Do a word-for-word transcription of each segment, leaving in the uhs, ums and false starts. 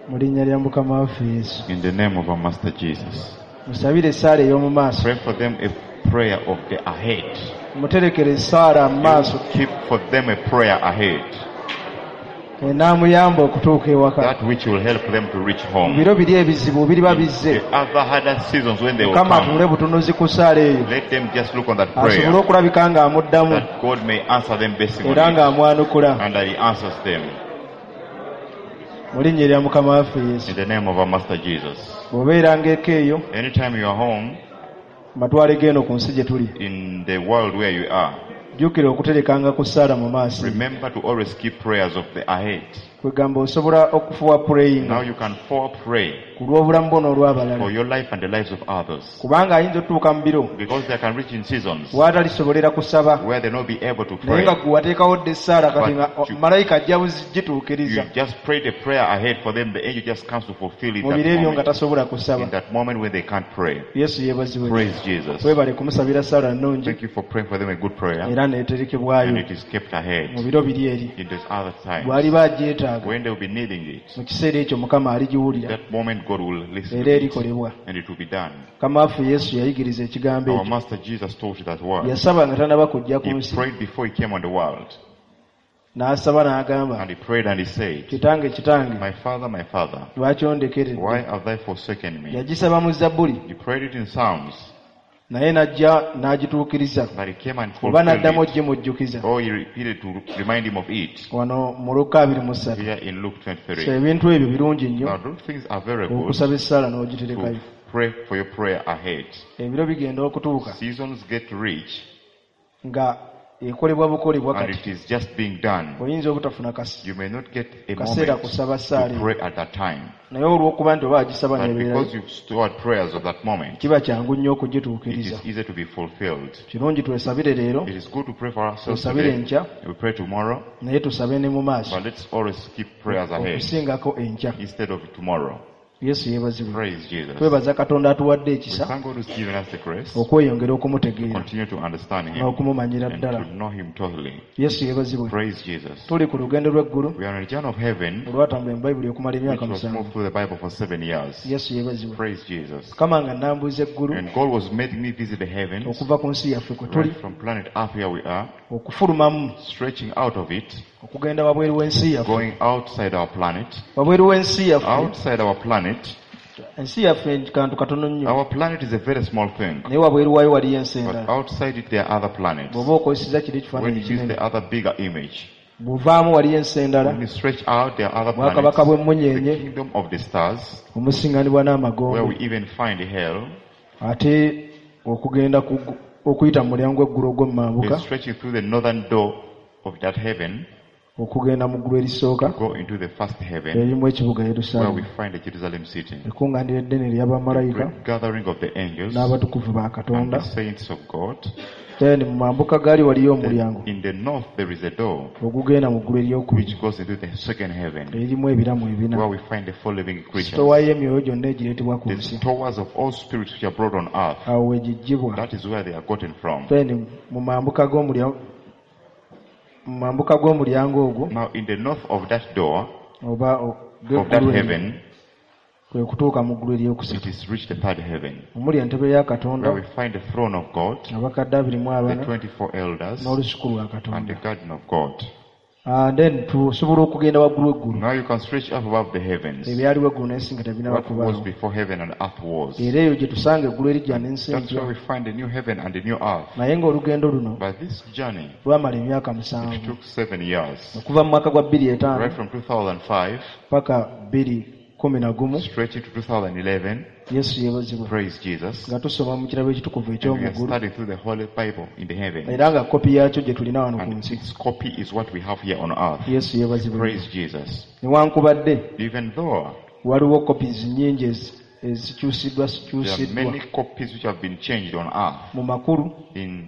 Mu linnya lya Mukama waffe Yesu. In the name of our Master Jesus. Musabire essaala ey'omu maaso. Pray for them a prayer of the ahead. Muterekere essaala mu maaso. Keep for them a prayer ahead. Enaamuyamba okutuuka ewaka. That which will help them to reach home. Biro biri ebizibu biriba bizze. The other harder seasons when they will Mukama come. atuule butunuzi ku ssaala eyo. Let them just look on that prayer. Asobole okulabika ng'amuddamu. That God may answer them based on Era it. ng'amwanukula. And that he answers them. Mu linnya erya Mukama waffe Yesu. In the name of our Master Jesus. Bw'obeeranga eka eyo. Anytime you are home. Matwale g'eno ku nsi gye tuli. In the world where you are. Jjukira okuterekanga ku ssaala mu maaso. Remember to always keep prayers of the ahead. Kwegamba osobola okufuwa praying. Now you can for pray. Ku lw'obulamu bwo n'olw'abalala. For your life and the lives of others. Kubanga ayinza otuuka mu biro. Because they can reach in seasons. W'atalisobolera kusaba. Where they not be able to pray. Naye nga gwe wateekawo dda essaala kati nga malayika ajja buzigituukiriza. You just pray the prayer ahead for them, the angel just comes to fulfill it. Mu biro ebyo nga tasobola kusaba. In that moment when they can't pray. Yesu yeebazibwe. Praise Jesus. Weebale kumusabira ssaala nnungi. Thank you for praying for them a good prayer. Era n'eterekebwayo. And it is kept ahead. Mu biro biri eri. In those other times. Bw'aliba agyetaaga. When they will be needing it. Mu kiseera ekyo Mukama aligiwulira. That moment God will listen Era to it. erikolebwa. And it will be done. Mukama waffe Yesu yayigiriza ekigambo Our ekyo. Master Jesus taught that word. Yasaba nga tannaba kujja ku He nsi. prayed before he came on the world. N'asaba n'agamba. And he prayed and he said, Kitange, kitange. My father, my father. Lwaki ondekeredde? Why have thou forsaken me? Yagisaba mu Zabbuli. He prayed it in Psalms. Naye n'ajja n'agituukiriza. But he came and Oba n'addamu fulfilled it. ogimujjukiza. Or he repeated to remind him of it. Wano mu Luka abiri mu ssatu. Here in Luke twenty-three. So ebintu ebyo birungi nnyo. Now those things are very good. Okusaba essaala n'ogiterekayo. To pray for your prayer ahead. Ebiro bigenda okutuuka. Seasons get rich. Nga ekolebwa bukolebwa And kati. it is just being done. Oyinza obutafuna kas- You may not get a kaseera moment kusaba ssaala to eyo. pray at that time. Naye olw'okuba nti oba agisaba But n'ebeerayo, because you've stored prayers of that moment, kiba kyangu nnyo it okugituukiriza. is easy to be fulfilled. Kirungi twesabire leero, It is good to pray for ourselves tusabire today. enkya, We pray tomorrow, naye tusabe ne mu maaso. but let's always keep prayers ahead Okusingako enkya. instead of tomorrow. Yesu yeebazibwe. Praise Jesus. Twebaza Katonda atuwadde We ekisa thank God who's given us the grace okweyongera okumutegeera continue to understand him n'okumumanyira and ddala. to know him totally. Yesu yeebazibwe. Praise Jesus. Tuli ku lugendo lw'eggulu We are on a journey of heaven olwatambula mu Bayibuli okumala which emyaka was musanvu. moved through the Bible for seven years. Yesu yeebazibwe. Praise Jesus. Mukama nga nnambuza eggulu And God was making me visit the heavens okuva ku nsi yaffe kwe tuli right from planet Earth where we are, okufulumamu stretching out of it, okugenda wabweru w'ensi yaffe. going outside our planet, Wabweru w'ensi yaffe. outside our planet. Ensi yaffe kantu katono nnyo. Our planet is a very small thing. Naye wabweru waayo waliyo ensi But endala. outside it there are other planets. Bw'oba okozesezza kiri When ekifaananyi you use kinene. the other bigger image, Bw'ovaamu waliyo ensi endala. when you stretch out there are other Obwakabaka planets, bw'emmunyeenye. the kingdom of the stars, Omusinganibwa n'amagombe. where we even find hell, Ate okugenda ku okuyita mu mulyango gw'eggulu ogw'emmambuka. is stretching through the northern door of that heaven, Okugenda mu ggulu erisooka. go into the first heaven, Erimu ekibuga where Yerusaalemi. we find the Jerusalem city. Ekkuŋŋaaniro eddene ery'abamalayika Great gathering of the angels n'abatukuvu ba and Katonda. the saints of God. Then mu mambuka gaali waliyo omulyango In the north there is a door ogugenda mu ggulu eryokubiri which goes into the second heaven, eririmu ebiramu ebina. where we find the four living creatures, Sitoowa y'emyoyo gyonna egireetebwa ku the nsi. stores of all spirits which are brought on earth. Awo we giggyibwa. That is where they are gotten from. Then mu mambuka g'omulyango mu mambuka g'omulyango ogwo Now in the north of that door, oba o- of that gw'eggulu eryo, heaven, kwe kutuuka mu ggulu eryokusatu. it is reached the third heaven, Omuli entebe ya Katonda where we find the throne of God, abakadde abiri mu the abana twenty-four elders, n'olusuku lwa and the Katonda. garden of God. Ah, then tusobola okugenda waggulu eggulu. Now you can stretch up above the heavens. Ebyaliwo eggulu n'ensi nga tebinnaba What was kubaawo. before heaven and earth was. Era eyo gye tusanga eggulu eriggya n'ensi That's empya. where we find the new heaven and the new earth. Naye ng'olugendo luno But this journey, lwamala emyaka it musanvu. took seven years. Okuva mu mwaka gwa bbiri etaano Right from two thousand five, paka bbiri kumi na gumu. stretching to two thousand eleven. Yesu yeebazibwe. Praise Jesus. Nga tusoma mu kirabo ekitukuvu And we are eky'omu ggulu. studying through the Holy Bible in the heaven. Era nga kopi yaakyo gye tulina wano ku And nsi. its copy is what we have here on earth. Yesu yeebazibwe. Praise Jesus. Newankubadde Even though waliwo copies nnyingi ezi-, ezikyusiddwa there are zikyusiddwa many copies which have been changed on earth mu makulu in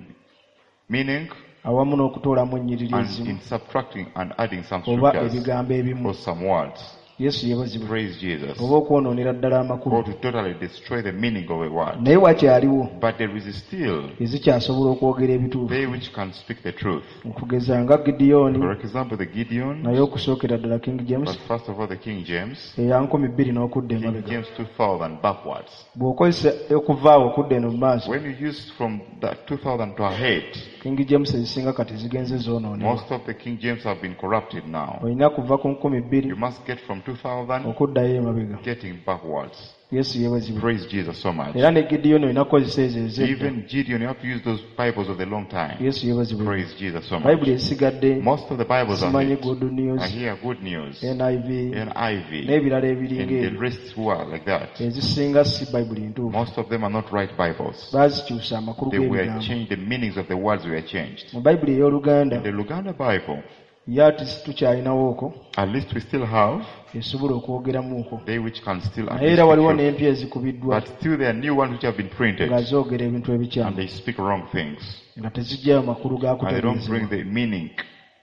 meaning awamu n'okutoolamu ennyiriri and ezimu in subtracting and adding some oba scriptures ebigambo ebimu. or some words. Yesu yeebazibwe. Praise Jesus. Oba okwonoonera ddala amakulu. Or to totally destroy the meaning of a word. Naye wakyaliwo But there is still ezikyasobola okwogera ebituufu. they which can speak the truth. Okugeza nga Gideoni, For example, the Gideon, naye okusookera ddala King James but first of all the King James, eya nkumi bbiri n'okudda King emabega. James two thousand backwards. Bw'okozesa okuvaawo okudda eno mu maaso, When you use from that two thousand to ahead, King James ezisinga kati zigenze zoonoonebwa. most of the King James have been corrupted now. Olina kuva ku nkumi bbiri You must get from two thousand okuddayo emabega. getting backwards. Yesu yeebazibwe. Praise Jesus so much. Era ne Gideoni olina kukozesa ezo ez'edda. Even Gideon, you have to use those Bibles of the long time. Yesu yeebazibwe. Praise Jesus so much. Bayibuli ezisigadde Most of the Bibles are simanyi here. Good I News, hear good news, N I V, N I V, n'ebirala ebiringa and the ebyo. rest who are like that. Ezisinga si Bayibuli ntuufu. Most of them are not right Bibles. Baazikyusa amakulu They were g'ebigambo. changed, the meanings of the words were changed. Mu Bayibuli ey'Oluganda, The Luganda Bible, ye ati tukyalinawo okwo, at least we still have esobola okwogeramu okwo. they which can still Naye era waliwo understand the truth. n'empya ezikubiddwa But still there are new ones which have been printed nga zoogera ebintu ebikyamu and they speak wrong things. nga teziggyayo makulu ga And they don't bring kutegeezebwa. the meaning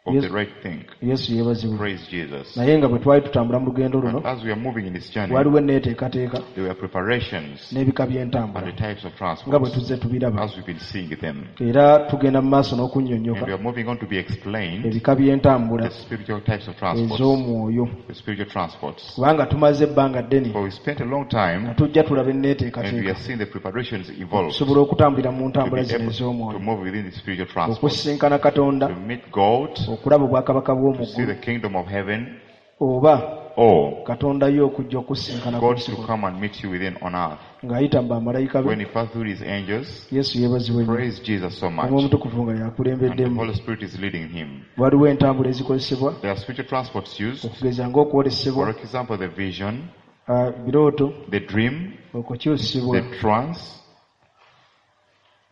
of Yes. the right thing. Yesu yeebazibwe. Praise Jesus. Naye nga bwe twali tutambula mu lugendo luno, But as we are moving in this journey, waliwo enneeteekateeka there were preparations n'ebika and by'entambula the types of nga bwe transports tuzze tubiraba. as we've been seeing them. Era tugenda mu maaso n'okunnyonnyoka And we are moving on to be explained ebika by'entambula the spiritual types of transports. ez'omwoyo. The spiritual transports. Kubanga tumaze ebbanga ddene For we spent a long time nga tujja tulaba and we enneeteekateeka are seeing the preparations involved okusobola okutambulira mu to ntambula be zino able to ez'omwoyo, move within the spiritual transports, okusisinkana Katonda, to meet God, okulaba obwakabaka bw'omu to see ggulu, the kingdom of heaven, oba or Katonda ye okujja okusisinkana ku God nsi to kuno come and meet you within on earth. ng'ayita mu bamalayika When be. he passed through his angels, Yesu yeebazibwe nnyo. praise Jesus so much. Omwoyo Omutukuvu nga And the yakulembeddemu. Holy Spirit is leading him. Waliwo entambula ezikozesebwa There are spiritual transports used. okugeza ng'okwolesebwa, For example, the vision, ah, birooto, the dream, okukyusibwa. the trance.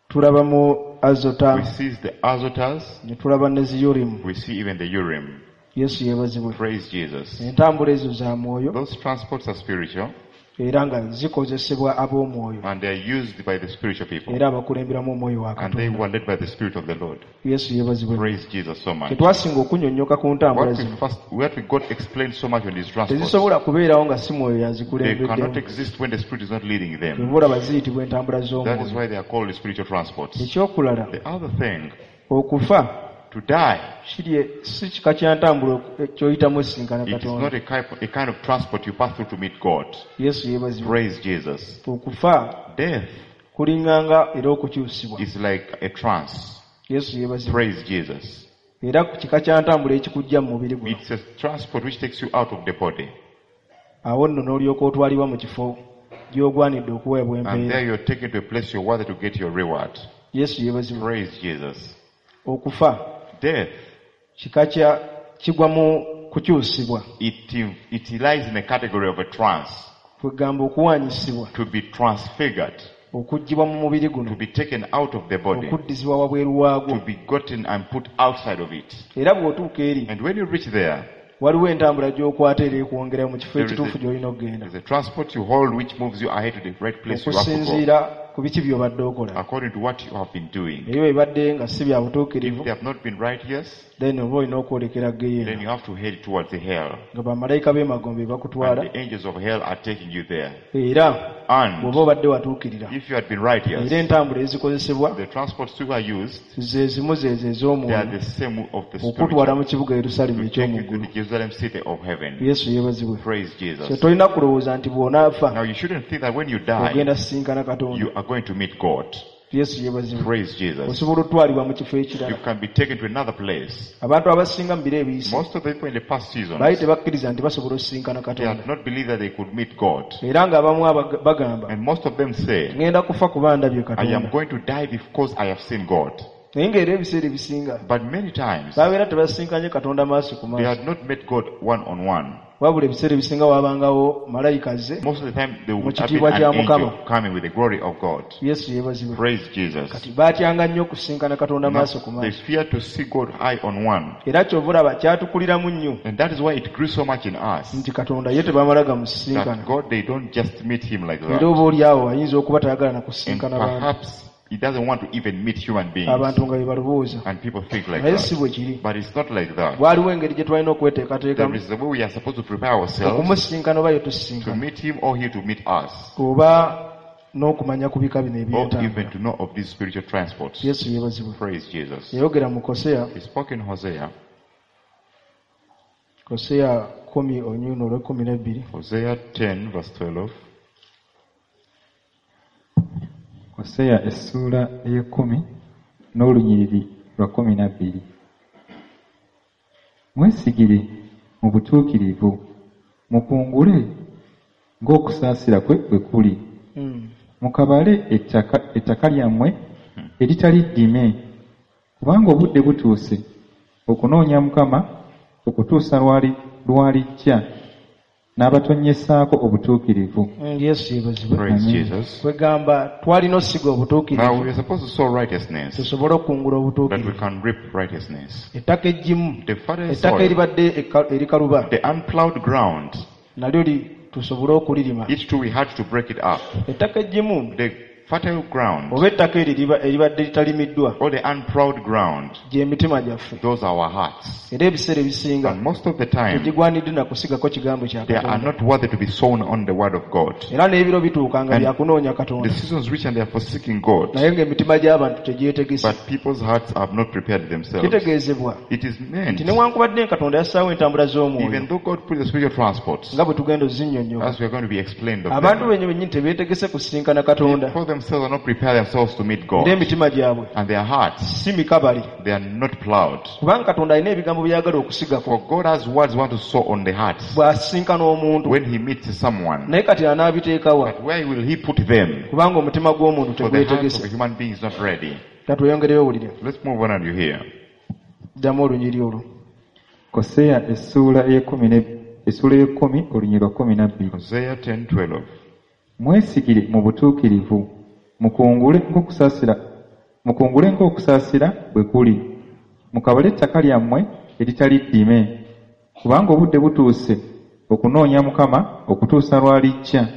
Tulaba mu Azota, We see the Azotas. ne tulaba ne Ziyurimu. We see even the Urim. Yesu yeebazibwe. Praise Jesus. Entambula ezo za mwoyo Those transports are spiritual era nga zikozesebwa ab'omwoyo and they are used by the spiritual people. era abakulemberamu omwoyo wa And they Katonda. were led by the Spirit of the Lord. Yesu yeebazibwe. Praise Jesus so much. Tetwasinga okunnyonnyoka ku ntambula What we zino first, what we got explained so much on these transports, tezisobola kubeerawo nga si mwoyo they yazikulembeddemu. cannot exist when the Spirit is not leading them. Kyova olaba ziyitibwa entambula That is z'omwoyo. why they are called spiritual transports. Ekyokulala, The other thing, okufa to die, kiri si kika kya ntambula ky'oyitamu osisinkana it is Katonda. not a kind, a kind of transport you pass through to meet God. Yesu yeebazibwe. Praise Jesus. Okufa Death kulinganga era okukyusibwa. is like a trance. Yesu yeebazibwe. Praise Jesus. Era ku kika kya ntambula ekikujja mu mubiri guno. It's a transport which takes you out of the body. Awo nno n'olyoka otwalibwa mu kifo gy'ogwanidde okuweebwa And empeera. there you're taken to a place you're worthy to get your reward. Yesu yeebazibwe. Praise Jesus. Okufa Death, kika kya kigwa mu kukyusibwa. it, it lies in a category of a trance. Kwegamba okuwanyisibwa, To be transfigured, okuggyibwa mu mubiri guno, to be taken out of the body, okuddizibwa wabweru waagwo. to be gotten and put outside of it. Era bw'otuuka eri, And when you reach there, waliwo entambula gy'okwata era ekwongera mu kifo There is a- ekituufu gy'olina okugenda. there's a transport you hold which moves you ahead to the right place you have to go, Okusinziira ku biki by'obadde okola. according to what you have been doing. Naye bw'ebadde nga si bya If butuukirivu, they have not been righteous, then oba olina okwolekera then geyeena you have to head towards the hell. nga bamalayika b'emagombe bakutwala And the angels of hell are taking you there. era And bw'oba obadde watuukirira if you had been righteous, era entambula ezikozesebwa the transports too are used, ze zimu zeezo they are ez'omwoyo the same of the okutwala spiritual mu kibuga Yerusaalemi to take you to eky'omu ggulu. the Jerusalem city of heaven. Yesu yeebazibwe. Praise So Jesus. tolina kulowooza nti bw'onaafa Now you shouldn't think that when you die, ogenda sisinkana Katonda. you are going to meet God. Yesu yeebazibwe. Praise Jesus. Osobola otwalibwa mu kifo You ekirala. can be taken to another place. Abantu abasinga mu biro ebiyise Most of the people in the past seasons, baali tebakkiriza nti basobola osisinkana they Katonda. had not believed that they could meet God. Era ng'abamu abag- bagamba And most of them say, ŋŋenda kufa kuba ndabye I am Katonda. going to die because I have seen God. Naye ng'era ebiseera ebisinga But many times, babeera tebasisinkanye Katonda maaso ku they maaso. had not met God one on one. Wabula ebiseera ebisinga waabangawo malayika ze Most of the time, they Mu would have been kitiibwa an kya angel Mukama. coming with the glory of God. Yesu yeebazibwe. Praise Jesus. Kati baatyanga nnyo okusisinkana Katonda Now, maaso ku they maaso. fear to see God eye on one. Era kyova olaba kyatukuliramu nnyo And that is why it grew so much in us. nti Katonda ye tebamala gamusisinkana. That God, they don't just meet him like Era that. oba oli awo ayinza okuba tayagala na And kusisinkana bantu. perhaps He doesn't want to even meet human beings. Abantu nga bye balowooza. And people think like Naye si that. bwe kiri. But it's not like that. Waliwo engeri gye twalina There okweteekateekamu is a way we are supposed to prepare ourselves okumusinkana oba ye to tusisinkana meet him or he to meet us. oba n'okumanya ku bika bino Or eby'entambula. even to know of these spiritual transports. Yesu yeebazibwe. Praise Jesus. Yayogera mu Koseya, He spoke in Hosea. Koseya kkumi olunyiriri olw'ekkumi n'ebbiri. Hosea ten verse twelve. Koseya essuula ey'ekkumi n'olunyiriri lwa kkumi na bbiri. Mwesigire mu butuukirivu, mukungule ng'okusaasira kwe bwe kuli. Mm. Mukabale ettaka, ettaka lyammwe eritali ddime, kubanga obudde butuuse okunoonya Mukama okutuusa lwali lwalijja n'abatonnyessaako obutuukirivu. Mm, Yesu yeebazibwe. Praise Amen. Jesus. Kwegamba twalina osiga Now we obutuukirivu are supposed to sow righteousness tusobole okukungula that we obutuukirivu. can reap righteousness. Ettaka eggimu, The fertile ettaka soil, eribadde eka- erikaluba the unplowed ground, nalyo li tusobole okulirima. it too we had to break it up. Ettaka eggimu The fertile ground oba ettaka eryo eriba- eribadde litalimiddwa or the unplowed ground, gy'emitima gyaffe. those are our hearts. Era ebiseera ebisinga And most of the time, tegigwanidde na kusigako kigambo kya they are Katonda. not worthy to be sown on the word of God. Era n'ebiro bituuka nga And byakunoonya The Katonda seasons reach and they are forsaking God, naye ng'emitima gy'abantu tegyetegese. but people's hearts have not prepared themselves. Kitegeezebwa It is meant, nti newankubadde Katonda yassaawo entambula z'omwoyo even though God put the spiritual transports, nga bwe tugenda ozinnyonnyola, as we are going to be explained of abantu them, bennyini bennyini tebeetegese kusisinkana Katonda for themselves are not prepared themselves to meet God, era emitima gyabwe and their hearts, si mikabali they are not plowed. kubanga Katonda alina ebigambo by'ayagala okusigako For God has words want to sow on the hearts bw'asisinkana omuntu when he meets someone. naye kati anaabiteekawa But where will he put them? kubanga omutima gw'omuntu For the heart of a tegwetegese. human being is not ready. Katweyongereyo owulire. Let's move on and you hear. Ddamu olunyiri olwo. Koseya essuula ey'ekkumi ne- essuula ey'ekkumi olunyiriri lwa kkumi na bbiri. Hosea ten twelve. Mwesigire mu butuukirivu, mukungule ng'okusaasira mukungule ng'okusaasira bwe kuli. Mukabale ettaka lyammwe eritali ddime, kubanga obudde butuuse okunoonya Mukama okutuusa lw'alijja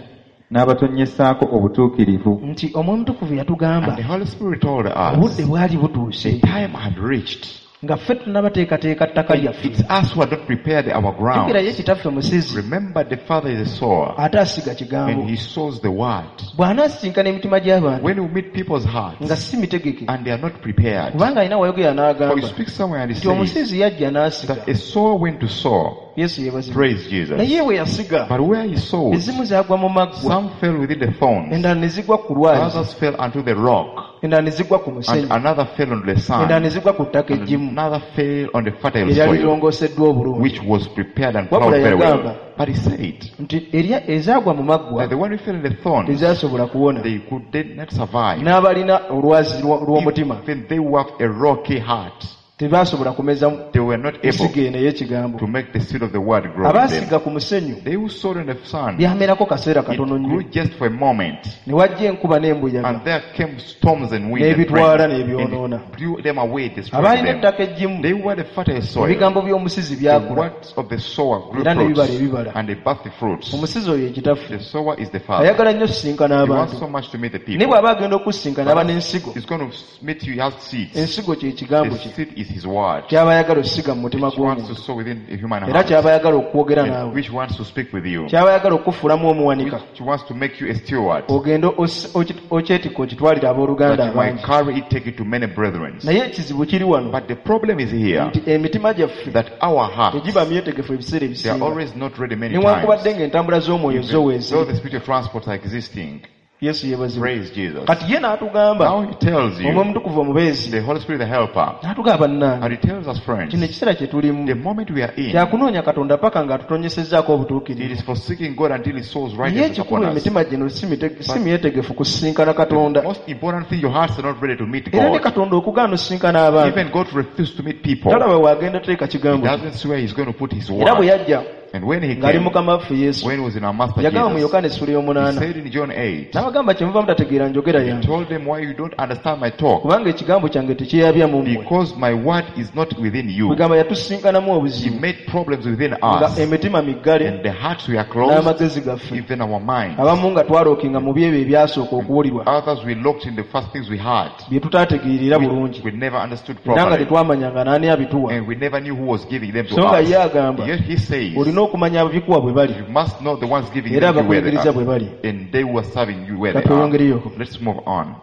n'abatonnyessaako obutuukirivu. Nti Omwoyo Omutukuvu yatugamba And the Holy Spirit told us obudde bwali butuuse the time had reached. nga ffe tunnabateekateeka ttaka lyaffe. It's us who had not prepared our ground. Jjukira ye kitaffe musizi Remember, the Father is a sower, ate asiga kigambo. and he sows the word. Bw'anaasisinkana emitima gy'abantu When we meet people's nga hearts si mitegeke and they are not prepared, kubanga alina wayogera for you n'agamba speak somewhere and he nti says omusizi yajja n'asiga. that a sower went to sow. Yesu yeebazibwe. Praise Jesus. Naye bwe yasiga But where he sowed, ezimu zaagwa mu maggwa some fell within the thorns, endala ne zigwa ku lwazi others fell unto the rock, endala ne zigwa ku and musenyu another fell on the endala sand, ne zigwa ku ttaka and eggimu another fell on the fertile eryali soil, lirongooseddwa obulungi. which was prepared and Wabula plowed very yagamba well. But he said nti erya ezaagwa mu maggwa that the one who fell in the thorns, tezaasobola kuwona they could did not survive. n'abalina olwazi lwo- lw'omutima Even they who have a rocky heart, tebaasobola kumeza they were not able nsigo eno ey'ekigambo. to make the seed of the word grow in them. Abaasiga ku musenyu They who sowed in the sand, byamerako kaseera it katono grew nnyo just for a moment. ne wajja enkuba n'embuyaga And there came storms and wind and n'ebitwala rain, and n'ebyonoona. it blew them away, destroyed Abaalina them. ettaka eggimu They were the fertile soil. ebigambo by'omusizi The byakula words of the sower grew era ne bibala fruits, ebibala. and they birthed the fruits. Omusizi oyo ye kitaffe The sower is the father. ayagala nnyo okusisinkana He wants abantu so much to meet the naye people. bw'aba agenda okusisinkana aba n'ensigo. He's going to meet you, he has seeds. Ensigo kye kigambo The kye seed is his word, ky'aba ayagala okusiga mu mutima which wants to gw'omuntu sow within a human era heart, ky'aba ayagala okwogera and naawe which wants to speak with you, ky'aba ayagala okukufuulamu omuwanika which wants to make you a steward, ogende osi- oki- okyetikka okitwalire abooluganda that you might abangi. carry it, take it to many brethren. Naye ekizibu kiri wano But the problem is here nti emitima gyaffe that our hearts, tegiba myetegefu ebiseera they are ebisinga always not ready many times. newankubadde ng'entambula z'omwoyo zo Even though weeziri. the spiritual transports are existing, Yesu yeebazibwe. praise Jesus. Kati ye n'atugamba Now he tells Omwoyo you, Omutukuvu omubeezi the Holy Spirit, the helper, n'atugamba bannange and he tells us, friends, kino ekiseera kye tulimu the moment we are in, kyakunoonya Katonda paka ng'atutonyesezzaako it obutuukirivu. is for seeking God until he sows Naye righteousness ekikulu upon us. emitima gino si mite- si myetegefu kusisinkana Katonda. The most important thing, your hearts are not ready to meet Era ne God. Katonda okugaana osisinkana abantu Even God refused to meet people. talaba w'agenda teeka He kigambo kye. doesn't see where he's going to put his Era bwe word. yajja And when he ng'ali came, mukama waffe Yesu, when he was in our master yagamba mu Jesus, Yokaana essuula he y'omunaana, said in John eight, n'abagamba kyemuva mutategeera njogera he yange, told them why you don't understand my talk, kubanga ekigambo kyange tekyeyabya mu mmwe. because my word is not within you. Kwegamba yatusinkanamu He obuzibu made problems within nga us, emitima miggale and the hearts were closed, n'amagezi gaffe, even our minds. abamu nga twalookinga mu byebyo ebyasooka okuwulirwa Others we locked in the first things we heard. bye tutaategeerera We, bulungi, we never understood era nga properly, tetwamanyanga n'ani abituwa. and we never knew who was giving them to So nga ye us. agamba Yet he says, olina okumanya ababikuwa bwe bali you must know the ones giving era them to where they abakuyigiriza bwe are, bali. and they who are serving you where they are. Katweyongereyoko. Let's move on.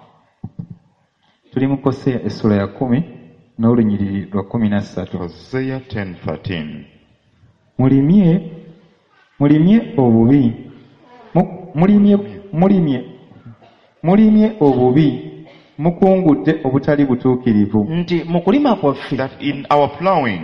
Tuli mu Koseya essuula ya kkumi n'olunyiriri lwa kkumi na ssatu. Hosea ten thirteen. Mulimye mulimye obubi Mu- mulimye mulimye mulimye obubi mukungudde obutali butuukirivu. Nti mu kulima kwaffe That in our plowing,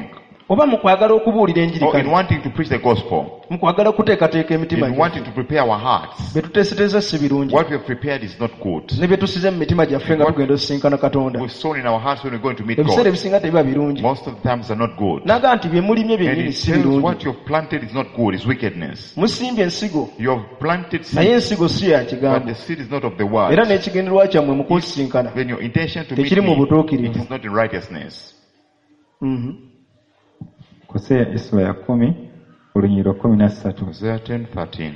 oba mu kwagala okubuulira enjiri or in kale, wanting to preach the gospel, mu kwagala okuteekateeka emitima in gyaffe, wanting to prepare our hearts, bye tuteeseteeza si birungi, what we have prepared is not good. ne bye tusize mu mitima gyaffe nga tugenda osisinkana Katonda, We've sown in our hearts when we're going to meet ebiseera God. ebisinga tebiba birungi. Most of the times are not good. N'agamba nti bye mulimye And byennyini it si tells birungi. what you've planted is not good, it's wickedness. Musimbye ensigo, You have planted naye seed, ensigo si ya but kigambo, the seed is not of the era word. n'ekigendererwa kyammwe mu kunsisinkana Then your intention to meet tekiri mu me, it butuukirivu. is not in righteousness. Mhm. Koseya essuula ya kkumi olunyiriri lwa kkumi na ssatu. Hosea ten thirteen.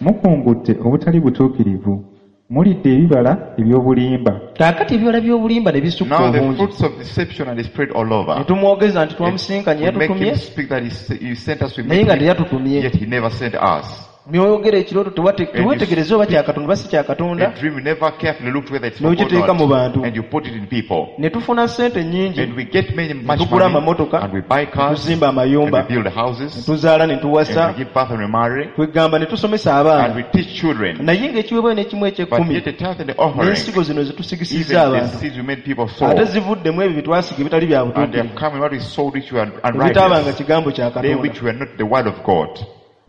Mukungudde obutali butuukirivu, mulidde ebibala eby'obulimba. Kaakati ebibala by'obulimba ne bisukka Now the obungi, fruits of deception are spread all ne over. tumwogeza nti twamusinkanye, We make yatutumye, him speak that he, s- he sent us, we naye met nga him, teyatutumye. yet he never sent us. By'oyogera ekirooto tewate- And teweetegereza oba kya Katonda oba si kya Katonda, A dream you never carefully looked whether it's for God N'okiteeka or mu not, bantu. and you put it in people. Ne tufuna ssente nnyingi, And we get many much tugula money, amamotoka, and we buy cars, tuzimba and amayumba, we build ne houses, tuzaala ne and tuwasa, we give birth and we marry, kwegamba ne tusomesa and abaana, we teach children. naye ng'ekiweebwayo n'ekimu But eky'ekkumi yet the tithe and the offering, n'ensigo zino ze tusigisizza even the abantu, seeds we made people sow, ate zivuddemu ebyo bye twasiga ebitali bya and they have butuukirivu, come in what we sowed which were ebitabanga unrighteous, kigambo kya they Katonda. which were not the word of God.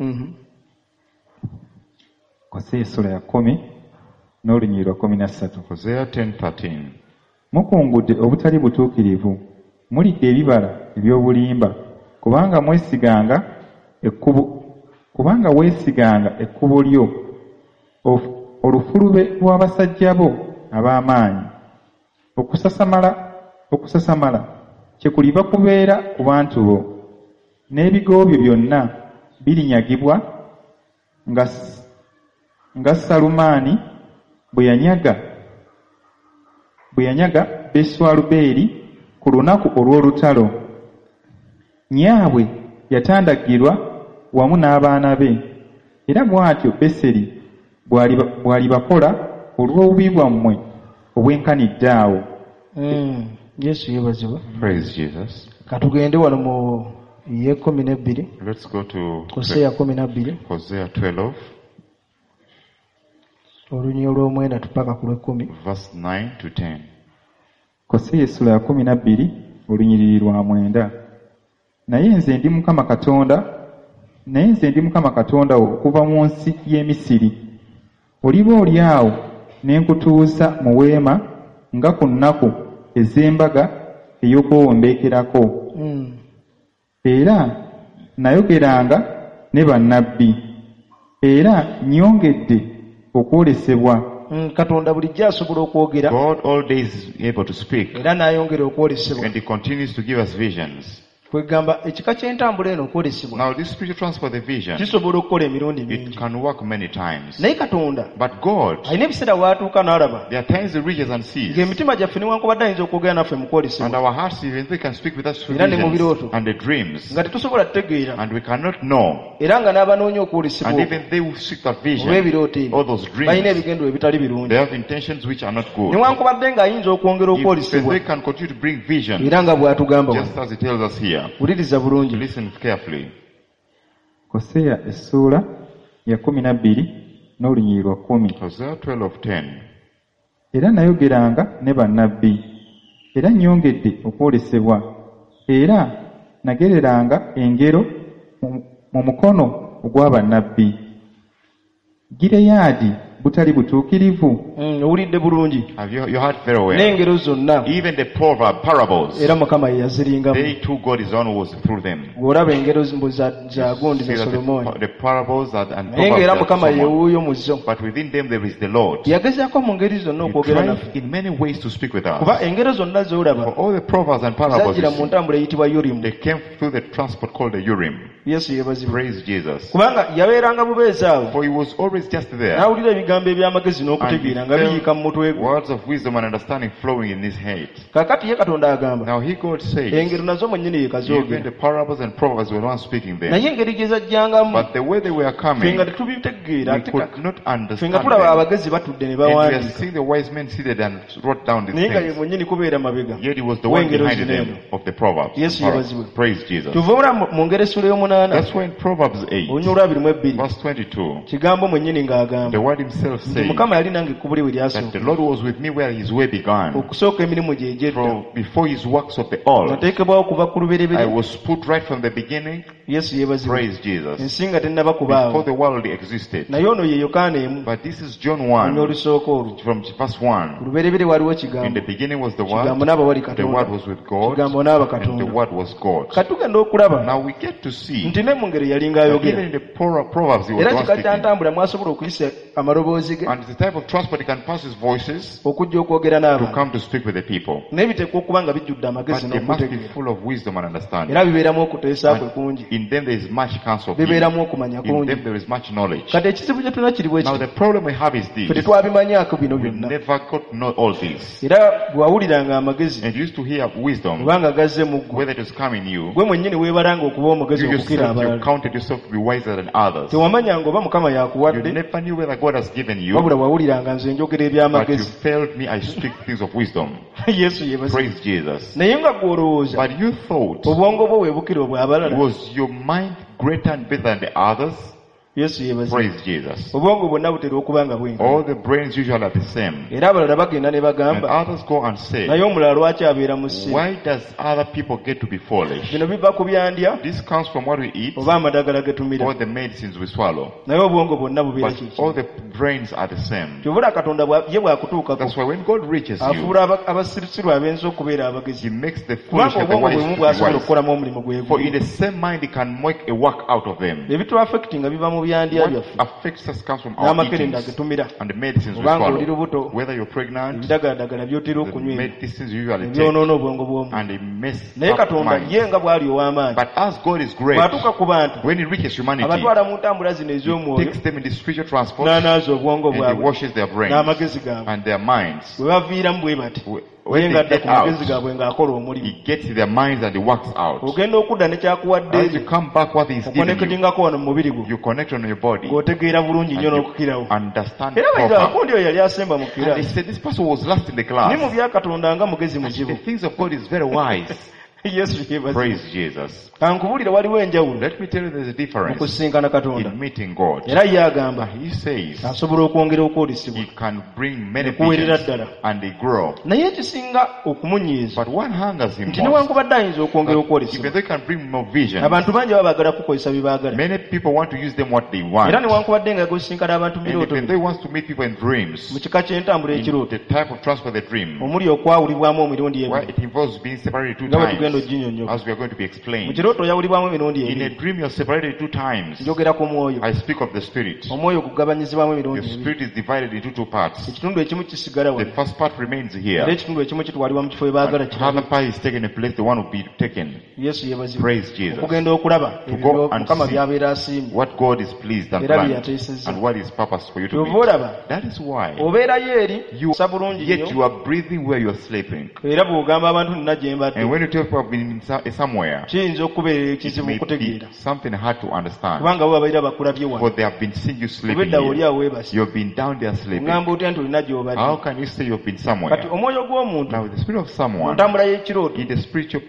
Mhm. Koseya essuula ya kkumi n'olunyiriri lwa kkumi na ssatu. Hosea ten thirteen. Mukungudde obutali butuukirivu, mulidde ebibala eby'obulimba, kubanga mwesiganga ekkubo kubanga weesiganga ekkubo lyo, of- olufulube lw'abasajja bo ab'amaanyi. Okusasamala okusasamala kyekuliva kubeera ku bantu bo, n'ebigo byo byonna birinyagibwa nga S- nga Salumaani bwe yanyaga bwe yanyaga Beswalubeeri ku lunaku olw'olutalo. Nnyaabwe yatandagirwa wamu n'abaana be, era bw'atyo Beseri bw'aliba- bw'alibakola olw'obubi bwammwe obwenkanidde awo. Mm. Yesu yeebazibwe. Praise Jesus. Katugende wano mu y'ekkumi n'ebbiri, Let's go to Koseya kkumi na bbiri, Hosea twelve, olunyiriri olw'omwenda tupaka ku lw'ekkumi. verse nine to ten. Koseya essula ya kkumi na bbiri olunyiriri lwa mwenda. Naye nze ndi Mukama Katonda, naye nze ndi Mukama Katonda wo okuva mu nsi y'e Misiri. Oliba oli awo ne nkutuuza mu weema nga ku nnaku ez'embaga ey'okwewombeekerako. Mm. Era nayogeranga ne bannabbi, era nnyongedde okwolesebwa. Mm, Katonda bulijjo asobola okwogera God all days is able to speak, era n'ayongera okwolesebwa. and he continues to give us visions. Kwegamba ekika ky'entambula eno okwolesebwa Now this spiritual transfer, the vision, kisobola okukola emirundi it mingi, can work many times. naye Katonda But God, alina ebiseera w'atuuka n'alaba there are times he reaches and sees, ng'emitima gyaffe newankubadde ayinza okwogera naffe mu and kwolesebwa, our hearts, even they can speak with us through Era ne mu visions birooto. and the dreams, nga tetusobola kutegeera, and we cannot know. era nga n'abanoonya okwolesebwa And okwo even they who seek that vision, olw'ebirooto ebyo all those balina dreams, ebigendero ebitali birungi, they have intentions which are not good. newankubadde ng'ayinza okwongera If okwolesebwa they can continue to bring vision, era nga bw'atugamba wano. just as he tells us here. Wuliriza bulungi. Listen carefully. Koseya essuula ya kkumi na bbiri n'olunyiriri lwa kkumi. Hosea twelve ten. Era nayogeranga ne bannabbi, era nnyongedde okwolesebwa, era nagereranga engero mu- mu mukono ogwa bannabbi. Gireyaadi butali butuukirivu, Mm, owulidde bulungi Have you, you heard very well? N'engero zonna Even the proverb, parables, era Mukama ye yaziringamu. They too, God is the one who was through them. Bw'olaba engero mbu za za gundi See za that Solomooni the, the parables are, and naye ng'era proverbs are Mukama Solomon. yewuuyo mu zo. But within them there is the Lord. Yagezaako mu ngeri zonna He okwogera naffe tried in many ways to speak with kuba us. engero zonna z'olaba For all the proverbs and parables, zajjira you mu see, ntambula eyitibwa Yurimu. They came through the transport called the Urim. Yesu yeebazibwe. Praise Jesus. Kubanga yabeeranga bubeezi awo For he was always just there. n'awulira ebigambo eby'amagezi And n'okutegeera he nga biyiika mu mutwe felt gwe. words of wisdom and understanding flowing in his head. Kaakati ye Katonda agamba Now he, God, says, engero nazo mwennyini ye even kazoogera the parables and proverbs were not speaking them. naye engeri gye zajjangamu But the way they were ffe coming, nga tetubitegeera we ate could ka- not ffe understand nga tulaba them. abagezi batudde ne And we are bawandiika seeing the wise men seated and wrote down these naye nga ye things. mwennyini kubeera mabega Yet he was the one w'engero behind zino them eno. of the Proverbs. Yesu yeebazibwe. Praise Jesus. Kyova olaba mu- mu ngero essula y'omunaana That's why in Proverbs eight, olunya olwabiri mu ebbiri verse twenty-two, kigambo mwennyini ng'agamba the word himself nti says Mukama yali nange ekkubo lye we that the lyasooka Lord was with me where his way began. okusooka emirimu gye egy'edda From before his works of the old, nateekebwawo kuva ku I lubereberye. was put right from the beginning. Yesu yeebazibwe. Praise Jesus. Ensi nga tennaba Before kubaawo the world existed. naye ono ye Yokaana emu But this is John olunya one, olusooka olwo from verse ku one. lubereberye waliwo In kigambo the beginning was the kigambo Word, n'aba wali the Katonda Word was with God, kigambo n'aba and the Katonda. Word was God. Kati tugenda okulaba Now we get to see nti ne mu ngero yalinga that ayogera even in the Pro- Proverbs he was era the one kika kya speaking. ntambula mwasobola okuyisa amaloboozi ge And it's the type of transport he can pass his voices okujja okwogera to n'abantu come to speak with the people. naye biteekwa okuba nga bijjudde But amagezi they must be n'okutegeera full of wisdom and understanding. era bibeeramu okuteesa kwe kungi And in them there is much counsel. of him. bibeeramu okumanya In kungi. them there is much knowledge. Kati ekizibu kye tulina kiri bwe Now kiti the problem we have is ffe this. tetwabimanyaako bino We byonna never got to know all this. era bw'awuliranga amagezi And you used to hear wisdom, obanga gazze mu ggwe whether it was coming you, gwe mwennyini weebalanga okuba omugezi you okukira yourself, you abalala counted yourself to be wiser than others. tewamanyanga oba Mukama You yakuwadde never knew whether God has given you, wabula wawuliranga nze njogera but you eby'amagezi. failed me, I speak things of wisdom. Yesu yeebazibwe. Praise Jesus. Naye nga gwe olowooza But you thought, obwongo bwo weebukira obw'abalala. was your mind greater and better than the others? Yesu yeebazibwe. Praise Jesus. Obwongo bwonna butera okuba nga bwenkana All the brains usually are the same. era abalala bagenda ne And bagamba others go and say, naye omulala lwaki abeera mu ssimu why does other people get to be foolish? bino biva ku byandya This comes from what we eat oba amadagala ge tumira or the medicines we swallow. naye obwongo bwonna bubeera But kiki all the brains are the same. kyobula Katonda bwa- ye bw'akutuukako That's why when God reaches you, afuula aba- abasirusiru ab'ensi okubeera abagezi He makes the foolish kubanga and the obwongo wise bwe bumu to be bw'asobola wise. okukolamu omulimu gwe For in gumu the same mind, He can make a work out of them. Ebituaffectinga biva mu byandya What byaffe affects us comes from our n'amakerenda eatings ge tumira and the medicines we obanga oli swallow. lubuto Whether you're pregnant, ebidagaladagala by'otera the okunywa ebyo medicines you usually take, ebyonoona obwongo bw'omuntu and they mess naye up Katonda minds. ye nga bw'ali ow'amaanyi But as God is great, bw'atuuka ku bantu when He reaches humanity, abatwala mu ntambula zino He ez'omwoyo takes them in the spiritual transport n'anaaza obwongo and He bwabwe washes their brains n'amagezi gaabwe and their minds. bwe baviiramu bwe bati When ye they ng'adda get ku magezi out, gaabwe ng'akola omulimu He gets in their minds and He works out. ogenda okudda ne kyakuwadde As you come back, what He's given you, okonekitingako wano mu mubiri gwo you connect on your body ng'otegeera bulungi and nnyo you n'okukirawo understand era bayita proper. akundi oyo yali asemba mu And they kiraasi said this person was last in the ne mu class. bya Katonda nga mugezi The muzibu. things of God is very wise. Yesu yeebazibwe. Praise Jesus. Kankubuulire waliwo enjawulo Let me tell you there's a mu difference kusisinkana Katonda in meeting God. era ye agamba He says asobola okwongera okwolesebwa He can bring many Nekuweerera visions ddala. and they grow. Naye ekisinga okumunyiiza But what hungers him nti most, newankubadde ayinza okwongera that okwolesebwa even they can bring more visions, abantu bangi baba baagala kukozesa bye baagala many people want to use them what they want. era newankubadde nga gosisinkana abantu mu And birooto even bino they want to meet people in dreams, mu kika ky'entambula in ekirooto the type of transport they dream, omuli okwawulibwamu emirundi where ebiri it involves being separated two nga bwe tugenda times, oginyonnyoka as we are going to be mu explained. kirooto oyawulibwamu emirundi In a ebiri dream, you're separated two times. Njogera ku mwoyo I speak of the spirit. omwoyo gugabanyizibwamu The emirundi ebiri spirit is divided into two parts. ekitundu ekimu kisigala The wano first part remains era here. ekitundu ekimu kitwalibwa mu kifo we baagala And the kirabe other part is taken a place, the one will be taken. Yesu yeebazibwe. Praise Jesus. Okugenda okulaba To ebyo go and Mukama see by'abeera asiimye what God is pleased and era bye planned yateesezza and what is purpose for you to kyova meet. olaba That is why obeerayo eri you, sa bulungi yet nnyo you are breathing where you are sleeping. Era bw'ogamba abantu nina gye mbadde And when you tell people have been in so- somewhere, kiyinza okubeera it ekizibu may be okutegeera something hard to understand. kubanga bo babeera bakulabye wano For they have been seeing you oba sleeping edda oli here. awo weebase You've been down there sleeping. oŋŋamba otya nti olina gy'obadde How can you say you've been kati somewhere? omwoyo gw'omuntu Now, the spirit of mu someone ntambula y'ekirooto in the spiritual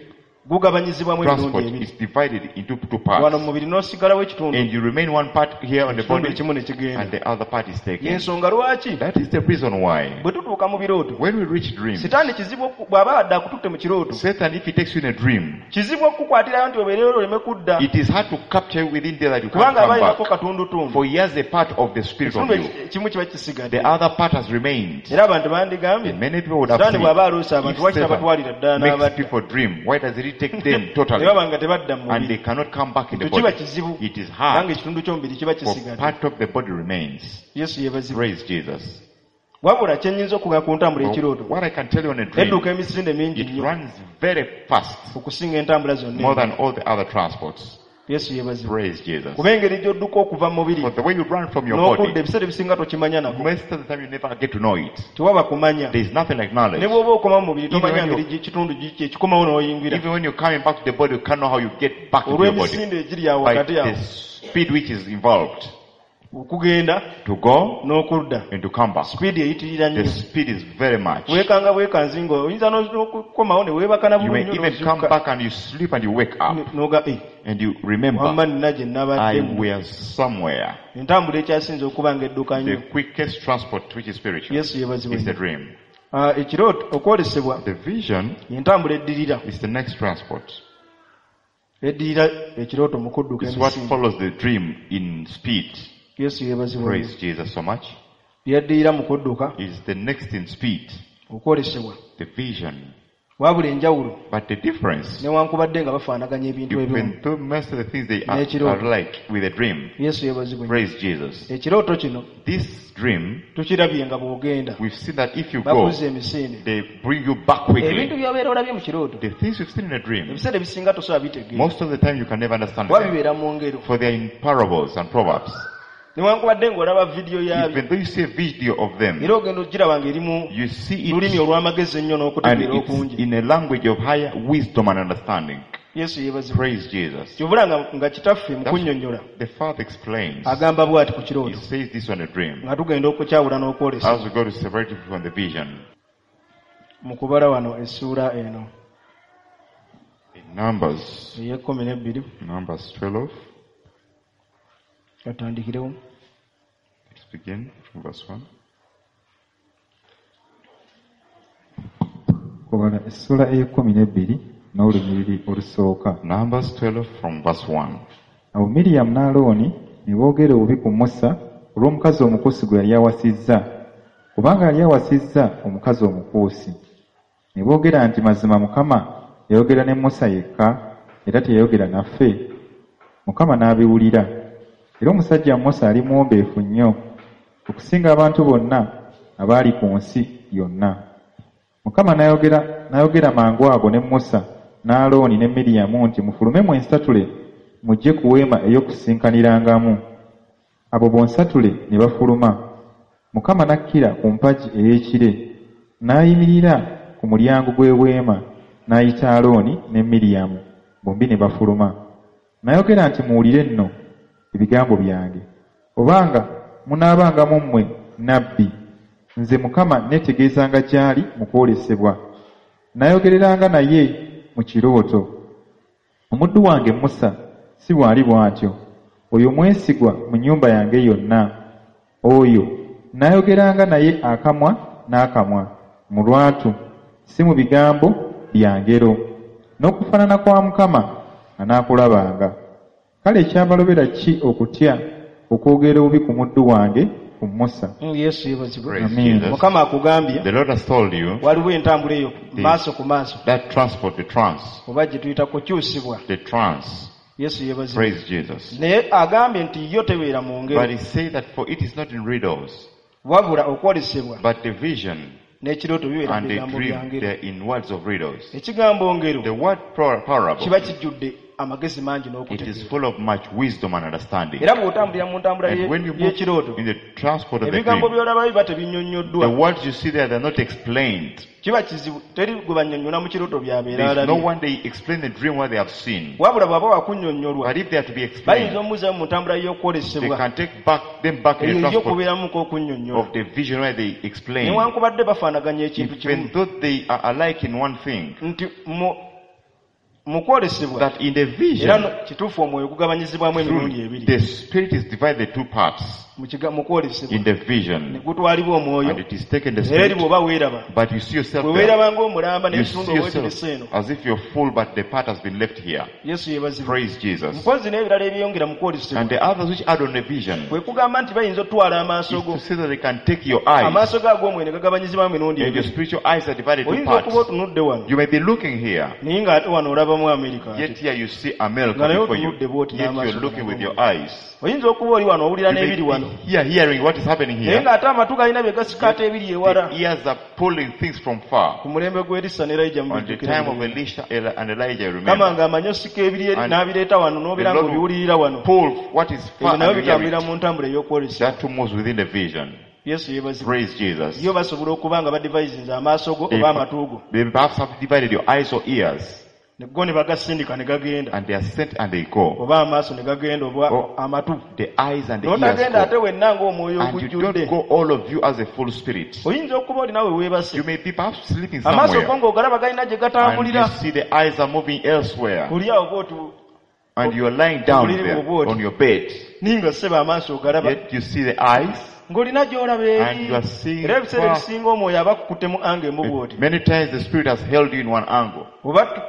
Gugabanyizibwamu emirundi Transport ebiri. is divided into two Wano mu parts. mubiri n'osigalawo ekitundu And you remain one part here on the ekitundu body ekimu ne kigenda. and the other part is taken. Yensonga lwaki That is the reason why bwe tutuuka mu birooto when we reach dreams, sitaani kizibu oku- bw'aba adde akututte mu kirooto Satan, if he takes you in a dream, kizibu okukukwatirayo nti obeereyo oleme kudda it is hard to capture you within there that you can't kubanga aba come alinako back. katundutundu For he has a part of the spirit of ekitundu you. eki- ekimu kiba kisigadde The other part has remained. era abantu bandigambye And many people would have sitaani said, bw'aba aloose abantu if lwaki Satan tabatwalira ddala makes n'abadda people dream, why does he take them totally? ne baba nga tebadda mu And they mubiri cannot come back in the ekyo kiba body. kizibu It is kubanga hard ekitundu ky'omubiri kiba for kisigadde part of the body remains. Yesu yeebazibwe Praise Jesus. wabula kye nnyinza okugamba ku ntambula But ekirooto what I can tell you on a dream, edduka emisinde mingi it nnyo runs very fast, okusinga entambula zonna more than all the other transports. Yesu yeebazibwe Praise Jesus. kuba engeri gy'odduka okuva mu mubiri For the way you run from your n'okudda body, ebiseera ebisinga tokimanya nako most of the time you never get to know it. tewaba kumanya There is nothing like knowledge. ne bw'oba okoma mu mubiri Even tomanya when ngeri gi- kitundu giki ekikomawo n'oyingira Even when you're coming back to the body, you can't know how you get back into your body. olw'emisinde egiri awo By wakati awo the speed which is involved okugenda to go n'okudda and to come back. sipiidi eyitirira The nnyo speed is very much. weekanga bwekanzi nga oyinza n'okukomawo ne weebaka na You may bulungi even come back and you sleep and you wake up n'oga "Eh, and you wamma remember, nina gye I nabaddemu was somewhere. entambula ekyasinze okuba nga edduka The nnyo quickest transport, which is spiritual, Yesu yeebazibwe is the nnyo. dream. Ah, ekirooto okwolesebwa The vision entambula eddirira is the next transport. eddirira ekirooto mu kudduka It's what emisinde follows the dream in speed. Yesu yeebazibwe nnyo. Praise Jesus so much. Lyaddirira mu kudduka Is the next in speed. okwolesebwa The vision. wabula enjawulo But the difference, newankubadde nga bafaanaganya ebintu ebimu even though most of the things they are, N'ekirooto. are like with a dream. Yesu yeebazibwe nnyo. Praise Jesus. Ekirooto kino This dream, tukirabye nga bw'ogenda we've seen that if you go, bakuzza emisinde they bring you back ebintu quickly. by'obeera olabye mu kirooto The things you've seen in a dream, ebiseera ebisinga tosobola bitegeera most of the time you can never understand kuba them. bibeera mu ngero For they are in parables and proverbs. newankubadde ng'olaba vidiyo yaabyo Even though you see a video of them, era ogenda ogiraba ng'eri mu you see lulimi it olw'amagezi ennyo and n'okutegeera it's okungi in a language of higher wisdom and understanding. Yesu yeebazibwe Praise Jesus. kyovula nga, nga kitaffe mu That's- kunnyonnyola The Father explains. agamba bw'ati ku He kirooto says this on a dream. nga tugenda okukyawula n'okwolesa As we go to separate it from the vision. mu kubala wano essuula eno In Numbers, ey'ekkumi n'ebbiri Numbers twelve, katandikirewo let's begin from verse one. Kubala essuula ey'ekkumi n'ebbiri n'olunyiriri olusooka. Numbers twelve from verse one. Awo Miriyamu ne Alooni ne boogera obubi ku Musa olw'omukazi Omukuusi gwe yali awasizza, kubanga yali awasizza omukazi Omukuusi. Ne boogera nti mazima Mukama yayogera ne Musa yekka era teyayogera naffe. Mukama n'abiwulira. Era omusajja Musa yali muwombeefu nnyo okusinga abantu bonna abaali ku nsi yonna. Mukama n'ayogera n'ayogera mangu ago ne Musa ne Alooni ne Miriyamu nti mufulume mwensatule mujje ku weema ey'okusisinkanirangamu. Abo bonsatule ne bafuluma. Mukama n'akkira ku mpagi ey'ekire n'ayimirira ku mulyango gw'eweema n'ayita Alooni ne Miriyamu bombi ne bafuluma. N'ayogera nti muwulire nno ebigambo byange. Obanga munaabanga mu mmwe nabbi, nze Mukama neetegeezanga gy'ali mu kwolesebwa. N'ayogereranga naye mu kirooto. Omuddu wange Musa si bw'ali bw'atyo. Oyo mwesigwa mu nnyumba yange yonna. Oyo n'ayogeranga naye akamwa n'akamwa mu lwatu, si mu bigambo bya ngero. N'okufaanana kwa Mukama anaakulabanga. Kale ekyabalobera ki okutya okwogera obubi ku muddu wange ku Musa? Mm, Yesu yeebazibwe Praise Amen. Jesus. Mukama akugambye The Lord has told you waliwo entambula eyo maaso ku maaso that transport, the trance, oba gye tuyita kukyusibwa the trance. Yesu yeebazibwe Praise Jesus. naye agambye nti yo tebeera mu ngero But he said that for it is not in riddles, wabula okwolesebwa but the vision n'ekirooto bibeera mu and the bigambo bya dream, ngero they are in words of riddles. ekigambo ngero The word par- parable, kiba kijjudde amagezi mangi it is n'okutegeera full of much wisdom and understanding. era bw'otambulira mu ntambula And ye- when you move y'ekirooto in the transport of the ebigambo dream, by'olaba biba the tebinnyonnyoddwa words you see there, they're not explained. kiba kizibu teri gwe bannyonnyola mu kirooto by'abeera There is no alabye one they explain the dream what they have seen. wabula bw'aba wakunnyonnyolwa But if they are to be bayinza explained, omuzzaayo mu ntambula they y'okwolesebwa can take back them back in eyo the ejja transport okubeeramuko okunnyonnyola of the vision where they explain. newankubadde bafaanaganya ekintu kimu Even though they are alike in one thing, nti mu Mu kwolesebwa That in the era vision, no- kituufu omwoyo gugabanyizibwamu emirundi truly, ebiri the spirit is divided two parts Mu kiga- mu kwolesebwa in the ne vision. gutwalibwa omwoyo And it is taken the eri spirit, bw'oba weeraba but you see yourself bwe there. weeraba ng'omulamba You n'ekitundu see oba yourself ekirese eno as if you're full, but the part has been left here. Yesu yeebazibwe. Praise Jesus. Mpozi n'ebirala ebyeyongera mu kwolesebwa And the others which add on the vision kwe kugamba nti bayinza otwala amaaso is go to say that they can take your eyes, amaaso go ag'omwoyo ne gagabanyizibwamu emirundi and your ebiri spiritual eyes are divided two oyinza okuba parts. otunudde wano You may be looking here, naye ng'ate wano olabamu Amerika ate yet here you see America Nga naye before you. otunudde bw'oti Yet n'amaaso you're looking with gano. your eyes. Oyinza okuba oli wano owulira You may n'ebiri wano be here hearing what is happening naye here. ng'ate amatu galina bye gasika ate ebiri ewala The ears are pulling things from far. Ku mulembe gw'Erisa ne Erayija On the mubijjukira time of Elisha and Elijah, you kama remember. ng'amanyi osika ebiri eri And n'abireeta wano n'obeera the Lord ng'obiwulirira wano Pull what is ebyo far nabyo and you hear bitambulira it. mu ntambula ey'okwolesebwa. That too moves within the vision. Yesu yeebazibwe. Praise Jesus. Yo basobola okuba nga badivayizinze amaaso go They, oba amatu go they perhaps have divided your eyes or ears, ne go ne bagasindika ne gagenda and they are sent and they go. oba amaaso ne gagenda oba Oh. amatu The eyes and the ears n'otagenda ate go. wenna ng'omwoyo And you ogujjudde don't go all of you as a full spirit. oyinza okuba oli naawe weebase You may be perhaps sleeping amaaso go somewhere, ng'ogalaba galina gye and you gatambulira see the eyes are moving elsewhere, oli awo bw'oti and you are lying down there on your bed. ninga ssebo amaaso ogalaba Yet you see the eyes, ng'olina gy'olaba eri and you are seeing era ebiseera far. ebisinga omwoyo aba akukuttemu anga emu bw'oti Many times the spirit has held you in one angle. oba tu-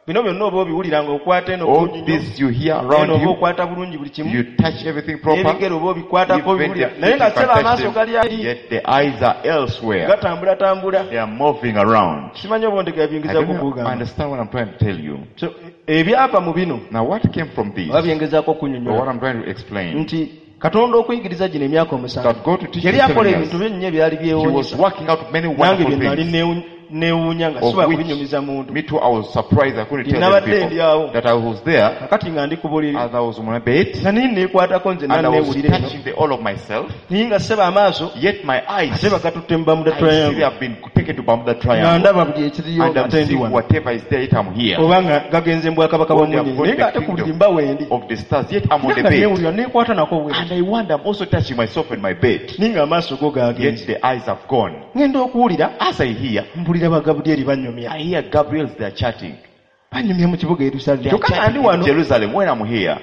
bino byonna oba obiwulira ng'okwata eno All bulungi nnyo this you hear eno around oba you, okwata bulungi buli kimu you touch everything proper. n'ebigere oba obikwatako Even obiwulira the naye feet nga you can ssebo touch amaaso gali them, eri yet the eyes are elsewhere. gatambulatambula They are moving around. simanyi oba ondega I byingiza don't know, kukugamba understand what I'm trying to tell you. So, ebyava mu bino Now, what came from this, oba byengezaako or what okunyonyola I'm trying to explain, nti Katonda okuyigiriza gino emyaka omusanvu that God to teach yali you seven akola years, ebintu bingi ebyali He was byewuunyisa working out many nange wonderful bye nali things. neewu- neewuunya nga Of sobola which kubinyumiza muntu Me too, I was surprised. I couldn't tell them Nabadde ndi awo. people that I was there kakati nga ndi ku buliri as I was on my bed nga naye neekwatako nze and I was naneewulira eno touching the all of myself. naye nga ssebo amaaso Yet my eyes, ate bagatutte mu Bermuda I see they Triangle have been taken to Bermuda nga Triangle. ndaba buli ekiriyo And nga I'm ate ndi seeing wano whatever is there, yet I'm here. oba nga gagenze mu bwakabaka bwa Or they have munyenye gone naye to nga the ate ku buliri kingdom mba wendi of the stars, yet I'm on naye the nga bed. neewulira neekwata nako bwe And I wonder, I'm also touching myself in my bed. naye nga amaaso go Yet gagenze the eyes have gone. ŋŋenda okuwulira As I hear, mpulira ba Gabulyeri banyumya I hear Gabriel's they are chatting. banyumya mu kibuga Yerusaalemi They are kyokka nga ndi chatting in wano Jerusalem when I'm here.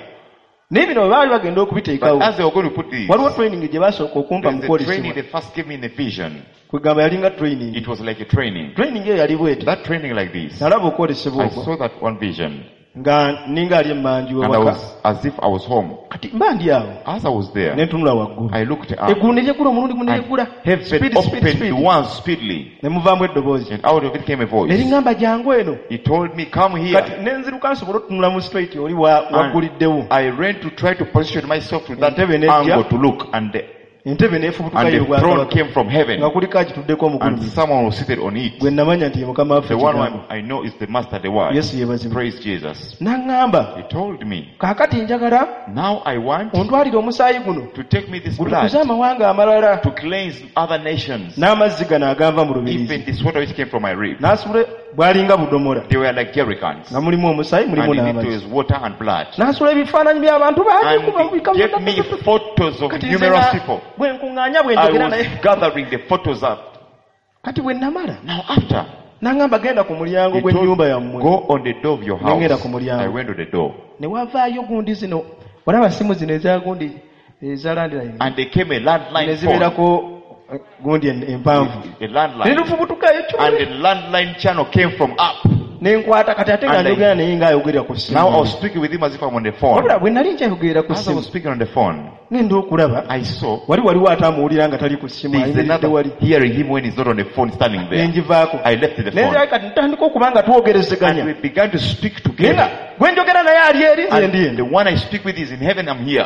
naye bino bwe baali bagenda But okubiteekawo as they were going to put this, waliwo training gye baasooka okumpa mu there's a training kwolesebwa they first gave me in the vision. kwegamba yalinga training It was like a training. Training eyo yali bweti That training like this. nalaba okwolesebwa I okwo saw that one vision. nga ninga ali emmanju And I ewaka was as if I was home. kati mba ndi awo As I was there, ne ntunula waggulu I looked up. Eggulu ne lyeggula omulundi gumu ne And lyeggula heaven Speed, speed, opened speed. once speedily. Ne muvaamu eddoboozi And out of it came a ne voice. liŋŋamba jangu eno He told me, come kati here. ne nziruka nsobole otutunula mu straight oli wa- And wagguliddewo I ran to try to position myself to that Entebe n'ejja. angle to look. And the, entebe n'efubutuka and the throne y'obwakabaka came from heaven. nga kuliko agituddeko And omugulumivu someone was seated on it. gwe namanya nti ye mukama waffe The one Kigambo. I know is the master, the word. Yesu yeebazibwe Praise Jesus. n'aŋŋamba He told me, kaakati njagala now I want ontwalire omusaayi guno to take me this gutukuze blood amawanga amalala to cleanse other nations. n'amazzi gano aganva mu lubirizi Even this water which came from my rib. n'asula bwalinga budomola They were like jerrycans. nga mulimu omusaayi mulimu And in it n'amazzi was water and blood. n'asula ebifaananyi by'abantu bangi And kuba he gave me photos of Kati nze numerous nga people. bwe nkuŋŋaanya bwe I njogera was naye gathering the photos up. kati bwe namala Now after, n'aŋŋamba genda ku mulyango he gw'ennyumba told, yammwe go on the door of your Nengenda house. ku mulyango. I went to the door. Ne wavaayo gundi zino olaba simu zino eza gundi eza landline And there came a ne landline phone. zibeerako eh, gundi en- empanvu A ne landline. lufubutukayo And the landline channel came from up. ne nkwata kati ate nga And I- njogera naye ng'ayogerera ku Now I ssimu was speaking with him as if I'm on the phone. wabula bwe nali nkyayogerera ku As I ssimu was speaking on the phone, ngenda okulaba I saw wali waliwo ataamuwulira nga tali ku ssimu there's ayimiridde another wali hearing him when he's not on the phone standing ne there. ngivaako I left the ne phone. nzirayo kati ntandika okuba nga twogerezeganya And we began to speak naye together. nga gwe njogera naye ali eri nze ndi And eno the one I speak with is in heaven, I'm here.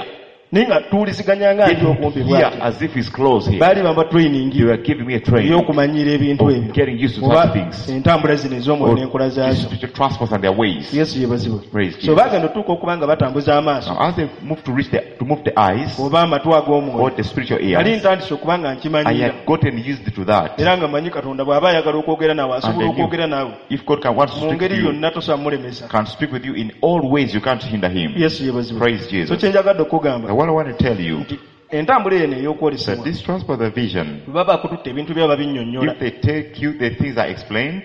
naye nga tuwuliziganya nga ndi okumpi Here, bwati as if he's close here. baali bamba training They were giving me a training ey'okumanyiira ebintu of ebyo getting used to oba such things. entambula zino ez'omwoyo Or n'enkola the zaazo spiritual transports and their ways. Yesu yeebazibwe Praise so Jesus. bagenda otuuka okuba nga batambuza amaaso Now, as they moved to reach the, to move the eyes oba amatu or ag'omwoyo the spiritual nali ears, ntandise okuba nga I nkimanyiira had gotten used to that. era nga manyi Katonda bw'aba ayagala okwogera naawe And asobola I knew okwogera naawe if God can want to mu speak ngeri to you, yonna tosobola mulemesa can speak with you in all ways, you can't hinder him. Yesu yeebazibwe Praise so Jesus. kye njagadde okugamba Now, what I want to tell you nti entambula eno that ey'okwolesebwa this transport of vision, bwe baba bakututte ebintu byaba binnyonnyola if they take you, the things are explained,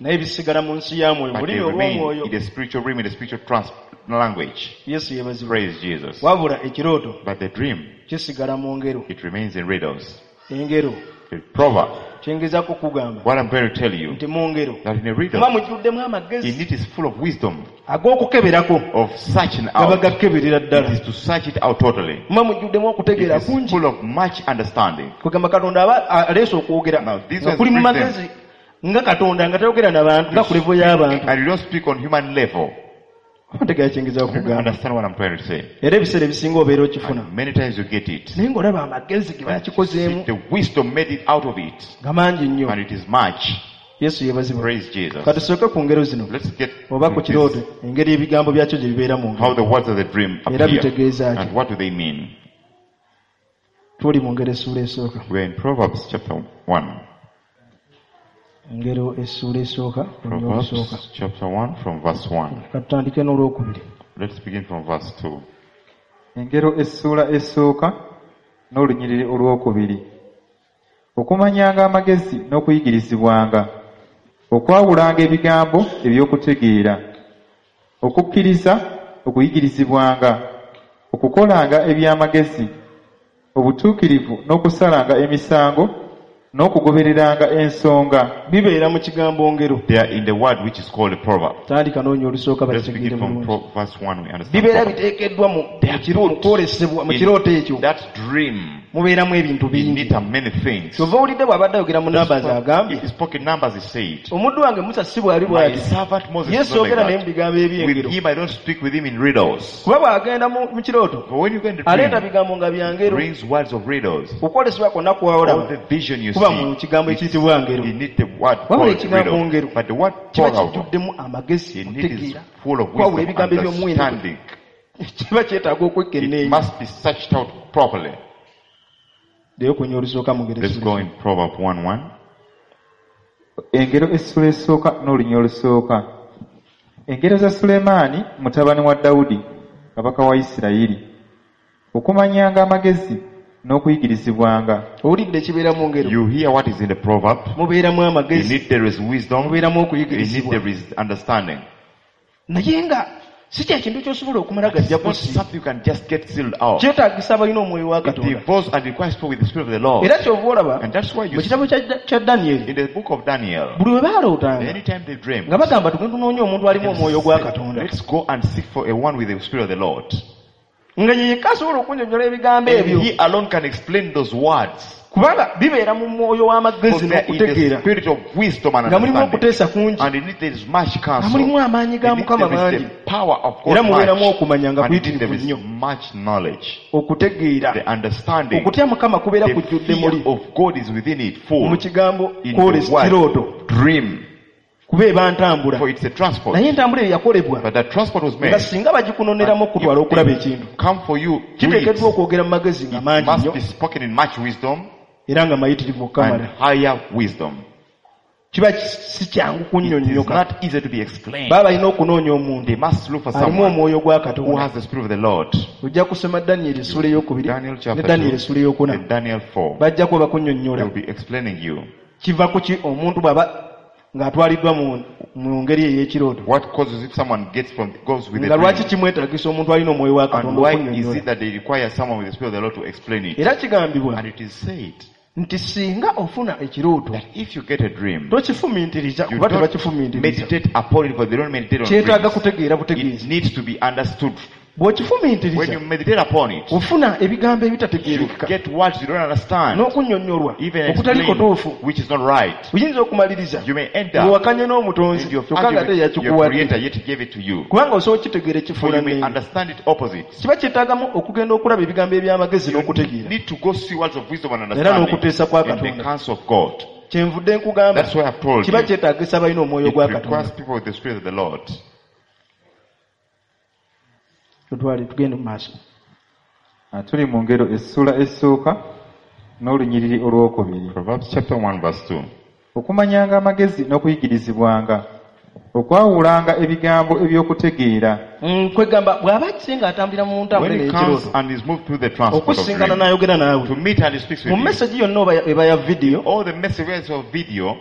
Naye bisigala mu nsi ya mwoyo But mu they lulimi remain olw'omwoyo in the spiritual realm, in the spiritual trans language. Yesu yeebazibwe. Praise Jesus. Wabula ekirooto But the dream, kisigala mu ngero. it remains in riddles. Engero. The proverb. Kyengezaako kugamba What I'm going to tell you, nti mu ngero that in a riddle, muba mujjuddemu amagezi in it is full of wisdom, ag'okukeberako of searching gaba out. gakeberera It ddala is to search it out totally. muba mujjuddemu okutegeera It is kungi full of much understanding. kwegamba Katonda aba aleese okwogera Now, this nga was kuli mu written- magezi nga Katonda nga tayogera n'abantu nga ku level y'abantu. And you don't speak on human level. Oba ntegeera kyengezaako You don't kugamba. understand what I'm trying to say. Era ebiseera ebisinga obeera okifuna. And many times you get it. Naye ng'olaba amagezi ge bakikozeemu The wisdom made it out of it. nga mangi nnyo. And it is much. Yesu yeebazibwe. Praise Jesus. Katusooke ku ngero zino Let's get oba ku to kirooto this, engeri ebigambo byakyo gye bibeera mu how ngero the words of the dream era appear. bitegeeza ki. And what do they mean? Tuli mu ngero essuula esooka. We're in Proverbs chapter one. Engero essuula esooka olunya olusooka. Proverbs chapter one from verse one. Katutandike n'olwokubiri. Let's begin from verse two. Engero essuula esooka n'olunyiriri olwokubiri. Okumanyanga amagezi n'okuyigirizibwanga, okwawulanga ebigambo eby'okutegeera, okukkiriza okuyigirizibwanga, okukolanga eby'amagezi, obutuukirivu n'okusalanga emisango, n'okugobereranga ensonga. Bibeera mu kigambo ngero. They are in the word which is called a proverb. Tandika n'onya olusooka Let's bakitegeere begin from bulungi. pro- verse one. We understand. Bibeera proverb. biteekeddwa mu mu kiro- mu kwolesebwa mu kirooto ekyo. In that dream, Mubeeramu ebintu in bingi. it are many things. Kyova owulidde bw'abadde ayogera mu Numbers agambye If he spoke in numbers, he said, omuddu wange Musa si bw'ali My bw'ati. servant Moses is Yesu not yogera naye like mu bigambo that. eby'engero. With him, I don't speak with him in riddles. Kuba bw'agenda mu mu kirooto But when you go in the aleeta dream, bigambo nga bya ngero. brings words of riddles. Okwolesebwa kwonna All kwawolaba the vision you kuba mu see, kigambo ekiyitibwa ngero. in it the word Wabula called ekigambo riddle. ngero But the word kiba proverb, kijjuddemu amagezi in it is okutegeera full of kwawula wisdom, ebigambo eby'omuwendo understanding. kiba kyetaaga It okwekenneenya. must be searched out properly. Leero kunya olusooka mu ngero Let's go essuula. in Proverb one one. Engero essuula esooka n'olunya olusooka. Engero za Sulemaani mutabani wa Dawudi kabaka wa Isirayiri. Okumanyanga amagezi n'okuyigirizibwanga. Owulidde ekibeera mu ngero. You hear what is in the proverb. Mubeeramu In amagezi, it there is wisdom. mubeeramu In it okuyigirizibwa. there is understanding. Naye nga si kye kintu ky'osobola okumala It's gajja not kusi. something you can just get sealed out. Kyetaagisa abalina omwoyo wa It Katonda. involves and requires people with the Spirit of the Lord. Era ky'ova olaba And that's why you mu see kitabo kya kya Danyeri in the book of Daniel, buli we baalootanga anytime they dream, nga bagamba tugende tunoonye omuntu alimu omwoyo gwa Katonda. let's go and seek for a one with the Spirit of the Lord. Nga ye yekka asobola okunnyonnyola ebigambo And ebyo. he alone can explain those words. Kubanga bibeera mu mwoyo For w'amagezi they are in the n'okutegeera. spirit of wisdom and Nga mulimu understanding. okuteesa kungi. And in it there is much Nga counsel. mulimu amaanyi ga In it Mukama there is mangi. the power of Era God mubeeramu much. okumanya nga And in it there kuyitirivu is nnyo. much knowledge. Okutegeera. The understanding. Okutya Mukama kubeera The kujjudde fear muli. of God is within it full. Mu kigambo In the kwolesa word, kirooto. dream. Kuba eba ntambula. For it's a transport. Naye entambula eyo yakolebwa But that transport was made. nga singa bagikunoneramu okutwala If okulaba they ekintu. come for you, to Kiteekeddwa it okwogera mu magezi nga mangi must nnyo be spoken in much wisdom era nga mayitirivu and okukamala. higher wisdom. Kiba si kyangu It is kunnyonnyoka. not easy to be explained. Baba balina okunoonya omuntu They must look for alimu someone omwoyo gwa who Katonda. has the Spirit of the Lord. Ojja kusoma Danyeri essuula ey'okubiri Daniel ne chapter Danyeri two essuula ey'okuna. and Daniel four. Bajja kuba They bakunnyonnyola. will be explaining you Kiva ku ki omuntu bw'aba ng'atwaliddwa mu mu ngeri ey'ekirooto. what causes if someone gets from goes with the Nga lwaki dream kimwetaagisa omuntu alina omwoyo wa and Katonda why is okunnyonnyola. it that they require someone with the Spirit of the Lord to explain it. Era kigambibwa And it is said nti singa ofuna ekirooto that if you get a dream, tokifumiitiriza you kuba don't tebakifumiitiriza. meditate upon it, for they don't meditate on Kyetaaga dreams. kutegeera It butegeezi. needs to be understood. When Bw'okifumiitiriza you meditate upon it, ofuna ebigambo you ebitategeerekeka get words you don't understand, n'okunnyonnyolwa even okutali explain, kutuufu. which is not right. Oyinza okumaliriza You may end up ng'owakanye n'omutonzi and you've kyokka nga ate argued with your yakikuwadde. creator, yet he gave it to you. Kubanga osobola okitegeera For ekifuula you may nnenge. understand it opposite. Kiba kyetaagamu okugenda okulaba ebigambo eby'amagezi You n'okutegeera. need to go see words of wisdom and Era understanding n'okuteesa kwa in the Katonda. counsel of God. Kyenvudde nkugamba That's why I've told kiba you. kyetaagisa abalina omwoyo It gwa Katonda. requires people with the Spirit of the Lord. Tutwale tugende mu maaso. Ah, Tuli mu ngero essuula esooka n'olunyiriri olwokubiri. Proverbs chapter one verse two. Okumanyanga amagezi n'okuyigirizibwanga, okwawulanga ebigambo eby'okutegeera, Mm, kwegamba bw'aba akise ng'atambulira mu ntambula When he ey'ekirooto comes and is moved through the transport of okusisinkana dream, n'ayogera naawe to meet and he speaks mu with you, message yonna oba eba ya vidiyo all the messages of video,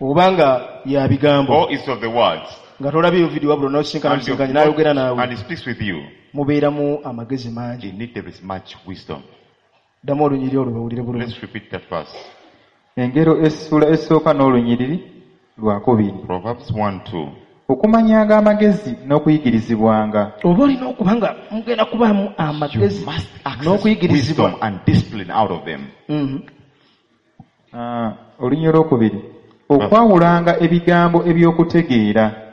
Oba nga ya bigambo. Or it's of the words. Nga tolabyeyo video wabula n'osisinkana And, you've musisinkanye n'ayogera not- naawe. and he speaks with you. Mubeeramu amagezi mangi. In it there is much wisdom. Ddamu olunyiriri olwo bawulire bulungi. Let's repeat that verse. Engero essula esooka n'olunyiriri lwakubiri. Proverbs one two. Okumanyanga amagezi n'okuyigirizibwanga. Oba olina okuba nga mugenda kubaamu You amagezi must access n'okuyigirizibwa. wisdom and discipline out of them. Mhm. Ah, olunyiriri olwokubiri. Okwawulanga ebigambo eby'okutegeera.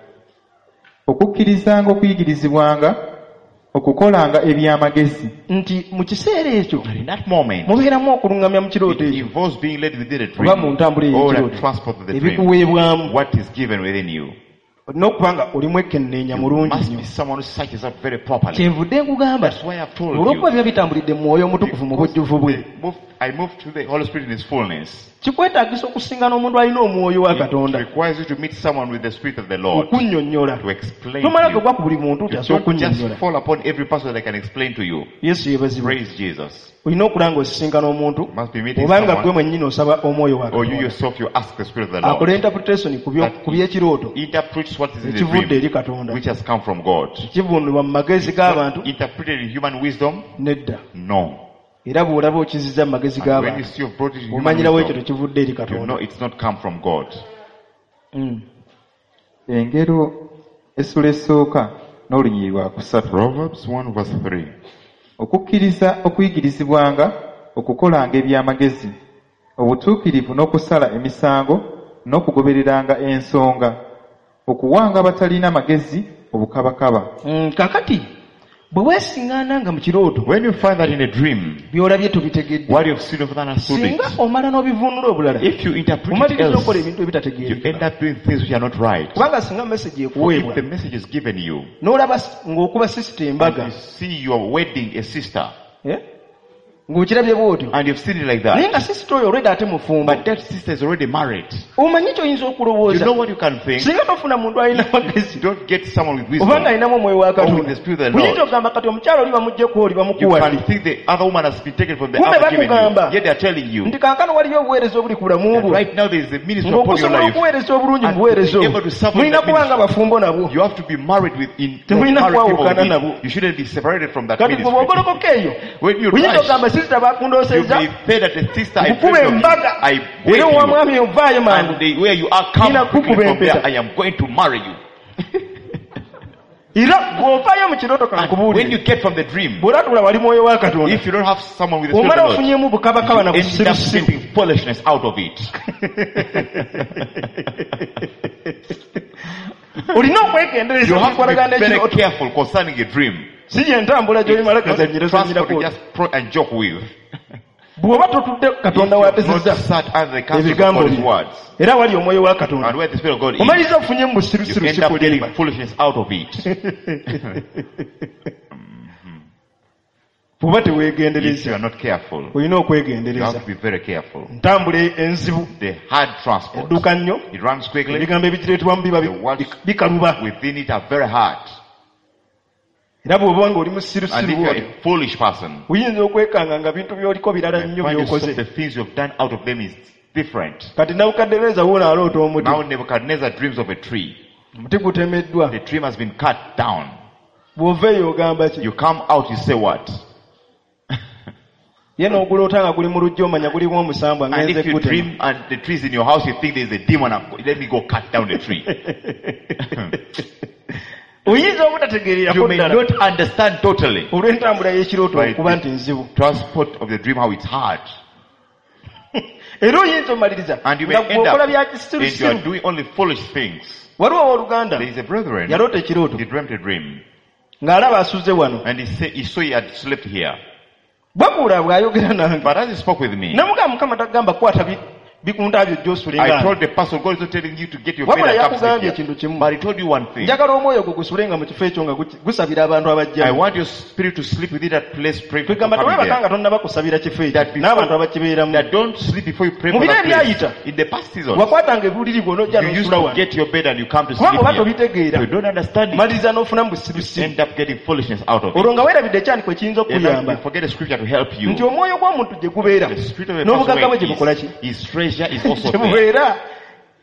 Okukkirizanga okuyigirizibwanga, okukolanga eby'amagezi. Nti mu kiseera ekyo But in that moment, mubeeramu okulungamya mu kirooto it ekyo involves being led within a oba mu dream ntambula or a ey'ekirooto transport of the dream. ebikuweebwamu. What is given within you. Olina okuba nga oli mwekenneenya You mulungi must nnyo. be someone who searches out very properly. Kyenvudde nkugamba That's why I've told olw'okuba you. biba bitambulidde mu mwoyo omutukuvu mu bujjuvu bwe. Moved, I moved to the Holy Spirit in His fullness. Kikwetaagisa okusingana omuntu alina omwoyo wa It Katonda requires you to meet someone with the Spirit of the Lord okunnyonnyola. to explain Tomala to you. gagwa ku buli muntu nti You asobola don't just okunnyonnyola. fall upon every person that can explain to you. Yesu yeebazibwe. Praise Jesus. Olina okulaba ng'osisinkana omuntu You must be meeting obanga gwe someone, mwennyini osaba omwoyo wa or you Katonda yourself, you ask the Spirit of the akole Lord. interpretation ku byo- ku by'ekirooto Interprets what is in the ekivudde dream, eri Katonda which has come from God. kivuunulwa mu magezi g'abantu Interpreted in human wisdom? nedda. No. Era bw'olaba okizizza mu magezi And when you g'abantu see you've brought it in human omanyirawo ekyo wisdom, tekivudde eri you Katonda. know it's not come from God. Mm. Engero essula esooka n'olunyiriri lwa kusatu. Proverbs one verse three. Okukkiriza okuyigirizibwanga, okukolanga eby'amagezi, obutuukirivu n'okusala emisango n'okugobereranga ensonga, okuwanga abatalina magezi obukabakaba. Mm, kakati bwe weesiŋŋaana nga mu kirooto When you find that in a dream, by'olabye tobitegedde, what you've seen you've not understood singa it. omala n'obivuunula obulala If you interpret it omaliriza okola else, ebintu you ebitategeerekeka. end up doing things which are not right. Kubanga singa message For if ekuweebwa the message is given you, n'olaba s- ng'okuba sisita and embaga you see you are wedding a sister, eh? ng'okirabye bw'otyo and you've seen it like naye that, nga sisita oyo olwedda ate mufumbo but that sister is already married. omanyi ky'oyinza You okulowooza know what you can think? singa tofuna muntu alina magezi You don't get someone with oba nga wisdom. alinamu omwoyo wa Or with Katonda the Spirit of the Lord. oyinza okugamba kati omukyala oli bamuggyeko oli You bamukuwadde can think the other woman has been taken from the Kumbe other given you. bakugamba. Yet they are telling you nti kankano waliyo obuweereza obuli ku bulamu that bwo right now there is a ministry upon your ng'okusobola life. okuweereza obulungi mu And buweereza to be obwo able to serve in mulina that kuba nga ministry. bafumbo nabwo You have to be married with in Temulina married people kwawukana within. nabo. You shouldn't be separated from that kati gwe ministry. bw'ogolokoka eyo When you oyinza rush, okugamba sisita you bakundoosezza may say that the sister I nkukuba dreamed of you, embaga I era wed owa you. mwami ovaayo mangu And the, where you are, come Nina quickly kukuba from there. empeta. I am going to marry you. era bw'ovaayo mu kirooto And when kankubuulire you get from the dream, bw'olatula wali mwoyo wa Katonda if you don't have someone with the Spirit omala of the Lord, ofunyemu bukabakaba na you end up busirusiru getting foolishness out of it. olina okwegendereza You have to okukolagana be very n'ekirooto careful concerning a dream. si gye ntambula gy'olimala It's not gazannyira transport to zanyirako just pro and joke with. bw'oba totudde Katonda If you have not w'atesezza sat under the counsel of ebigambo God's bye words, era wali omwoyo wa Katonda and where the Spirit of God is, omaliriza ofunyemu you busirusiru end up sikulimba getting foolishness out of it. bw'oba If you teweegendereza are not careful, olina you okwegendereza have to be very careful. ntambula enzibu The hard transport, edduka nnyo it runs quickly. ebigambo ebigireetebwamu biba bi- The words bikaluba within it are very hard. era bw'oba nga oli And musirusiru if you are bw'otyo a foolish person, oyinza okwekanga nga bintu by'oliko birala you nnyo find yourself by'okoze the things you've done out of them is different. kati Nabukadduneeza wuuno aloota omuti Now Nebuchadnezzar dreams of a tree. omuti gutemeddwa The tree has been cut down. bw'ova eyo ogamba ki You come out, you say what? ye n'oguloota nga guli mu luggya omanya gulimu omusambwa And ngenze if you gutema dream and the tree is in your house, you think there's a demon. I'm go- Let me go cut down the tree. oyinza obutategeererako You may ddala not understand totally olw'entambula y'ekirooto Right. okuba nti nzibu transport of the dream, how it's hard. era oyinza omaliriza And you may nga end gweokola up bya and you are kisirusiru doing only foolish things. waliwo owooluganda There is a brethren, yaloota ekirooto he dreamt a dream. ng'alaba asuze wano And he said, he saw he had slept here. bwakuula bw'ayogera nange But as he spoke with me, namugamba mukama tagamba kwata bi- bikunta byo gy'osule I nga told the pastor, God is not telling you to get your bed wabula and come sleep yakugambye here. ekintu kimu But he told you one thing. njagala omwoyo gwo gusule nga mu kifo ekyo nga guki- gusabira abantu I abajja want your spirit to sleep within that place, pray for kwegamba coming tewebaka there. nga tonnaba kusabira kifo ekyo That before- n'abantu abakibeeramu That don't sleep before you pray Mu for biro that place. ebyayita, In the past season, wakwatanga ebuliri bw'onojja you used n'osula to wano get your bed and you come to sleep kubanga oba here. tobitegeera You don't understand it. maliriza n'ofuna mu busirusiru End up getting foolishness out of it. olwo nga weerabidde ekyandiko ekiyinza And now okukuyamba you forget the scripture to help you. nti omwoyo gw'omuntu gye gubeera The spirit of a n'obugagga bwe person gye bukola ki where is, his treasure is also gye there. bubeera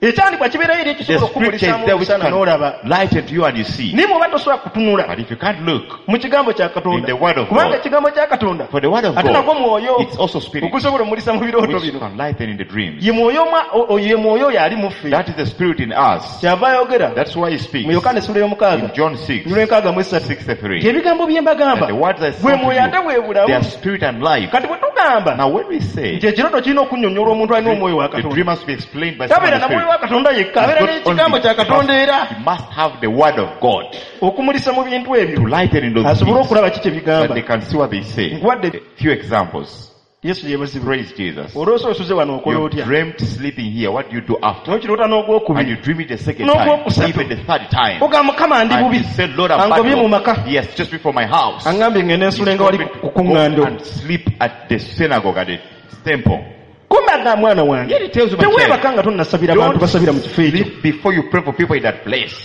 Ekyandikwa kibeerayo eri The ekisobola scripture is okukumulisaamu there which omusana can n'olaba. lighten to you and you see. Naye bw'oba tosobola kutunula But if you can't look mu kigambo kya in Katonda, the word of kubanga God, ekigambo kya Katonda for the word of ate nagwo God, mwoyo it's also spirit ogusobola omulisa mu birooto which bino. can lighten in the dreams. Ye mwoyo omwa- o- o- ye mwoyo oyo ali mu ffe. That is the spirit in us. Kyava ayogera That's why he speaks mu Yokaana essula in y'omukaaga John six, lw'enkaaga mu esatu sixty-three. nti ebigambo bye mbagamba That the words I bwe spoke to mwoyo ate bwe you, bulamu. they are spirit and life. Kati bwe tugamba Now when we say nti ekirooto kirina okunnyonnyolwa omuntu alina omwoyo wa the dream Katonda, must be explained by someone tabeera in na the mwoyo spirit, wa Katonda yekka, He's abeera not n'ekigambo only- kya Katonda era he must have the word of God okumulisa mu bintu ebyo to lighten in those asobole things okulaba ki kye that bigamba. they can see what they say. Nkuwadde A few examples. Yesu yeebazibwe. Praise Jesus. Olwosa osuze wano okola You otya? dreamt sleeping here. What do you do after? N'okiroota And n'ogwokubiri you dream it the second time, N'ogwokusatu. even the third time. Ogamba Mukama ndi And bubi you say, Lord, I'm angobye mu bad. maka He has chased me from my house. angambye ngende He's nsule nga told wali me to ku go kuŋŋando. and sleep at the synagogue, at the temple. Kumbe aga mwana wange Yet he tells you, my teweebaka child, nga tonnasabira bantu don't basabira mu kifo ekyo. sleep before you pray for people in that place.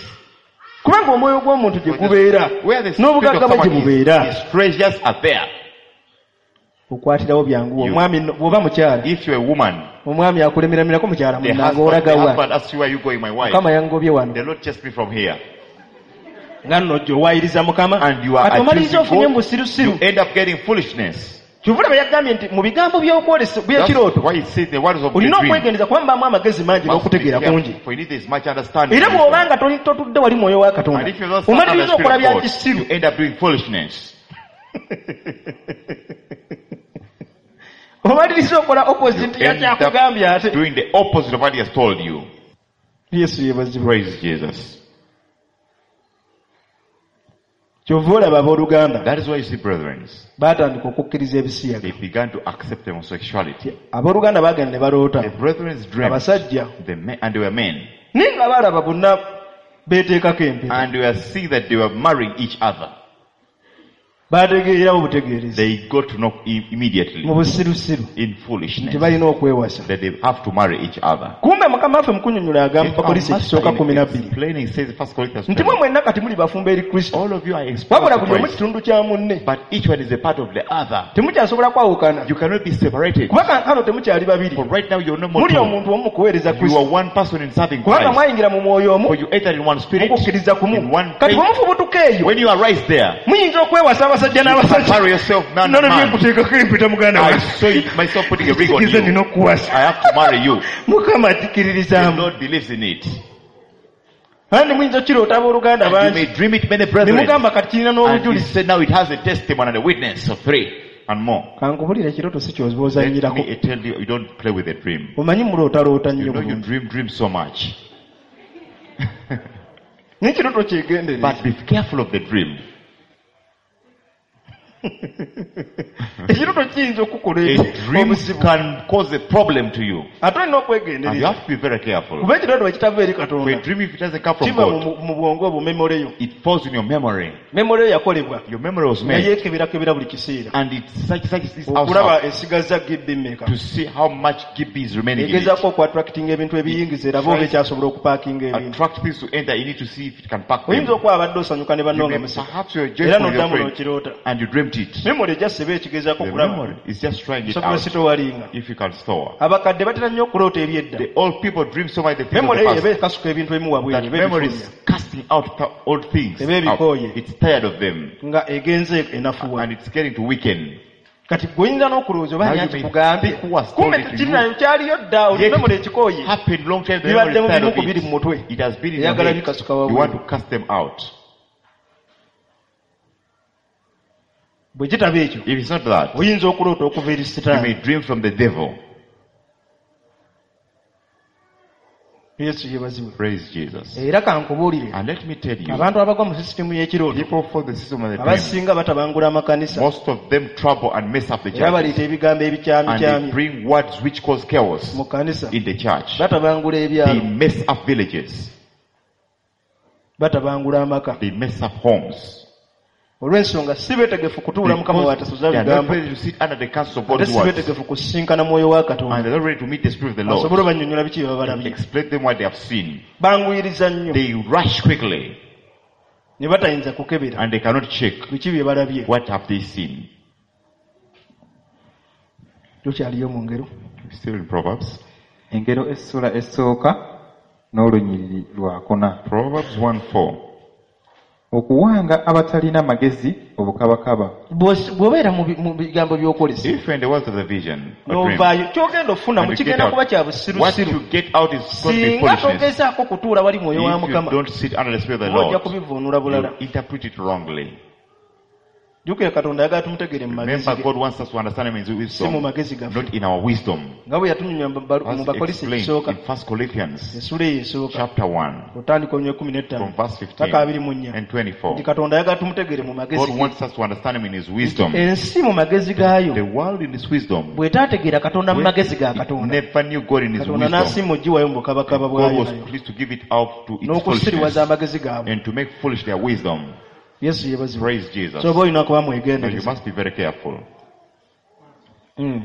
Kubanga omwoyo gw'omuntu gye gubeera Where the spirit of n'obugagga bwe gye someone bubeera is, his treasures are there. okwatirawo byanguwa. You- Omwami nno- bw'oba mukyala If you're a woman, omwami akulemeramirako mukyala the munnange husband, the olagawa husband asks you, where are you going, my wife? Mukama yangobye wano The Lord chased me from here. nga nno ojja owaayiriza Mukama And you are kati omaliriza accusing ofunye God, mu busirusiru. you end up getting foolishness. Kyova olaba yagambye nti mu bigambo by'okwolesa That's by'ekirooto why it says the words of the olina dream. okwegendereza kuba mubaamu amagezi mangi Must be n'okutegeera careful, kungi. for you need this much understanding. Era bw'obanga toli- totudde wali mwoyo wa And Katonda if you don't stand under omaliriza the okola Spirit bya of God, kisiru. you end up doing foolishness. Omaliriza okola opposite You end yakyakugambye up ate. doing the opposite of what he has told you. Yesu yeebazibwe. Praise Jesus. Kyova olaba abooluganda That is why you see, brethren, baatandika okukkiriza ebisiyaga. they began to accept homosexuality. Abooluganda baagenda ne baloota The brethren dreamt, abasajja the men, and they were men, naye nga baalaba bonna beeteekako empeta. and they were seeing that they were marrying each other. Baategeererawo butegeerezi They got to know i- immediately mu busirusiru in nti foolishness balina okwewasa. that they have to marry each other. Kumbe Mukama waffe mu kunnyonnyola agamba Yet our Bakolinso master ekisooka in kumi na bbiri explaining says First Corinthians nti mwe twelve, mwenna kati muli bafumbo eri Kristo all of you are exposed wabula to buli omu Christ, kitundu kya munne but each one is a part of the other. temukyasobola kwawukana You cannot be separated. kuba kankano temukyali babiri For right now you're no more muli two. omuntu omu mu kuweereza You Kristo are one person in serving kubanga Christ. mwayingira mu mwoyo omu For you entered in one spirit, mukukkiriza kumu in one kati faith. bwe mufubutuka eyo When you arise there, muyinza okwewasa abasajja you can n'abasajja marry yourself man nono and man. byenkuteekako empeta muganda I wange saw it myself putting a ring on nze nina you. okuwasa I have to marry you. Mukama The akikiririzaamu Lord believes in it. kandi muyinza okiroota abooluganda And you bangi may dream it, many ne brethren. mugamba kati kirina And you n'obujulizi said now it has a testimony and a witness of three and more. kankubulire ekirooto si Let ky'oba me tell you, you don't play with a dream. omanyi mulootaloota You nnyo know you bulungi dream, dream so much. naye ekirooto kyegendereze But be careful of the dream. ekirooto kiyinza okukola A dream obuzibu can cause a problem to you. ate olina And you okwegendereza have to be very careful. kuba ekirooto bwe kitava eri For a Katonda dream, if it doesn't come from kiva God, mu- mu bwongo obwo memoreyo it falls in your memory. memoreyo yakolebwa Your memory was nga made. yeekeberakebera buli kiseera And it such such this okulaba house esigaza gibbi mmeka to see how much G B is remaining in it. egezaako okuattractinga ebintu ebiyingiza eraba oba ekyasobola okupaakinga ebintu Attract things to enter, you need to see if it can pack them. oyinza okuba abadde osanyuka ne You banno nga may, museka perhaps you're era joyful with your n'oddamu friend n'okiroota and you dreamt it. memory ejja eba ekigezaako The okulaba memory is just trying it osobola out sitowalinga if you can store. abakadde batera nnyo okuloota ebyedda The old people dream so much the things of memory the eyo past. eba ekasuka ebintu ebimu wabweru That eba memory ebifulumya is casting out th- old things. Eba ebikooye. Out. It's tired of them. Nga egenze enafuwa And it's getting to weaken. kati gwe oyinza n'okulowooza oba Now ani you may akikugambye think who has told kumbe it to you. tekirinayo kyaliyo dda oli Yet memory it ekikooye happened long time. The memory bibaddemu is tired bimu ku of biri mu it. mutwe It has been in your eyagala head. bikasuka You wabweru want to cast them out. Bwe kitaba ekyo If it's not that, oyinza okuloota okuva eri you sitaani may dream from the devil. Yesu yeebazibwe. Praise Jesus. Era kankubuulire And let me tell you, abantu abagwa mu sisitimu y'ekirooto people follow the system of the dream. abasinga batabangula amakanisa Most of them trouble and mess up the era church. baleeta ebigambo And they ebikyamikyamye bring words which cause chaos mu kanisa in the church. batabangula They ebyalo mess up villages. batabangula amaka They mess up homes. olw'ensonga si beetegefu kutuula mukama Because w'atasuza they are not bigambo ready to sit under the counsel of ate God's si words. beetegefu kusisinkana mwoyo wa And Katonda they're not ready to meet the Spirit of the Lord. asobole obannyonnyola biki bye babalabye Explain them what they have seen. banguyiriza nnyo They rush quickly ne batayinza kukebera and they cannot check biki bye balabye what have they seen. tukyaliyo mu ngero Still in Proverbs. Engero essula esooka n'olunyiriri lwakuna Proverbs one four. Okuwanga abatalina magezi obukabakaba. Bw'os- bw'obeera mu bi- mu bigambo by'okwolesebwa If you're in the world of the vision, a dream, n'ovaayo ky'ogenda okufunamu and you get kigenda out, kuba kya what busirusiru you get out is going to be singa foolishness. togezaako kutuula wali mwoyo wa If you mukama don't sit under the Spirit of the oba ojja Lord, kubivuunula bulala you interpret it wrongly. Jjukira katonda ayagala tumutegeere mu magezi Remember, ge God wants us to understand Him in His si mu wisdom, magezi gaffe not in our wisdom. Nga bwe yatunyumya mu balu- mu As bakolisi explained ekisooka in First Corinthians essuula eyo esooka chapter one, otandika olunywa ekkumi n'ettaano from verse paka abiri mu nnya fifteen and twenty-four. Nti katonda ayagala tumutegeere mu magezi God ge wants us to understand Him in His wisdom. Ensi mu magezi gaayo The world in its wisdom, bw'etaategeera katonda mu when magezi ga it katonda never knew God in His katonda wisdom. n'asiima ogiwayo mu bukabakaba God bwayo was nayo pleased to give it out to its n'okusiriwaza foolishness amagezi gaabwe and to make foolish their wisdom. Yesu yeebazibwe Praise Jesus. so oba olina kuba So you mwegendereza must be very careful. Mm.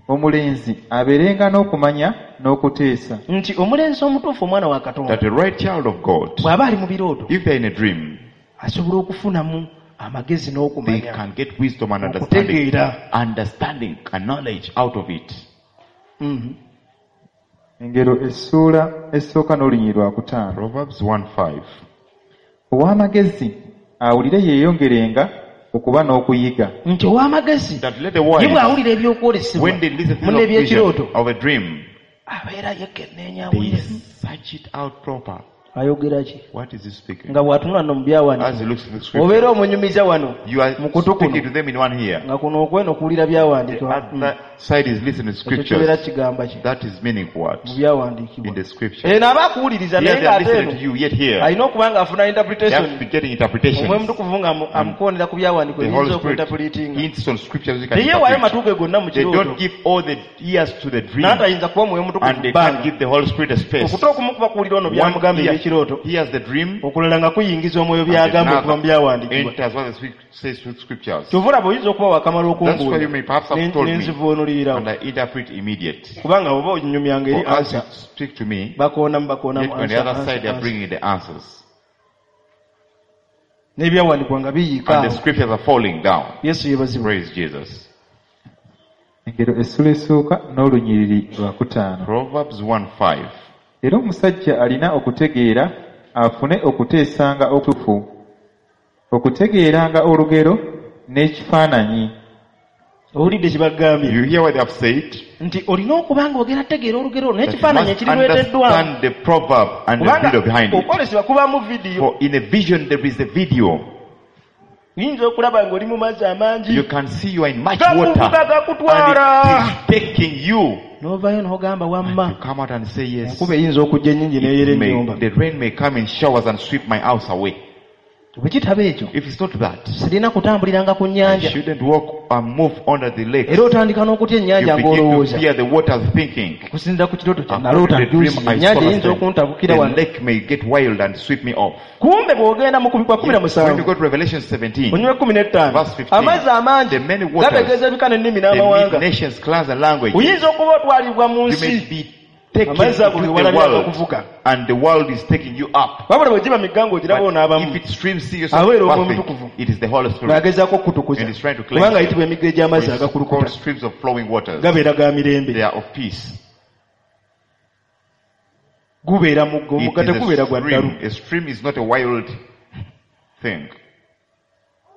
Omulenzi abeerenga n'okumanya n'okuteesa nti omulenzi omutuufu omwana wa katonda That the right child of God, bw'aba ali mu birooto if they're in a dream, asobola okufunamu amagezi they n'okumanya can get wisdom and understanding, okutegeera understanding and knowledge out of it. Mhm. Engero essuula esooka n'olunyiriri lwa kutaano Proverbs one five. Ow'amagezi awulire yeeyongerenga okuba n'okuyiga nti ow'amagezi That let the ye wise, bw'awulira ebyokwolesebwa when they listen to mu the n'ebyekirooto vision of a dream, abeera yekenneenya they awulire search it out proper. ayogera ki What is he speaking? Nga bw'atunula nno mu As he byawandiikibwa looks at the scripture, obeera omunyumiza wano you are mu kutu speaking kuno to them in one ear. nga kuno okweno okuwulira The byawandiikibwa Mm. other side is listening to Ekyo kibeera scriptures. kigamba ki That is meaning what? Mu In byawandiikibwa the scripture. eno aba akuwuliriza Here naye they are ng'ate listening eno to you, yet here alina okuba ng'afuna they have to interpretation be getting omwoyo interpretations. mutukuvu nga amu- amukoonera ku byawandiikibwa The Holy ebiyinza Spirit okuinterpretinga hints on scriptures we can teyeewaayo interpret. matu ge gonna mu They kirooto don't give all the ears to the dream, n'atayinza kuba mwoyo mutukuvu and they can't bbanga give the Holy Spirit a space. okuta okumu kuba kuwulira ono One byamugamba ear ebyekirooto hears the dream, okulala nga kuyingiza omwoyo and byagamba okuva mu another byawandiikibwa enters what the scrip- says through scriptures. Kyova olaba oyinza okuba wakamala That's why you okumbuulira may perhaps have told me, nenzivuunulirirawo and I interpret immediate. Kubanga oba onyumyanga eri For as you ansa speak to me, bakoonamu yet bakoonamu on the answer, other answer, side they are answer. bringing the answers. N'ebyawandiikibwa nga biyiika And the awo scriptures are falling down. Yesu yeebazibwe Praise Jesus. Engero essula esooka n'olunyiriri lwa kutaano Proverbs one five. Era omusajja alina okutegeera afune okuteesanga okutuufu okutegeeranga olugero n'ekifaananyi Owulidde kye bagambye You hear what they have said? Nti olina okuba nga ogenda tegeera olugero olwo That you n'ekifaananyi must ekirireeteddwamu understand the proverb and the kubanga video behind it. okwolesebwa kubaamu vidiyo For in a vision there is a video. Oyinza okulaba ng'oli mu mazzi amangi You can see you are in much gakuvuga water gakutwala and it is taking you. N'ovaayo n'ogamba wamma You come out and say yes. Enkuba eyinza okujja ennyingi n'eyera It may, ennyumba the rain may come in showers and sweep my house away. Bwe kitaba ekyo If it's not that, sirina kutambuliranga ku I nnyanja shouldn't walk and move under the lake. Era otandika n'okutya You ennyanja begin to ng'olowooza fear the waters, thinking, okusinziira ku kirooto kye according naloota to the dream juzi I saw ennyanja last eyinza time, okuntabukira the wano lake may get wild and sweep me off. Kumbe bw'ogenda mu kubikwa kumi na When you musanvu go to Revelation seventeen, onywa ekkumi n'ettaano verse fifteen, amazzi amangi the many waters, gategeeza ebika n'ennimi the n'amawanga nations, clans, and languages, oyinza okuba otwalibwa mu you nsi may be taken amazzi ago into ge the walabye world, agakuvuga and the world is taking you up. Wabula bwe giba migga ng'ogiraba But onaabamu if it streams, see yourself aweera omwoyo bathing, omutukuvu it is the Holy Spirit. ng'agezaako okukutukuza And it's trying to cleanse kubanga you. ayitibwa emigga egy'amazzi It's agakulukuta called streams of flowing waters. Gabeera ga mirembe They are of peace. Gubeera mugga It omugga is a tegubeera gwa ddalu stream. A stream is not a wild thing.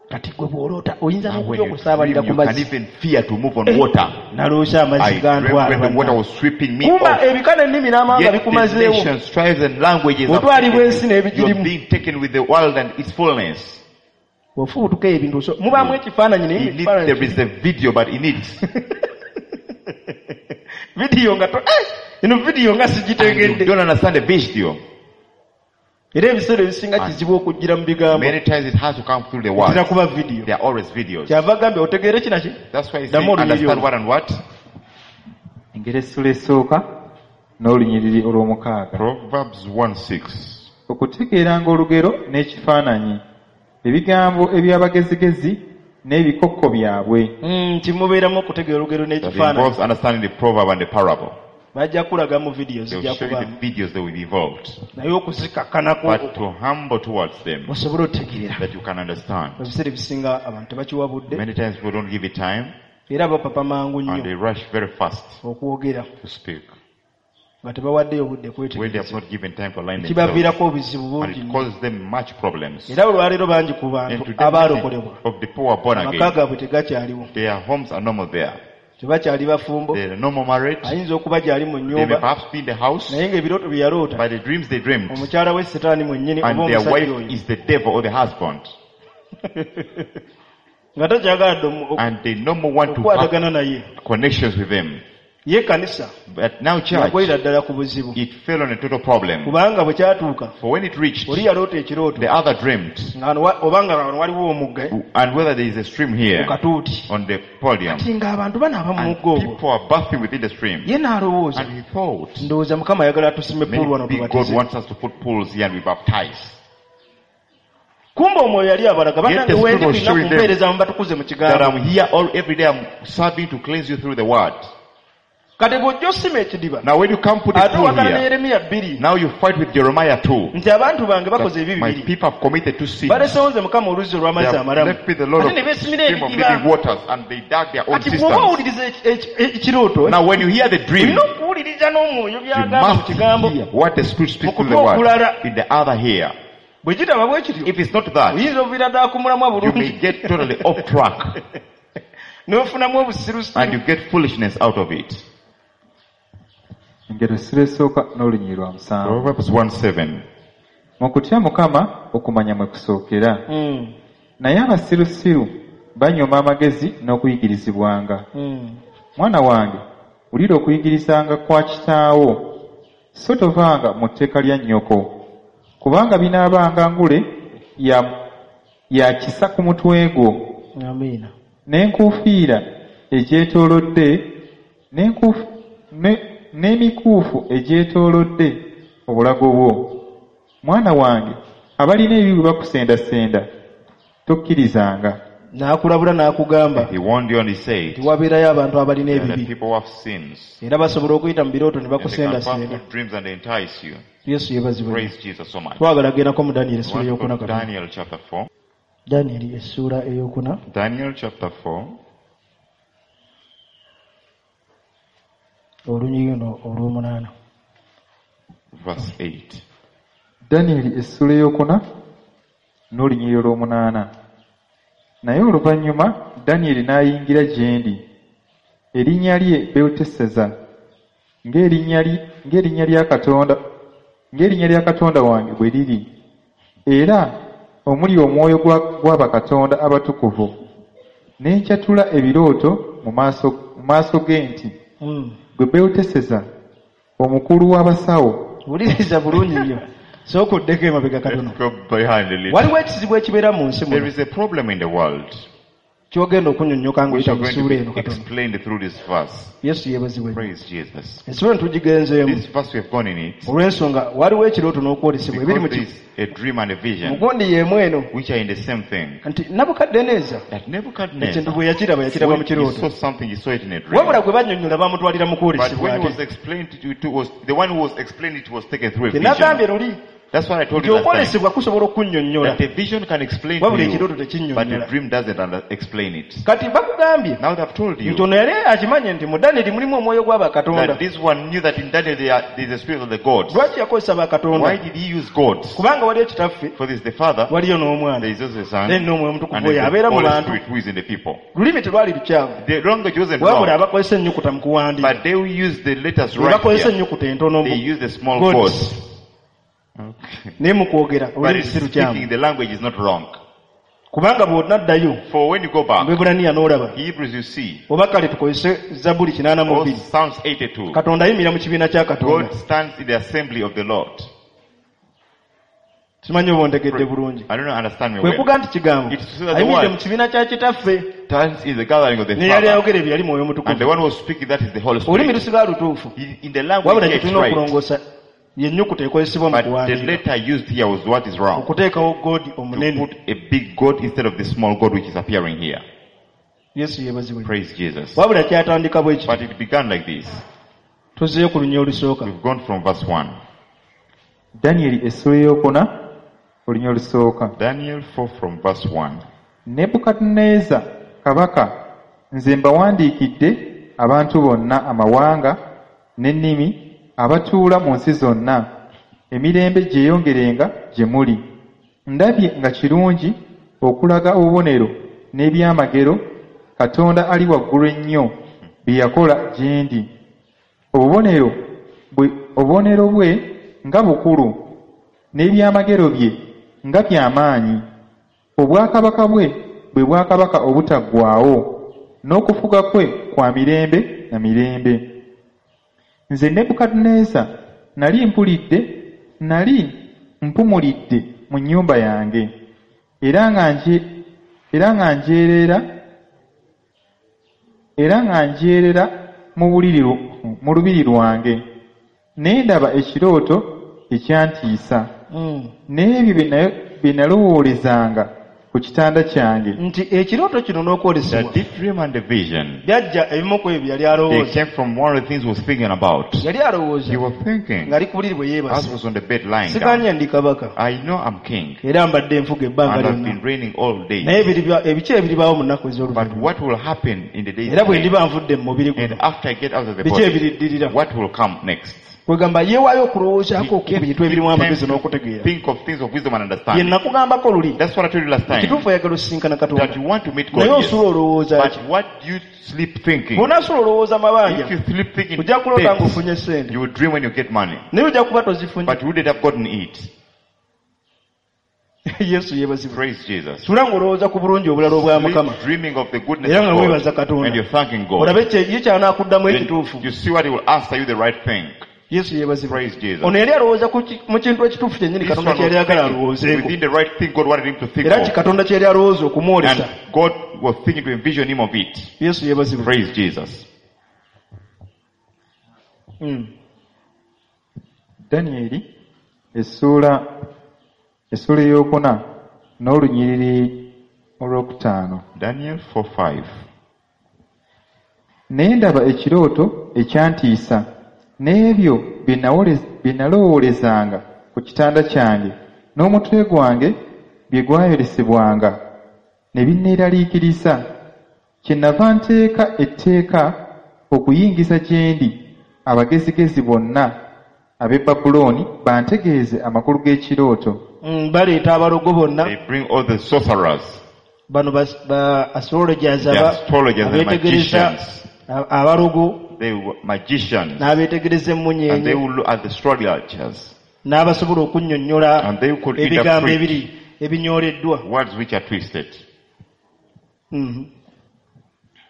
Kati gwe bw'oloota oyinza And n'okutya when you okusaabalira dream, ku you can mazzi even fear to move on water. Naloose amazzi I dreamt gantwala when the water bannange. was sweeping me Kumba off. ebika n'ennimi n'amawanga Yet the bikumazeewo nations, tribes, and languages have Otwalibwa taken ensi you. n'ebigirimu. You're being taken with the world and its fullness. Ofubutuka ebintu oso- mubaamu ekifaananyi naye In it, ekifaananyi there is a video, but in it, vidiyo nga to- eh, eno vidiyo nga and you sigitegedde don't understand the video. Era ebiseera ebisinga kizibu okugira mu bigambo Many times it has to come through the etera words. kuba vidiyo There are always videos. Kyava agambye otegeere kinaki That's why he said, Ddamu olunyiriri understand olwo. what and what. Engero essula esooka n'olunyiriri olw'omukaaga Proverbs one six. Okutegeeranga olugero n'ekifaananyi ebigambo eby'abagezigezi n'ebikokko byabwe Mm, nti mubeeramu okutegeera olugero That n'ekifaananyi involves understanding the proverb and the parable. Bajja kulaga mu vidiyo They will zijja show you the kubaamu videos that will be involved. Naye okuzikakkanako But to humble towards them osobole otegeera that you can understand. Ebiseera ebisinga abantu tebakiwa budde Many times people don't give it time era bapapa mangu and they nnyo rush very fast okwogera to speak. Nga tebawaddeyo budde When they have kwetegereza not given time to align themselves. Kibaviirako obuzibu And bungi it nnyo. causes them much problems. Era olwaleero bangi ku And bantu today, many abaalokolebwa of the poor are born amaka again. gaabwe tegakyaliwo. Their homes are no more there. Tebakyali bafumbo. They are no more married. Ayinza okuba gyali mu They may nnyumba perhaps be in the house, naye ng'ebirooto bye yaloota but the dreams they dreamed, omukyala we setaani mwennyini oba and their omusajja wife oyo is the devil or the husband, nga takyagala dde omu- and they no more want to have okukwatagana naye. Connections with them. Ye kanisa But now church, yakolera ddala ku buzibu it fell on a total problem. Kubanga bwe kyatuuka For when it reached, oli yaloota ekirooto the other dreamed, nga wano wa- oba nga wano waliwo omugga eh, and whether there is a stream here ku katuuti on the podium, kati ng'abantu banaaba mu and mugga ogwo people are bathing within the stream. Ye n'alowooza And he thought, ndowooza mukama ayagala tusime puulu wano maybe God tubatize. Wants us to put pools here and we baptize. Kumbe omwoyo yali abalaga Yet bannange the Spirit wendi was tulina showing them kumpeereza mubatukuze mu that kigambo. I'm here all every day, I'm serving to cleanse you through the word. Kati bw'ojja osima ekidiba Now when you come put a ate pool owakana ne here, Yeremiya bbiri now you fight with Jeremiah two. Nti abantu bange bakoze That ebibi my bibiri people have committed two sins. balesewo nze mukama oluzzi They olw'amazzi have amalamu left me the Lord ate of ne beesimira stream of ebidiba. Living waters and they dug their own Kati bw'oba cisterns. owuliriza eki- eki- ekirooto Now when you hear the dream, olina okuwuliriza n'omwoyo you by'agamba mu must kigambo hear what the Spirit speaks through the Mu kutu word okulala. in the other ear. Bwe kitaba bwe kityo If it's not that, oyinza okuviira ddala ku mulamwa you may bulungi get totally off track n'ofunamu obusirusiru. And you get foolishness out of it. Engero essula esooka n'olunyiriri lwa musanvu. Proverbs one seven. Mu kutya mukama okumanya mwe kusookera Mm, naye abasirusiru banyooma amagezi n'okuyigirizibwanga. Mm. Mwana wange wulira okuyigirizanga kwa kitaawo so tovanga mu tteeka lya nnyoko kubanga binaabanga ngule ya, ya kisa ku mutwe gwo Amiina. N'enkuufiira egyetoolodde n'enkuufu- ne- n'emikuufu egyetoolodde obulago bwo. Mwana wange abalina ebibi bwe bakusendasenda tokkirizanga. N'akulabula n'akugamba He warned you and he said, nti wabeerayo abantu abalina there are ebibi people who have sins. Era basobola okuyita mu birooto ne And they can pass bakusendasenda. Through dreams and entice you. Yesu yeebazibwe. Praise Jesus so much. Twagala gendako mu Danyeri We essuula want to go eyokuna to katono. Daniel chapter four. Danyeri essuula eyokuna. Daniel chapter four, olunyiriri luno olw'omunaana. Verse eight. Danyeri essuula eyokuna n'olunyiriri olw'omunaana. Naye oluvannyuma Danyeri n'ayingira gye ndi erinnya lye Beluteseza ng'erinnya lye- ng'erinnya lya Katonda ng'erinnya lya Katonda wange bwe liri era omuli omwoyo gwa- gwa bakatonda abatukuvu ne nkyatula ebirooto mu maaso mu maaso ge nti Mm. gwe Beluteseza omukulu w'abasawo. Wuliriza bulungi nnyo sooka oddeko emabega katono. Let's go behind a little. Waliwo ekizibu ekibeera mu nsi There muno is a problem in the world kyogenda okunyonnyoka which ng'oyita are mu going ssuula to eno be katono. Explained through this verse. Yesu yeebazibwe nnyo. Praise Jesus. Essula eno tugigenzeemu This verse we have gone in it olw'ensonga waliwo ekirooto n'okwolesebwa ebiri mu because ki there is a dream and a vision mugundi y'emu eno which are in the same thing. Nti Nabukaddeneeza That ekintu Nebuchadnezzar, bwe yakiraba yakiraba mu when he kirooto saw something, he saw it in a dream. wabula gwe bannyonnyola bamutwalira mu But kwolesebwa when it ate was explained to, to was the one who was explained it was taken through a kye nagambye vision. luli That's what I told nti you last time. okwolesebwa kusobola okunnyonnyola That the vision can explain to wabula you, ekirooto but the tekinnyonnyola. Dream doesn't under- explain it. Kati bakugambye Now they've told you nti ono yali akimanye nti mu Danyeri mulimu omwoyo gw'abakatonda. That this one knew that in Daniel there are- there is a spirit of the gods. Lwaki yakozesa bakatonda? Why did he use gods? Kubanga waliyo kitaffe For this the Father, waliyo n'omwana there is also the Son, then n'omwoyo omutukuvu and oyo there is abeera the mu Holy bantu. Spirit who is in the people. Lulimi telwali lukyamu The language wasn't wabula wrong, abakozesa ennyukuta mu kuwandiika but they who use the letters right bakozesa here, ennyukuta entono they mbu use the small gods. gods. Okay. Naye mu kwogera But olulimi in si lukyamu speaking, the language is not wrong. Kubanga bw'onaddayo For when you go back, mu Lwebbulaniya n'olaba Hebrews you see, oba kale tukozese Zabbuli kinaana mu or bbiri Psalms eighty-two, Katonda ayimirira mu kibiina kya Katonda. God stands in the assembly of the Lord. Simanyi oba ontegedde bulungi. I don't know, understand me Kwe well. kuga nti kigambo It is so that the ayimiridde word mu kibiina kya kitaffe stands in the gathering of the ne yali Father. ayogera ebyo yali mwoyo And the mutukuvu. one who was speaking, that is the Holy Olulimi Spirit. lusigala lutuufu He- In the language wabula here kye it's tulina right. okulongoosa yennyukuta ekozesebwa mu But the kuwandiika letter used here was what is wrong. okuteekawo God To omunene. put a big God instead of the small God which is appearing here. Yesu yeebazibwe. Praise Jesus. Wabula kyatandika bwe kiti. But it began like this. Tuzzeeyo ku lunya olusooka. We've gone from verse one. Danyeri essuula eyokuna olunya olusooka. Daniel four from verse one. Nebukadduneeza kabaka nze mbawandiikidde abantu bonna amawanga n'ennimi abatuula mu nsi zonna, emirembe gyeyongerenga gye muli. Ndabye nga kirungi okulaga obubonero n'ebyamagero Katonda ali waggulu ennyo bye yakola gye ndi. Obubonero bwe obubonero bwe nga bukulu, n'ebyamagero bye nga by'amaanyi. Obwakabaka bwe bwe bwakabaka obutaggwaawo, n'okufuga kwe kwa mirembe na mirembe. Nze Nebukadduneeza nali mpulidde nali mpumulidde mu nnyumba yange, era nga nje era nga njeerera era nga njeerera mu buliri mu lubiri lwange, ne ndaba ekirooto ekyantiisa, Mm. n'ebyo bye na- bye nalowoolezanga ku kitanda kyange. Nti ekirooto kino The n'okwolesebwa deep dream and the vision, byajja ebimu ku ebyo byali they alowooza. came from one of the things he was thinking about. Yali alowooza He was thinking, ng'ali ku buliri bwe as yeebase, was on the bed lying down, siganye ndi kabaka I know I'm king, era mbadde nfuga ebbanga and I've lyonna, been reigning all naye day. ebiriba- ebiki ebiribaawo mu nnaku But ez'oluvannyuma, what will happen in the days era bwe ahead? ndiba nvudde mu mubiri And guno, after I get out of the biki body, ebiriddirira? what will come next? Kwegamba yeewaayo okulowoozaako He ku gave bintu ebirimu him time amagezi to n'okutegeera. think of things of wisdom and Ye understanding. nakugambako luli, That's what I told you last time. ekituufu oyagala osisinkana Katonda, That you want to meet God, naye yes. osula olowooza But ki? what do you sleep thinking? Bw'onaasula olowooza mabanja, If you sleep thinking ojja kuloota debts, ng'ofunye ssente, you will dream when you get money. naye ojja kuba tozifunye. But you wouldn't have gotten it. Yesu yeebazibwe. Praise Jesus. Sula ng'olowooza ku bulungi obulala obwa Mukama, Sleep dreaming of the goodness era nga of weebaza God. Katonda, And you're thanking God. olabe kye- ye ky'anaakuddamu Then ekituufu. you see what he will answer you the right thing. Yesu yeebazibwe. Praise Jesus. Ono yali alowooza ku ki- mu kintu ekituufu kyennyini This Katonda one kye yali was ayagala thinking alowoozeeko, within the right thing God wanted him to think era ki of. Katonda kye yali alowooza okumwolesa. And God was thinking to envision him of it. Yesu yeebazibwe. Praise Jesus. Mm. Danyeri essuula essuula ey'okuna n'olunyiriri olwokutaano. Daniel four five. Ne ndaba ekirooto ekyantiisa, n'ebyo bye nawole- bye nalowoolezanga ku kitanda kyange n'omutwe gwange bye gwayolesebwanga ne binneeraliikiriza. Kyennava nteeka etteeka okuyingiza gye ndi abagezigezi bonna ab'e Babulooni bantegeeze amakulu g'ekirooto. Mm, baleeta abalogo bonna, They bring all the sorcerers, bano ba, ba astrologers, the aba- astrologers and abeetegereza magicians. a- abalogo They were magicians. n'abeetegereza And they emmunyeenye will look at the astrologers. n'abasobola okunnyonnyola And they could ebigambo interpret ebiri ebinyoleddwa. words which are twisted. Mhm.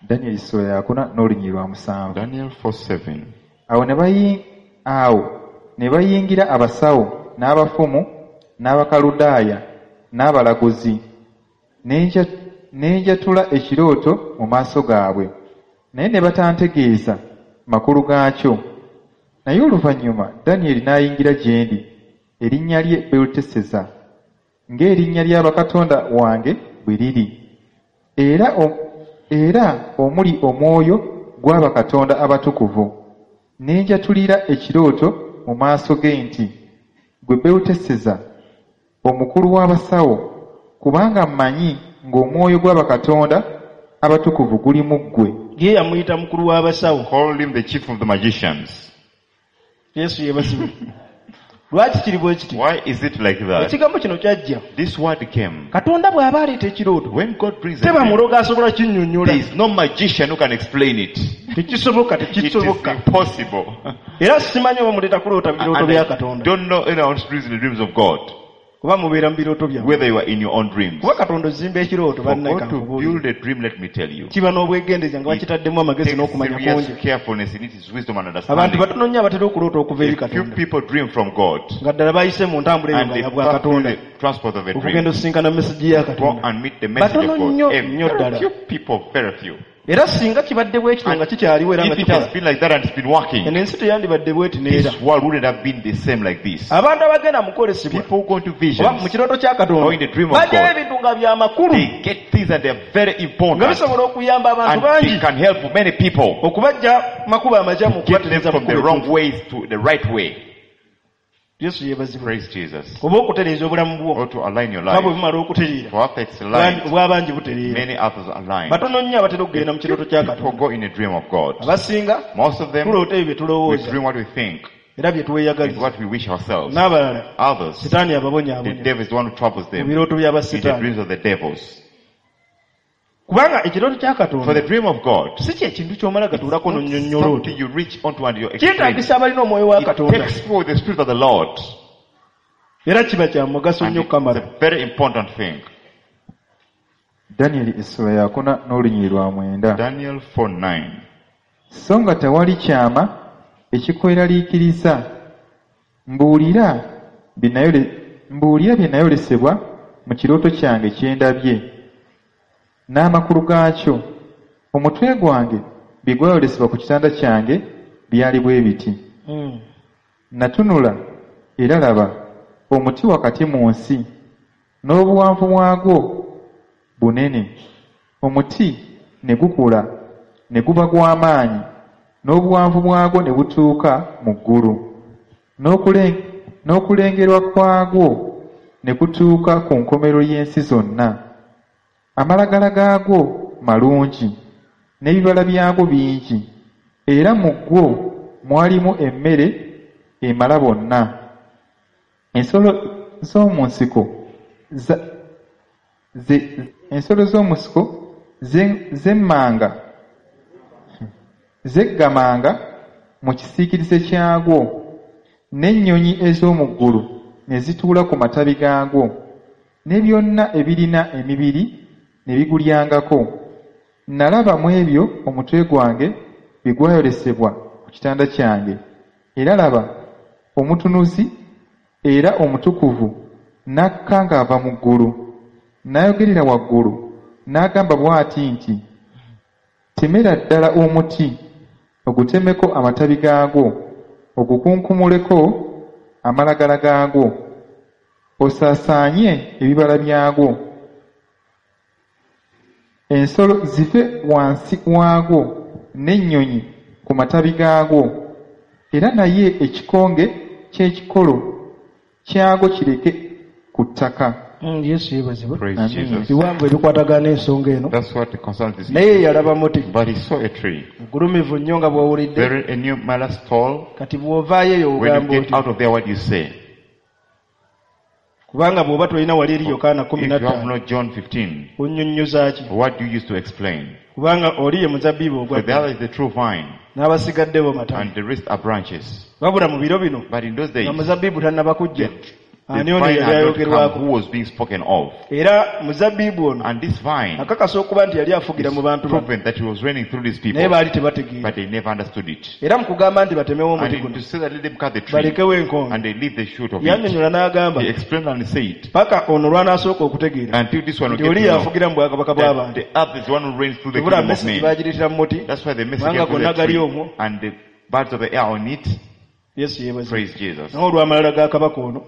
Danyeri ssuula yakuna n'olunyiriri lwa musanvu. Daniel four seven. Awo ne bayi- awo ne bayingira abasawo n'abafumu n'Abakaludaaya n'abalaguzi, ne nja- ne njatula ekirooto mu maaso gaabwe, naye ne batantegeeza makulu gaakyo. Naye oluvannyuma Danyeri n'ayingira gye ndi, erinnya lye Beluteseza, ng'erinnya lya bakatonda wange bwe liri, era o- era omuli omwoyo gw'abakatonda abatukuvu. Ne njatulira ekirooto mu maaso ge nti, ggwe Beluteseza, omukulu w'abasawo, kubanga mmanyi ng'omwoyo gw'abakatonda abatukuvu guli mu ggwe. Ye yamuyita mukulu w'abasawo. Called him the chief of the magicians. Yesu yeebazibwe. Lwaki kiri bwe kiti? Why is it like that? Ekigambo kino kyajja. This word came. Katonda bw'aba aleeta ekirooto, When God brings a teba dream, mulogo asobola kinnyonnyola. there is no magician who can explain it. Tekisoboka, It is tekisoboka. impossible. Era simanyi oba muleeta kuloota birooto And bya I Katonda, don't know anyone who dreams the dreams of God, kuba mubeera mu birooto byammwe. whether you are in your own dreams. Kuba Katonda ozimba ekirooto, For bannaye God to kankubuulire, build a dream, let me tell you, kiba n'obwegendereza nga bakitaddemu amagezi takes n'okumanya serious kungi. carefulness in its wisdom and Abantu understanding. batono nnyo abatera okuloota okuva eri A few Katonda, people dream from God, nga ddala bayise mu ntambula eyo and nga they ya bwa pass through Katonda, the transport of a okugenda dream, osisinkana mesegi ya go Katonda. and meet the message Batono of God. nnyo A nnyo very ddala. few people, very few. Era singa kibadde bwe kityo nga kikyaliwo era nga If it has kikola, been like that and it's been working, eno ensi teyandibadde bweti neera. this world wouldn't have been the same like this. Abantu abagenda mu kwolesebwa People who go into oba mu visions, kirooto kya or Katonda, in the dream of bajjayo God, ebintu nga bya makulu, they get things and they're very nga important, bisobola okuyamba abantu and they bangi can help many people okubajja makubo amakyamu, get them okubatereeza from mu the kkubo wrong ettuufu. ways to the right way. Yesu yeebazibwe. Praise Jesus. Oba okutereeza obulamu bwo, Or to align your nga bwe life. bumala okutereera, For after it's aligned, obwabangi butereera. many others align. Batono nnyo abatera okugenda mu kirooto kya People Katonda. go in a dream of God. Abasinga Most of them, tuloota ebyo bye we tulowooza, dream what we think. Era bye It's tweyagaliza. what we wish ourselves. N'abalala Others, sitaani the ababonyaabonya devil is the one who troubles mu them birooto in the by'abasitaani. dreams of the devils. Kubanga ekirooto kya For the Katonda dream of God, si kyekintu ky'omala gatuulako n'onnyonnyola otyo. something you reach onto and you explain. Kyetaagisa abalina omwoyo wa It Katonda. takes people with the Spirit of the Lord. Era kiba kya mugaso And nnyo it's okukamala. a very important thing. Danyeri essula yakuna n'olunyiriri lwa mwenda. Daniel four nine. So nga tewali kyama ekikweraliikiriza, mbuulira bye nayole- mbuulira bye nayolesebwa mu kirooto kyange kye ndabye, n'amakulu gaakyo. Omutwe gwange bye gwayolesebwa ku kitanda kyange byali bwe biti. Mm. Natunula era laba omuti wakati mu nsi, n'obuwanvu bwagwo bunene. Omuti ne gukula ne guba gw'amaanyi, n'obuwanvu bwagwo ne butuuka mu ggulu, N'okule- n'okulengerwa kwagwo ne kutuuka ku nkomerero y'ensi zonna. Amalagala gaagwo malungi, n'ebibala byagwo bingi, era mu gwo mwalimu emmere emala bonna. Ensolo z'omu nsiko za- ze- ensolo z'omu nsiko ze- zemmanga zeggamanga mu kisiikirize kyagwo, n'ennyonyi ez'omu ggulu ne zituula ku matabi gaagwo, ne byonna ebirina emibiri ne bigulyangako. Nalaba mu ebyo omutwe gwange bye gwayolesebwa ku kitanda kyange, era laba omutunuzi era omutukuvu n'akka ng'ava mu ggulu, n'ayogerera waggulu n'agamba bw'ati nti, temera ddala omuti, ogutemeko amatabi gaagwo, ogukunkumuleko amalagala gaagwo, osaasaanye ebibala byagwo, ensolo zive wansi waagwo n'ennyonyi ku matabi gaagwo, era naye ekikonge ky'ekikolo kyagwo kireke ku ttaka. Mm, Yesu yeebazibwe. Praise Amen. Jesus. Biwanvu ebikwatagana n'ensonga eno. That's what concerns this. Naye yalaba muti But he saw a tree, mugulumivu nnyo nga bw'owulidde. very enormous, tall. Kati bw'ovaayo eyo When you ogamba get otyo. out of there, what do you say? Kubanga bw'oba tolina wali eri Yokaana kumi If na you have ttaano not John fifteen, onnyonnyoza ki? what do you use to explain? Kubanga oli ye muzabbibu For the ogwa other is the true vine, n'abasigadde bo matabi. and the rest are branches. Wabula mu biro bino But in those days, nga muzabbibu tannaba kujja. the Ani ono vine yali had not come ayogerwako? who was being spoken of. Era muzabbibu ono And this vine akakasa okuba nti yali afugira is mu bantu bano. proven that he was reigning through these Naye people, baali tebategeera. but they never understood it. Era mu kugamba nti batemewo omuti And guno to say that let them cut the tree, balekewo enkonge. and they leave the shoot of it. Yannyonnyola n'agamba He explained and said, paka ono lw'anaasooka okutegeera until this one will nti get oli to know yafugira mu bwakabaka that bw'abantu. the earth is the one who reigns through the Tubula kingdom of message men. bagireetera mu muti That's why the message kubanga came through gonna the gali tree, omwo. and the birds of the air on it. Yesu yeebazibwe. Praise Jesus. Naye olw'amalala ga kabaka ono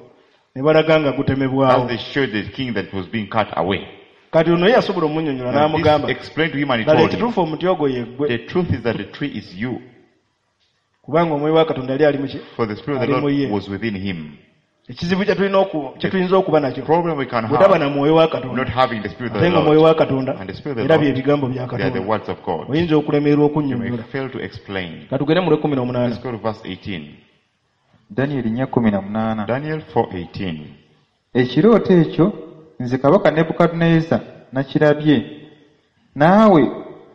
ne balaga nga gutemebwawo. As they showed the king that was being cut away. Kati ono ye yasobola omunnyonnyola And this n'amugamba explained to him and he ddala told him, ekituufu omuti ogwo ye ggwe the truth is that the tree is you. kubanga omwoyo wa Katonda yali ali mu ki? For the Spirit of the Ali mu ye. Lord was within him. Ekizibu kye tulina oku- kye tuyinza okuba nakyo Problem we can bwetaba have, na mwoyo wa Katonda not having the Spirit of ate the nga mwoyo Lord, wa Katonda and the Spirit of the era bye Lord, bigambo bya they are the Katonda words of God. oyinza okulemererwa You may okunnyonnyola. fail to explain. Katugende mu lw'ekkumi n'omunaana. Let's go to verse eighteen. Danyeri nnya kkumi na munaana. Daniel four eighteen. Ekirooto ekyo nze kabaka Nebukadduneeza nakirabye, naawe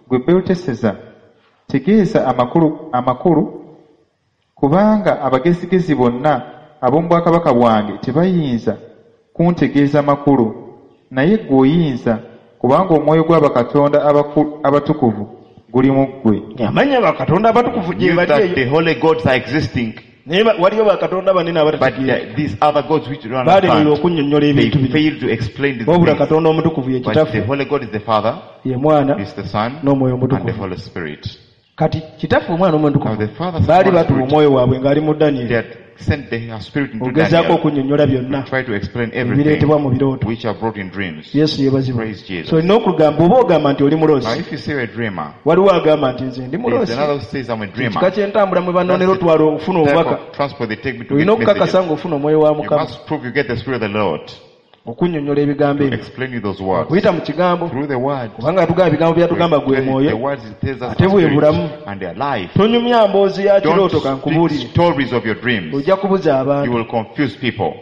gwe Beluteseza tegeeza amakulu, amakulu kubanga abagezigezi bonna ab'omu bwakabaka bwange tebayinza kuntegeeza makulu, naye ggwe oyinza, kubanga omwoyo gw'abakatonda abaku- abatukuvu guli mu ggwe. Amanya bakatonda abatukuvu gye Knew bali that eyo. the holy gods are existing, Naye ba- waliyo bakatonda banene but abatategeera. the, these other gods which you don't Baalemererwa understand, okunnyonnyola they ebintu bino. fail to explain these Wabula things. Katonda omutukuvu ye But the Kitaffe, Holy God is the Father, ye Mwana, is the Son, n'Omwoyo and the Omutukuvu. Holy Spirit. Kati Kitaffe, Omwana, n'Omwoyo Now Omutukuvu the Father, Son, baali and batuwa Spirit, omwoyo waabwe ng'ali mu they Danyeri. had sent their spirit into Ogezaako Daniel okunnyonnyola byonna to try to explain ebireetebwa everything mu birooto. which are brought in dreams. Yesu yeebazibwe. Praise Jesus. So olina okugamba oba ogamba nti oli Now muloosi. if you say you're a dreamer, Waliwo agamba nti nze ndi there's muloosi. another who says I'm a Kika dreamer. ky'entambula mwe banoonera That's the otwala okufuna type obubaka. of transport they take me to Olina get okukakasa messages. ng'ofuna omwoyo wa You Mukama. must prove you get the Spirit of the Lord. Okunnyonnyola ebigambo To ebyo explain you those words. Okuyita mu kigambo Through the word. Kubanga yatugamba ebigambo byatugamba gwe The mwoyo words it tells us ate are bwe spirit bulamu. and they are life. Tonyumya mboozi ya Don't kirooto speak kankubuulire stories of your dreams. Ojja kubuza You abantu will confuse people.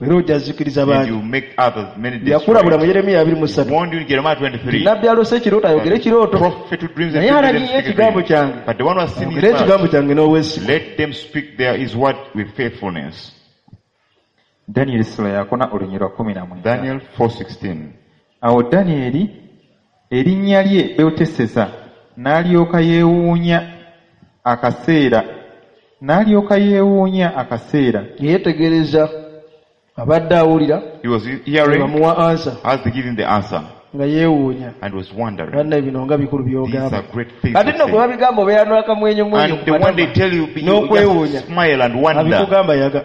Era ojja zikiriza And bangi you make others many yakulabula mu destroyed. Yeremiya abiri mu ssatu Warned you in Jeremiah twenty-three. Nabbi alose ekirooto ayogere ekirooto Prophet who dreams and naye dreams, let them alagiye speak a ekigambo dream. kyange But the one who has seen his ayogere ekigambo word, kyange n'obwesigwa let them speak there his word with faithfulness. Danyeri essula yakuna olunyiriri lwa kumi na mwenda Daniel four sixteen. Awo Danyeri erinnya lye Beluteseza n'alyoka yeewuunya akaseera n'alyoka yeewuunya akaseera Yeetegereza abadde awulira He was hearing bamuwa answer as they give him the answer nga yeewuunya and was wondering. Banna bino nga bikulu These byogamba are great things kati to nno gwe say. babigamba obeera n'akamwenyumwenyu And the one they tell you, you n'okwewuunya just smile and wonder. Abikugamba yaga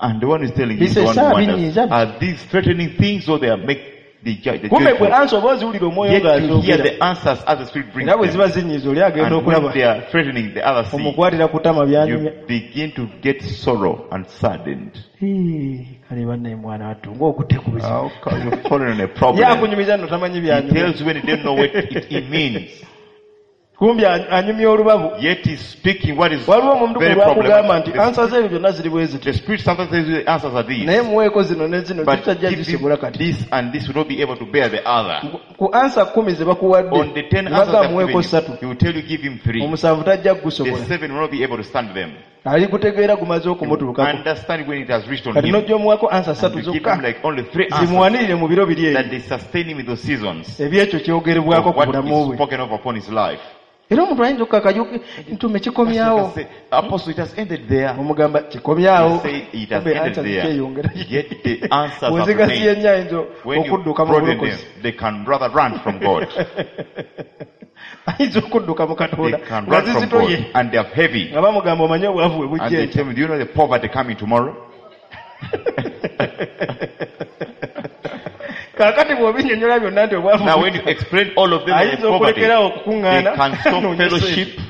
And the one who is telling you is the one who Bisesa, wonders. binyiiza. Are these threatening things or they are make the, ju- the Kumbe gwe joyful? answer oba oziwulira omwoyo Yet you hear ng'azoogera the answers as the Spirit brings era bwe them. ziba zinyiiza oli agenda And when okulaba they are threatening the other sea, omukwatira ku ttama byanyumya you begin to get sorrow and saddened. Hii, kale bannaye mwana wattu ng'okutte ku buzibu How come you've fallen on a ye problem? akunyumiza nno tamanyi He byanyumya tells you when he don't know what it, it means. Kumbi anyumya olubabu Yet he's speaking what is waliwo omuntu very lwakugamba nti problematic. answer z'ebyo byonna ziri bwe ziti The Spirit sometimes tells you the answers are naye these. muweeko zino ne zino But zitajja give zisobola him kati this and this will not be able to bear the other. Ku answer kumi ze bakuwadde On the ten answers baga I've muweeko given ssatu you, he will tell you give him three. Omusanvu tajja The kugusobola seven will not be able to stand them. Ali kutegeera gumaze You will okumutuukako understand when it has reached on kati him. n'ojja omuwako answer And ssatu you give zokka him like only three answers zimuwanirire mu biro biri that ebyo they sustain him in those seasons ebyekyo kyogerebwako of ku what bulamu is bwe spoken of upon his life. Era omuntu ayinza okukaka ntume kikomyawo Pastor can say, Apostle, it has ended there. Omugamba kikomyawo You say it has Kumbe ended answer there. zikyeyongera Yet the answers have bw'ozigasiye remained. nnyo ayinza When you okudduka mu broaden them, bulokozi they can rather run from God. Ayinza okudduka mu They Katonda can nga run from zizitoye God. And they are heavy. Nga bamugamba omanye obwavu bwe And bujja they enkya tell me, do you know the poverty coming tomorrow? Kaakati bw'obinyonyola byonna nti obwavu Now when you explain all of them on the ayinza poverty, okulekerawo they okukuŋŋaana can stop noonye fellowship, ssente.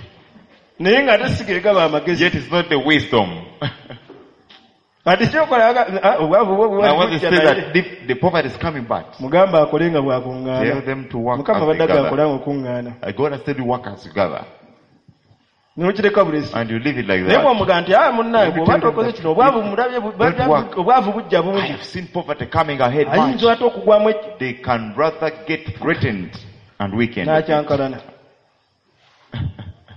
Naye ng'ate si ge gaba amagezi yet it's not the wisdom. Kati kyokola aga- ah, obwavu bwo Now when they bwali say bujja naye that the, the poverty is coming back, mugamba akole nga tell bw'akuŋŋaana them to work mukama as they abadde gather. agakola nga okuŋŋaana Uh, God has said you work as you gather. N'okireka bulesi And you leave it like naye that. bw'omugaa nti ah munnaye Let me bw'oba tell you tokoze that kino obwavu mulabye bu- don't work. obwavu bujja I bungi have seen poverty coming ahead much. ayinza ate okugwamu eki- They can rather get threatened and weakened. N'akyankalana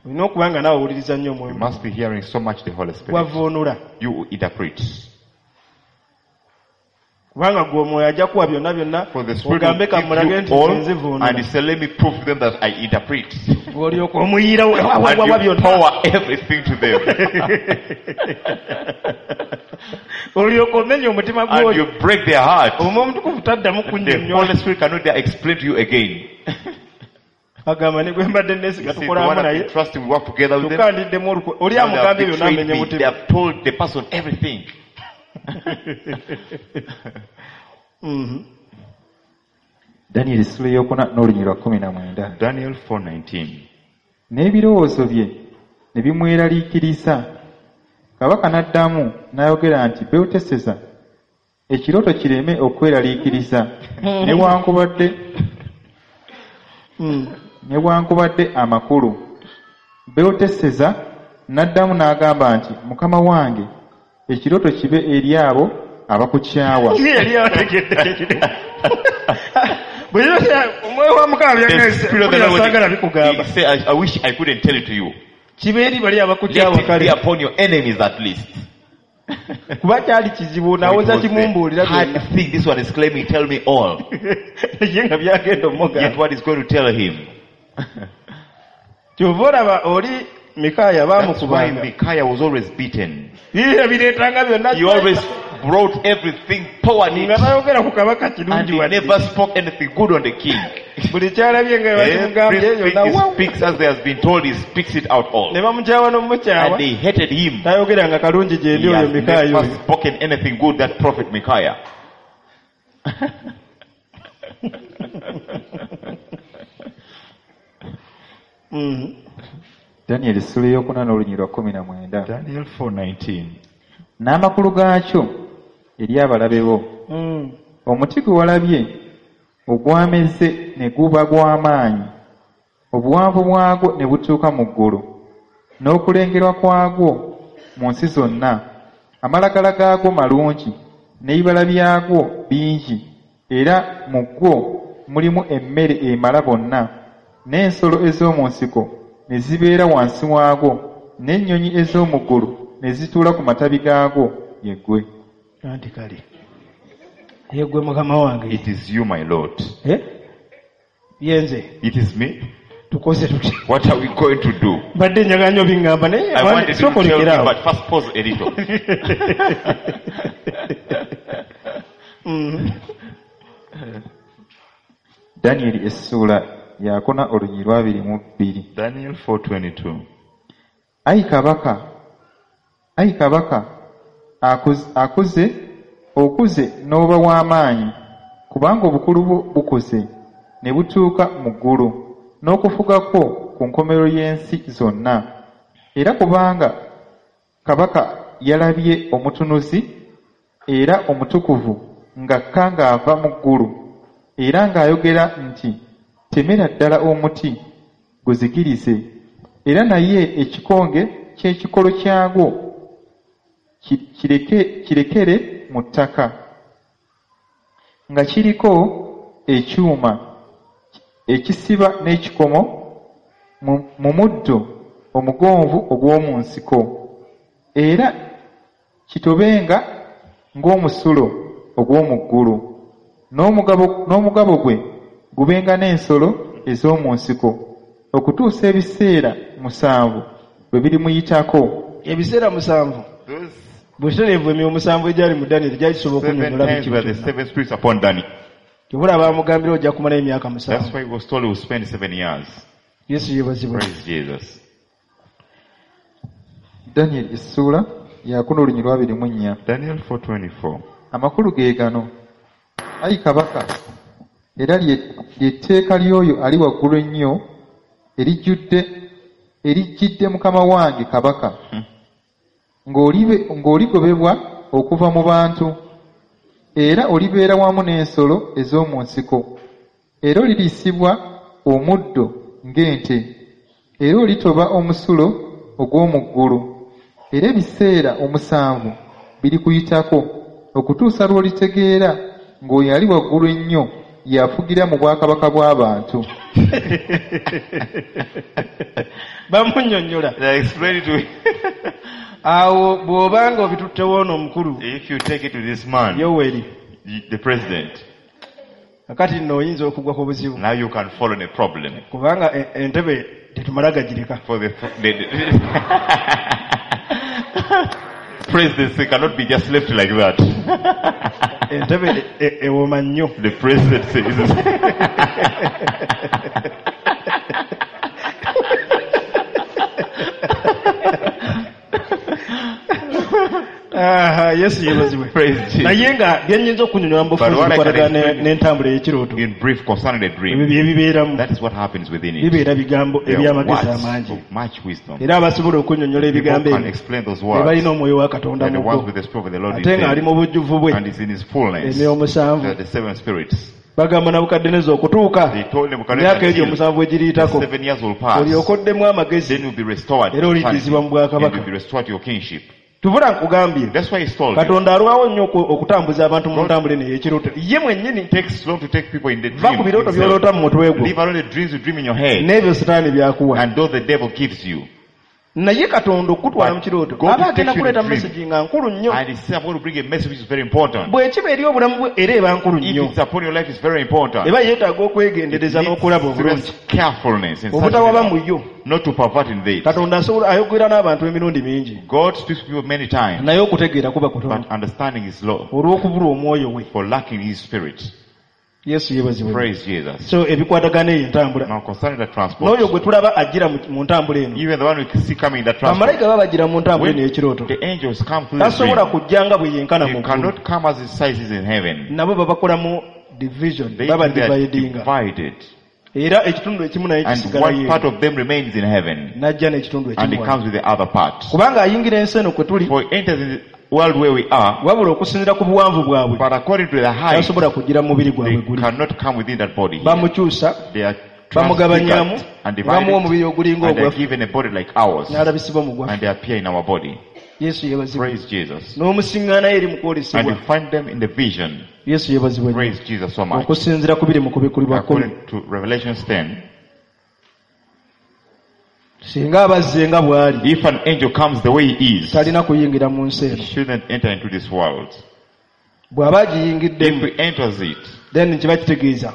olina okuba nga naawe owuliriza nnyo You omwoyo must be hearing so much the Holy Spirit. Wavuunula You interpret. Kubanga gwe omwoyo ajja kuwa byonna byonna For the Spirit ogambe will kamulage give nti you all, nze nzivuunula and he said, let me prove to them that I interpret. olyoka omuyiira And wawawa you byonna pour everything to them. Olyoka omenya omutima And gw'oyo you break their heart. Omwoyo omutukuvu taddamu The kunnyonnyola Holy Spirit cannot dare explain to you again. Agamba ne gwe mbadde neesiga You see, the tukolamu one I've naye been trusting, we work together with them. Kyokka ndiddemu olukwe oli Now they have amugambye byonna betrayed amenya me. mutima They have told the person everything. Mhm. Danyeri essula eyokuna n'olunyiriri lwa kkumi na mwenda Daniel four nineteen. N'ebirowoozo bye ne bimweraliikiriza kabaka n'addamu n'ayogera nti Beluteseza ekirooto kireme okweraliikiriza newankubadde Mm. newankubadde amakulu Beluteseza n'addamu n'agamba nti mukama wange ekirooto kibe eri abo abakukyawa Ye yali ategedde kyekiri bwe yali- omwoyo wa mukama The Spirit of the byagamba saagala Lord, bikugamba he said, I, I wish I couldn't tell it to you. Kibe eri bali abakukyawa Let it be kale upon your enemies at least. Kuba kyali kizibu It nawoza was the kimumbuulira hard byonna thing this one is claiming, tell me all. Ye nga byagenda Yet omugamba what is going to tell him? Kyova olaba oli Mikaaya That's why baamukubanga Micaiah was always beaten. Biibyo bireetanga byonna He always brought everything, poured nga it, tayogera ku kabaka and kirungi he wadde never spoke anything good on the king. Buli kyalabye nga bakimugambye Everything yonna he wow. speaks as there has been told, he speaks it out all. Ne bamukyawa n'omukyawa And they hated him. Tayogeranga kalungi gye ndi He oyo has Mikaaya never oyo spoken anything good, that prophet Micaiah. Mhm. Danyeri essula eyokuna n'olunyiriri lwa kkumi na mwenda Daniel four nineteen. N'amakulu gaakyo eri abalabe bo Mm. Omuti gwe walabye ogwameze ne guba gw'amaanyi, obuwanvu bwagwo ne butuuka mu ggulu, n'okulengerwa kwagwo mu nsi zonna. Amalagala gaagwo malungi, n'ebibala byagwo bingi, era mu gwo mulimu emmere emala bonna, n'ensolo ez'omu nsiko ne zibeera wansi waagwo, n'ennyonyi ez'omu ggulu ne zituula ku matabi gaagwo. Ye ggwe. Anti kale ye ggwe mukama wange. It is you, my Lord. Eh? Ye nze. It is me. Tukoze tutya? What are we going to do? Mbadde njagala nnyo biŋŋamba naye I wanted to sooka tell you, olekeraawo. but first pause a little. Mm. Danyeri essuula yakuna olunyiriri lwa abiri mu bbiri. Daniel four twenty-two. Ayi kabaka, ayi kabaka, akuze, akuze okuze n'oba w'amaanyi, kubanga obukulu bwo bukuze ne butuuka mu ggulu, n'okufuga kwo ku nkomerero y'ensi zonna. Era kubanga kabaka yalabye omutunuzi era omutukuvu ng'akka ng'ava mu ggulu, era ng'ayogera nti, 'Temera ddala omuti guzikirize, era naye ekikonge ky'ekikolo kyagwo ki- kireke kirekere mu ttaka, nga kiriko ekyuma ekisiba n'ekikomo mu mu muddo omugonvu ogw'omu nsiko, era kitobenga ng'omusulo ogw'omu ggulu, n'omugabo n'omugabo gwe gubenga n'ensolo ez'omu nsiko, okutuusa ebiseera musanvu bwe birimuyitako." Ebiseera musanvu. Those Butereevu emyoyo musanvu egyali mu Danyeri gyali gisobola seven okunnyonnyola times buli were kimu the kyonna. seven spirits upon Daniel. Kyobula baamugambira ojja kumalayo emyaka That's musanvu. why he was told he will spend seven years. Yesu yeebazibwe. Praise Jesus. Danyeri essuula yakuna olunyiriri lwa abiri mu nnya. Daniel four twenty-four. Amakulu ge gano, ayi kabaka, era lye ly'etteeka ly'oyo ali waggulu ennyo erijjudde erijjidde mukama wange kabaka, ng'olibe- ng'oligobebwa okuva mu bantu, era olibeera wamu n'ensolo ez'omu nsiko, era oliriisibwa omuddo ng'ente, era olitoba omusulo ogw'omu ggulu, era ebiseera omusanvu birikuyitako okutuusa lw'olitegeera ng'oyo ali waggulu ennyo y'afugira mu bwakabaka bw'abantu. Bamunnyonnyola. They explained to him. Awo bw'obanga obituttewo ono omukulu If you take it to this man, Yoweri, the president, kakati nno oyinza okugwa ku buzibu, now you can fall on a problem. Kubanga e- entebe tetumala gagireka. For the, the, the presidency cannot be just left like that. Entebe e- e- ewooma nnyo. The presidency is Aha, Yesu yeebazibwe. Praise Jesus. Naye nga byennyinza okunnyonnyola mu But bufunze what I can bikwatagana explain n'entambula ey'ekirooto. in brief concerning the Ebyo dream, bye bibeeramu. that is what happens within it. Bibeera bigambo There are eby'amagezi words amangi. of much wisdom. Era abasobola okunnyonnyola People ebigambo can ebyo explain those be words. balina omwoyo wa Katonda They're the mu ones bo, with the Spirit of the Lord in ate ng'ali them. mu bujjuvu bwe. And is in his fullness. Emyoyo omusanvu. They are the seven spirits. Bagamba Nabukaddeneza okutuuka They told Nebuchadnezzar emyaka egyo until omusanvu the egiriyitako, seven years will pass. olyoke oddemu amagezi, Then you'll be restored. era oliddizibwa mu And bwakabaka. you'll be restored to your kingship. Tubula nkugambye, That's why he told you. Katonda alwawo nnyo oku- okutambuza abantu mu God- ntambula eno ey'ekirooto ye mwennyini. It takes long to take people in the Va dream ku birooto itself. by'oloota mu mutwe gwo Leave alone the dreams you dream in your head n'ebyo sitaani byakuwa. and those the devil gives you. Naye Katonda okutwala But mu kirooto God aba will agenda take you in kuleeta a dream. message nga nkulu nnyo. And he said, I'm going to bring a message which is very important. Bwe kiba eri obulamu bwe era eba nkulu If nnyo, it's upon your life, it's very important. eba yeetaaga okwegendereza It needs n'okulaba obulungi, serious carefulness in such obutawaba a mu yo. not to pervert in this. Katonda asobola ayogera n'abantu emirundi mingi, God speaks to people many times, naye okutegeera kuba kutono but understanding is low olw'okubulwa omwoyo we. For lacking his spirit. Yesu yeebazibwe. Praise Jesus. So ebikwatagana eyo entambula Now concerning the transport, n'oyo gwe tulaba ajjira mu- mu ntambula eno, even the one we see coming in the transport, bamalayika baba bajjira mu ntambula when eno ey'ekirooto, the angels come through the tasobola dream, kujja nga bwe yenkana he mu ggulu. cannot come as his size is in heaven. Nabo babakolamu division, They, baba they are dividinga, divided. Era ekitundu ekimu naye And kisigalayo one part of them remains in heaven. N'ajja n'ekitundu And he ekimu comes with the other part. kubanga ayingira ensi eno kwe tuli For he enters in world where we are, wabula okusinziira ku buwanvu bwabwe but according to the height, tasobola kugira mu mubiri gwabwe they guli cannot come within that body. here. Bamukyusa They are bamugabanyaamu transfigured and ne bamuwa divided, omubiri ogulinga and they are ogwaffe given a body like ours, n'alabisibwa mu gwaffe and they appear in our body. Yesu yeebazibwe Praise Jesus. n'omusiŋŋaanayo eri mu And kwolesebwa you find them in the vision. Yesu yeebazibwe nnyo. Praise Jesus so much. Okusinziira ku biri mu kubikulibwa kkumi According to Revelations ten, singa abazze nga bw'ali if an angel comes the way he is, talina kuyingira mu nsi he eno shouldn't enter into this world. Bw'aba If agiyingiddemu he enters it, then kiba kitegeeza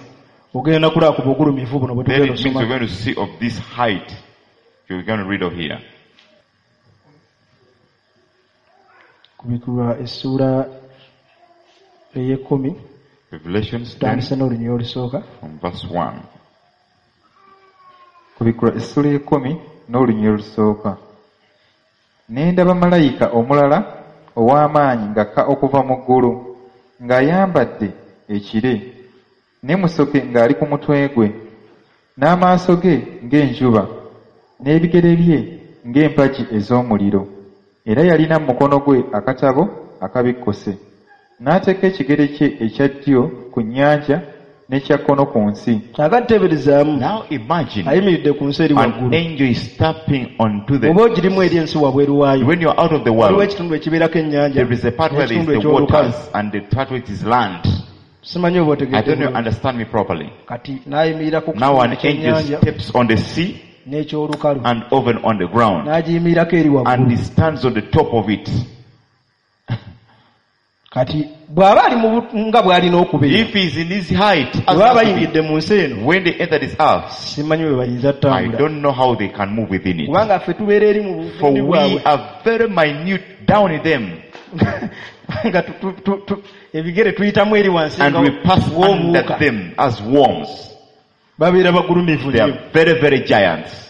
ogenda kulaba ku bugulumivu buno bwe then tugenda it means osoma you're going to see of this height you're going to read of here. Kubikulwa essuula ey'ekkumi Revelations ten tutandise n'olunyiriri olusooka from verse one. Kubikulwa essula y'ekkumi n'olunyiriri olusooka. Ne ndaba malayika omulala ow'amaanyi ng'akka okuva mu ggulu, ng'ayambadde ekire, ne musoke ng'ali ku mutwe gwe, n'amaaso ge ng'enjuba, n'ebigere bye ng'empagi ez'omuliro. Era yalina mu mukono gwe akatabo akabikkuse. N'ateeka ekigere kye ekya ddyo ku nnyanja n'ekya kkono ku nsi. Kaakati teeberezaamu Now imagine ayimiridde ku nsi eri an waggulu angel is stepping onto oba the. ogirimu eri ensi wabweru waayo When you're out of the waliwo world, ekitundu ekibeerako ennyanja there is a part where there is n'ekitundu the eky'olukalu waters and the part where it is land. Simanyi oba I don't know, otegedde bulungi. Understand me properly. Kati n'ayimirira ku Now an kitundu angel ky'ennyanja steps on the sea n'ekyolukalu and even on the ground, n'agiyimirirako eri and waggulu he stands on the top of it. Kati bw'aba ali mu bu- nga bw'alina okubeera If he's in his height, as bwe baba has to be, bayingidde mu nsi eno when they enter this earth, simanyi bwe bayinza I ttambula don't know how they can move within it. Kubanga ffe tubeera eri mu For bugundi we bwabwe are very minute down in them, nga tu- tu- tu- tu- ebigere tuyitamu eri wansi and nga we pass under w'obuwuka them as worms. Babeera bagulumivu They nnyo are very, very giants.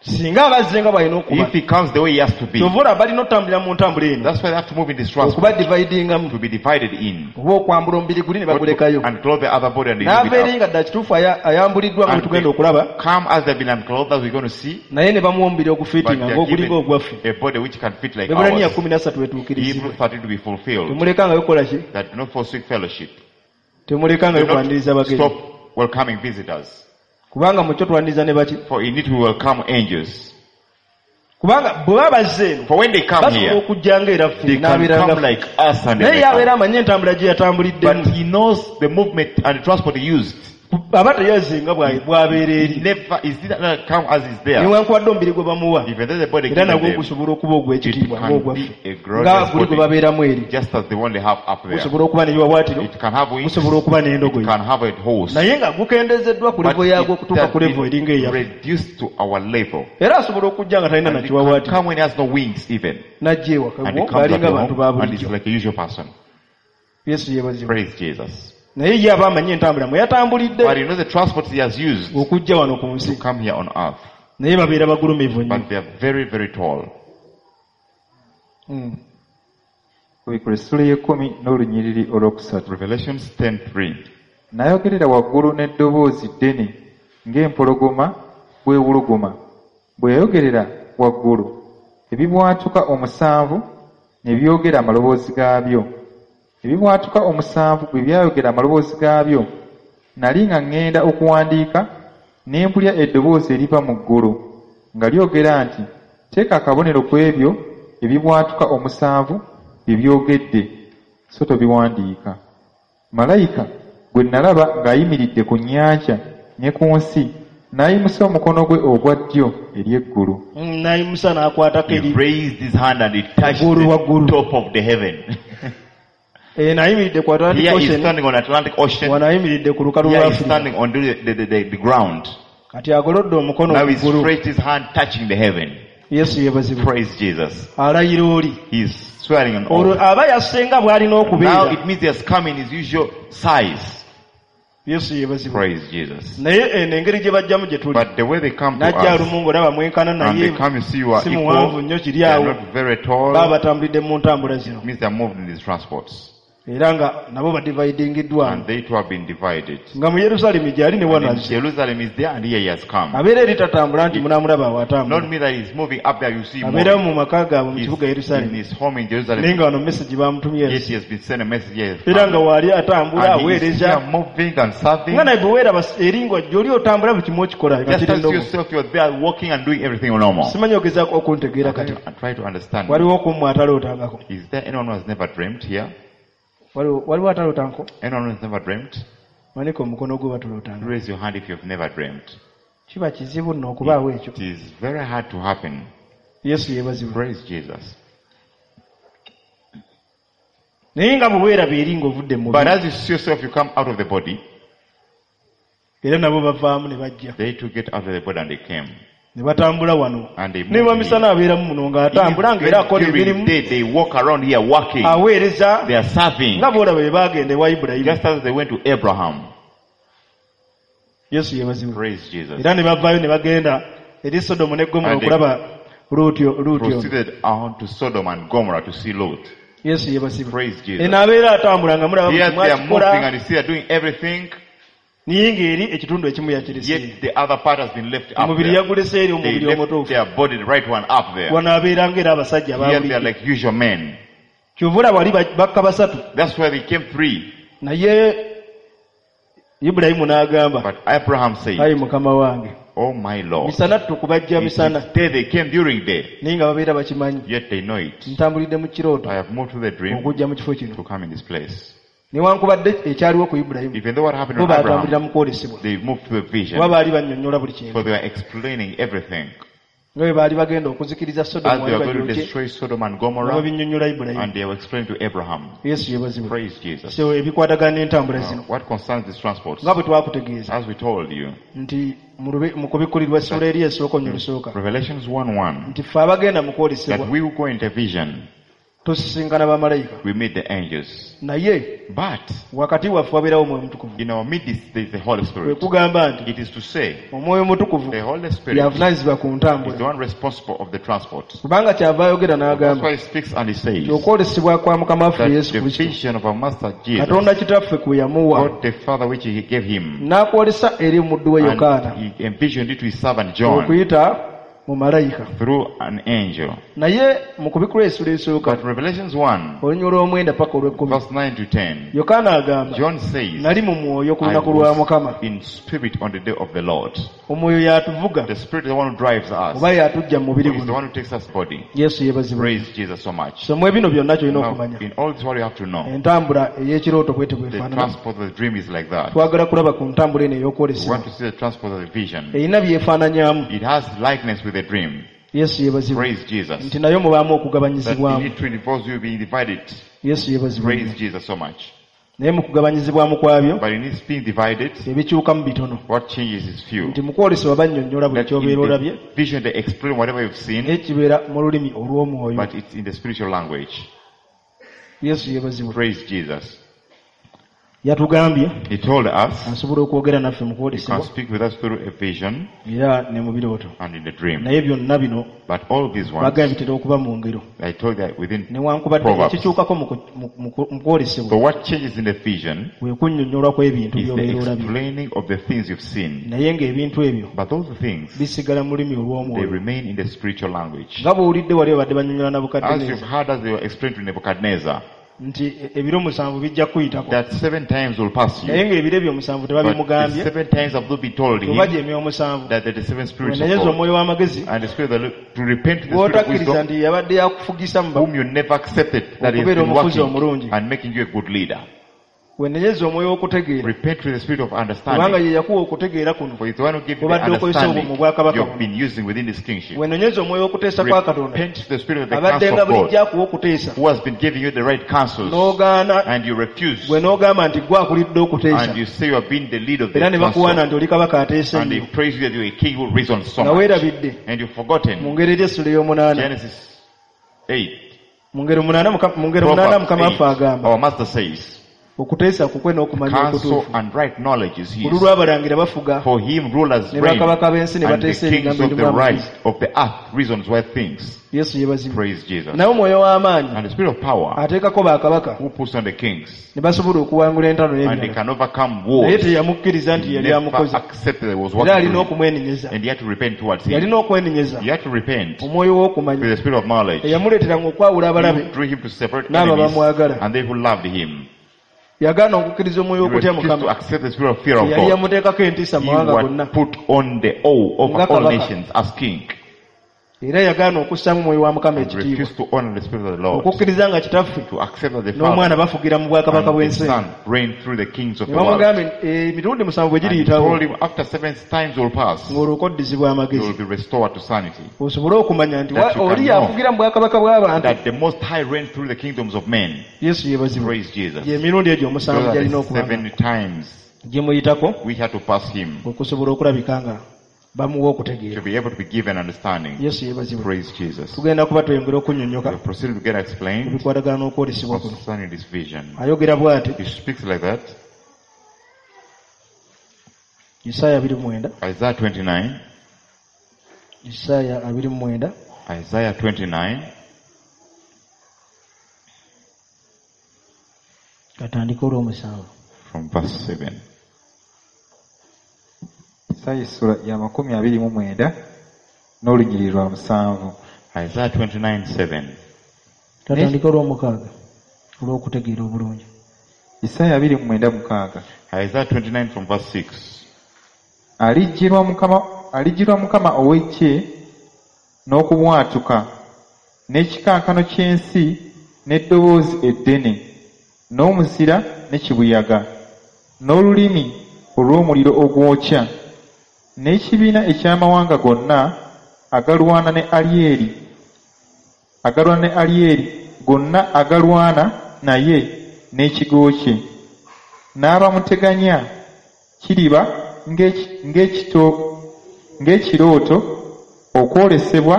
Singa abazze nga bw'alina okuba If he comes the way he has to be, kyova olaba balina otambulira mu ntambula eno that's why they have to move in this transport okuba dividingamu to be divided in. Oba okwambula omubiri guli ne bagulekayo And clothe the other body and they leave n'ava eri it up. nga ddala kituufu aya- ayambuliddwa nga bwe And tugenda they okulaba come as they've been unclothed, as we're going to see, naye ne bamuwa omubiri but ogufiitinga they are ng'ogulinga given ogwaffe a body which can fit like Ebbulaniya ours. kumi na ssatu wetuukirizibwe Hebrews thirteen to be fulfilled. Temulekangayo kukola ki That do not forsake fellowship. Temulekangayo Do kwaniriza not bagenyi stop welcoming visitors. Kubanga mu kyo twaniriza ne baki For in it we welcome angels. Kubanga bwe baba bazze eno For when they come basobola here, okujja nga era ffe they can n'abeera nga come ffe. like us and Naye they ye abeera come. amanyi entambula gye yatambuliddemu But he knows the movement and the transport he used. Aba teyazze nga bwa- bw'abeera He eri never is did not come as is there. Newankubadde omubiri gwe bamuwa Even though the body era given nagwo them, gusobola okuba ogw'ekitiibwa it can ng'ogwaffe be a nga glorious guli gwe body. babeeramu eri Just as the one they have up there. Gusobola okuba n'ebiwawaatiro It can have wings, gusobola okuba it n'endogoyi can have a horse. Naye nga gukendezeddwa ku But levo yaagwo it okutuuka has ku levo been eringa eyaffe reduced to our level. Era asobola okujja nga talina And it can nakiwawaatiro come when he has no wings even. N'ajja ewaka And he comes ng'alinga at your abantu ba home and bulijjo is like a usual person. Yesu yeebazibwe Praise Jesus. Naye ye aba amanyi entambula mwe yatambulidde But you know the transport he has used okujja wano ku nsi to come here on earth. Naye babeera bagulumivu nnyo But they are very, very tall. Mm. Kubikulwa essula y'ekkumi n'olunyiriri olwokusatu. Revelations ten three. N'ayogerera waggulu n'eddoboozi ddene ng'empologoma bw'ewuluguma. Bwe yayogerera waggulu, ebibwatuka omusanvu ne byogera amaloboozi gaabyo. Ebibwatuka omusanvu bwe byayogera amaloboozi gaabyo, nali nga ŋŋenda okuwandiika, ne mpulira eddoboozi eriva mu ggulu nga lyogera nti, teeka akabonero ku ebyo ebibwatuka omusanvu bye byogedde, so tobiwandiika. Malayika gwe nalaba ng'ayimiridde ku nnyanja ne ku nsi, n'ayimusa omukono gwe ogwa ddyo eri eggulu. Mm, n'ayimusa n'akwatako He eri raised his hand and he touched Waggulu, the waggulu. Top of the heaven. Eno ayimiridde ku Atlantic Here he's Ocean standing on Atlantic Ocean. Wano ayimiridde ku lukalu Here lwa he's Afirika standing on the, the, the, the, the ground. Kati agolodde omukono Now he's ku ggulu stretched his hand touching the heaven. Yesu yeebazibwe Praise Jesus. Alayira oli He's swearing on olwo oath. Aba yasse nga bw'alina Now okubeera it means he has come in his usual size. Yesu yeebazibwe Praise Jesus. Naye eno engeri gye bajjamu gye tuli But the way they come to n'ajja us, alumu ng'olaba mwenkana and naye they come, you see you are si muwanvu equal, nnyo kiri they are awo not very tall, baba batambulidde mu ntambula zino it means they are moved in these transports. Era nga nabo badividingiddwamu And they too have been divided. Nga mu Yerusaalemi gy'ali ne wano And in azze. Jerusalem is there and here he has come. Abeera eri tatambula nti munaamulaba awo Not atambula. me that he's moving up there, you see him Abeera moving. mu maka gaabwe mu He's kibuga in Yerusaalemi. his home in Naye Jerusalem. nga wano message bamutumye Yet he has been sent a message here. He has era nga come. waali atambula And he is aweereza here moving and serving. nga naye bwe weeraba eri nga gy'oli otambula buli kimu okikola nga Just kiri as ndogo. yourself, you're there walking and doing everything normal. Simanyi ogezaako okuntegeera kati. And try to understand. Waliwo okummwe atalootangako. Is there anyone who has never dreamt here? Waliwo waliwo atalootangako? Anyone who has never dreamt? Wanika omukono gwo batulootanga. Raise your hand if you've never dreamt. Kiba kizibu nno okubaawo ekyo. It is very hard to happen. Yesu yeebazibwe. Praise Jesus. Naye nga bwe weeraba eri ng'ovudde mu But mubiri as you see yourself, you come out of the body. Era nabo bavaamu ne bajja. They too get out of the body and they came. Ne batambula wano. And they Ne moved bamisana abeeramu muno ng'atambula ng'era akola Even during emirimu day, they walk around here working. Aweereza They are serving. nga bw'olaba bwe baagenda ewa Ibulayimu. Just as they went to Abraham. Yesu yeebazibwe. Praise Jesus. Era ne bavaayo ne bagenda eri Sodomu ne Gomora And they okulaba Luuti Luuti ono. Proceeded on to Sodom and Gomorrah to see Lot. Yesu yeebazibwe. Praise Jesus. Eno abeera atambula nga mulaba buli Here kimu they are moving akikola and you see they are doing everything. naye ng'eri ekitundu ekimu yakirese. Yet the other part has been left up Omubiri there. yagulese eri They omubiri left omutuufu. their body, the right one, up there. Wano abeera ng'era abasajja Here they are ababulijjo. like usual men. Kyova olaba wali ba- bakka basatu. That's why they came three. Naye Ibulayimu n'agamba But Abraham said, ayi Mukama wange Oh my Lord. misana tukubajja It is misana day they came during day. naye nga babeera bakimanyi. Yet they know it. Ntambulidde mu kirooto I have moved to the dream okujja mu kifo kino. to come in this place. Newankubadde ekyaliwo ku Ibulayimu Even though what happened bo to baatambulira Abraham, mu kwolesebwa. they moved to the vision. Kuba baali bannyonnyola buli kintu. For they were explaining everything. Nga bwe baali bagenda okuzikiriza As Sodomu they wali were going to bagyokye destroy Sodom and nga Gomorrah, babinnyonnyola Ibulayimu. and they were explaining to Abraham. Yesu yeebazibwe. Praise Jesus. So ebikwatagana n'entambula Now, zino what concerns these transports, nga bwe twakutegeeza as we told you, nti mu lube- mu kubikkulirwa essula eri esooka onnyo lusooka Revelations one one, nti ffe abagenda mu kwolesebwa that we who go into vision, tusisinkana bamalayika we meet the angels. Naye But wakati waffe wabeerawo Omwoyo Mutukuvu. in our midst there is the Holy Kwe Spirit. kugamba nti It is to say, Omwoyo Mutukuvu the Holy Spirit y'avunaanyizibwa ku is the ntambula one responsible of the transport. kubanga kyava ayogera That's n'agamba why he speaks and he says nti okwolesebwa kwa Mukama waffe that Yesu the Kristo vision of our Master Jesus, Katonda Kitaffe kwe yamuwa God the Father which he gave him, n'akwolesa eri omuddu we Yokaana and he envisioned it to his servant John okuyita mu malayika. through an angel. Naye mu kubikkulwa essula esooka But Revelations one, olunyiriri olw'omwenda paka olw'ekkumi verse nine to ten, Yokaana agamba John says, nali mu mwoyo ku I lunaku lwa Mukama. was in spirit on the day of the Lord. Omwoyo y'atuvuga The spirit is the one who drives us. oba y'atujja mu mubiri Is the guno. one who takes us body. Yesu yeebazibwe. Praise Jesus so much. So mu ebino byonna ky'olina Now, okumanya in all this what you have to know, entambula ey'ekirooto bwete the bwefaanana. transport of the dream is like that. Twagala kulaba ku ntambula eno We ey'okwolesebwa want to see the transport of the vision. erina byefaananyaamu. It has likeness with the dream. Yesu yeebazibwe. Praise Jesus. Nti nayo mubaamu That in okugabanyizibwamu. it involves you being divided. Yesu yeebazibwe. Praise Jesus so much. Naye mu kugabanyizibwamu kwabyo But in its being divided, ebikyukamu bitono. what changes is few. Nti mu kwolesebwa bannyonnyola buli That in ky'obeera olabye the vision they explain whatever you've seen, naye kibeera mu lulimi olw'omwoyo. but it's in the spiritual language. Yesu yeebazibwe. Praise Jesus. Yatugambye He told us asobola okwogera naffe mu he can kwolesebwa speak with us through a vision era ne mu birooto. and in the dream. Naye byonna bino But all these ones, bagambye bitera okuba mu ngero. I told that within Newankubadde Proverbs. ekikyukako mu ku- mu- mu ku- mu kwolesebwa So what changes in the vision kwe kunnyonnyolwa kw'ebintu is the by'obeera olabye. explaining of the things you've seen. Naye ng'ebintu ebyo But those things, bisigala mu lulimi they olw'omwoyo. remain in the spiritual language. Nga bw'owulidde wali babadde bannyonnyola As Nabukadduneeza you've heard as they were explained to Nebuchadnezzar, nti e- ebiro musanvu bijja kuyitako. that seven times will pass you. Naye ng'ebiro ebyo omusanvu But the tebabimugambye seven times have not been told oba him gy'emyoyo omusanvu. that the seven spirits of Wenenyeza God omwoyo w'amagezi and the spirit of the, to repent to the spirit of gw'otakkiriza wisdom nti yabadde yakufugisa mu whom you never accepted that he has Okubeera been omufuzi working omulungi. and making you a good leader. Wenenyeza omwoyo w'okutegeera Repent to the spirit of kubanga understanding. ye yakuwa okutegeera kuno For it's the one who gave you the Obadde okozesa understanding obwo mu bwakabaka you've buno. been using within this kingship. Wenenyeza omwoyo w'okuteesa kwa Katonda Repent to the spirit of the abadde counsel nga of God bulijjo akuwa okuteesa who has been giving you the right counsels n'ogaana and you refuse gwe n'ogamba nti gwe akulidde okuteesa and you say you have been the lead of the era ne bakuwaana council nti oli kabaka ateesa and they ennyo praise you that you're a king who reasons so nga much weerabidde and you've mu forgotten ngeri eri essula ey'omunaana Genesis eight mu ngeri munaana Muka- mu ngeri munaana Proverbs Mukama waffe eight agamba our master says Okuteesa kukwe n'okumanya Counsel okutuufu. and right knowledge is Ku his. lulw'abalangira bafuga For him rulers ne reign, bakabaka b'ensi ne and the bateesa kings ebigambo of the ebirimu right amagezi. of the earth reasons wise things. Yesu yeebazibwe. Praise Jesus. Naye omwoyo w'amaanyi And the spirit of power ateekako bakabaka who puts on the kings, ne basobola okuwangula entalo and they n'ebirala. can overcome Naye wars. teyamukkiriza nti He yali never amukoze. accepted that he was Era working alina through him. okumwenenyeza. And he had to repent towards him. Yalina okwenenyeza He had to repent omwoyo with w'okumanya the spirit of knowledge. eyamuleeteranga okwawula abalabe He drew him to separate n'abo enemies abamwagala. and they who loved him. Yagaana okukkiriza omwoyo He w'okutya refused to Mukama. accept the spirit of fear of Yali God. yamuteekako entiisa mu He mawanga gonna. was put on the awe over Nga all kabaka. nations as king Era yagaana okussaamu omwoyo wa Mukama and ekitiibwa. refused to honor the spirit of the Lord. Okukkiriza nga kitaffe To accept that the n'omwana Father bafugira mu bwakabaka and the bw'ensi eno. Son reign through the kings of Ne the world. bamugamba emirundi musanvu bwe And he giriyitawo told him after seven times will pass, ng'olwo okoddizibwa you amagezi will be restored to sanity. osobole okumanya nti That wa- you can oli know yafugira mu bwakabaka bw'abantu. That the Most High reigns through the kingdoms of men. Yesu yeebazibwe. Praise Jesus. Gy'emirundi egyo omusanvu Those are gy'alina the okuba nga seven times gimuyitako we had to pass him okusobola okulabika nga bamuwa to okutegeera. be able to be given understanding. Yesu yeebazibwe. Praise Jesus. Tugenda kuba tweyongera okunnyonnyoka We proceed to get explained ebikwatagana n'okwolesebwa kuno. concerning this vision. Ayogera bw'ati He speaks like that. Isaaya abiri mu mwenda Isaiah twenty-nine. Isaaya abiri mu mwenda Isaiah twenty-nine. katandika olw'omusanvu. From verse seven. Isaaya essula ya makumi abiri mu mwenda n'olunyiriri lwa musanvu. Isaiah twenty-nine seven. Katandika olw'omukaaga olw'okutegeera obulungi. Isaaya abiri mu mwenda mukaaga. Isaiah twenty-nine from verse six. Alijjirwa Mukama, alijjirwa Mukama ow'eggye n'okubwatuka n'ekikankano ky'ensi n'eddoboozi eddene n'omuzira ne kibuyaga n'olulimi olw'omuliro ogwokya n'ekibiina eky'amawanga gonna agalwana ne Alyeri agalwana ne Alyeri gonna agalwana naye n'ekigo kye n'abamuteganya kiriba ng'ekito ng'ekirooto okwolesebwa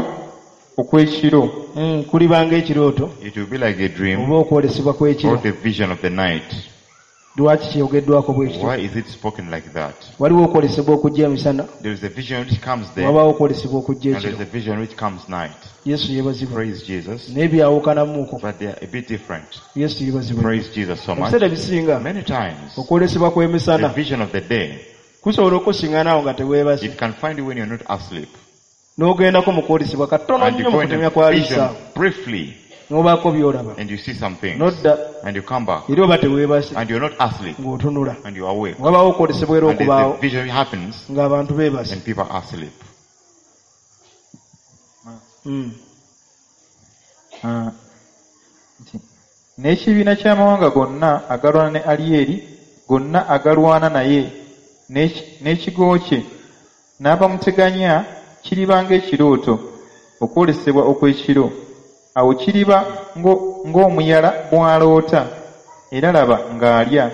okw'ekiro. Mm, kuliba ng'ekirooto It will be like a dream oba okwolesebwa kw'ekiro. or the vision of the night. Lwaki kyogeddwako bwe kityo? Why is it spoken like that? Waliwo okwolesebwa okujja emisana, There is a vision which comes there, wabaawo okwolesebwa okujja and there is ekiro. a vision which comes night. Yesu yeebazibwe. Praise Jesus. Naye byawukanamuuko. But they are a bit different. Yesu yeebazibwe. Praise Jesus so much. Ebiseera ebisinga Many times, okwolesebwa the kw'emisana vision of the day, kusobola okusiŋŋana awo nga teweebase. it can find you when you're not asleep. N'ogendako mu kwolesebwa katono And you nnyo mu go in kutemya a kwa vision liiso briefly, n'obaako by'olaba. and you see some things. N'odda And you come back, era oba teweebase and you're not asleep, ng'otunula. and you're awake. Wabaawo okwolesebwa era And there's okubaawo a vision which happens, ng'abantu beebase. and people are asleep. Mm. Ah, nti, n'ekibiina ky'amawanga gonna agalwana ne Alyeri gonna agalwana naye n'eki- n'ekigo kye n'abamuteganya kiriba ng'ekirooto okwolesebwa okw'ekiro. Awo kiriba ngo- ng'omuyala bw'aloota era laba ng'alya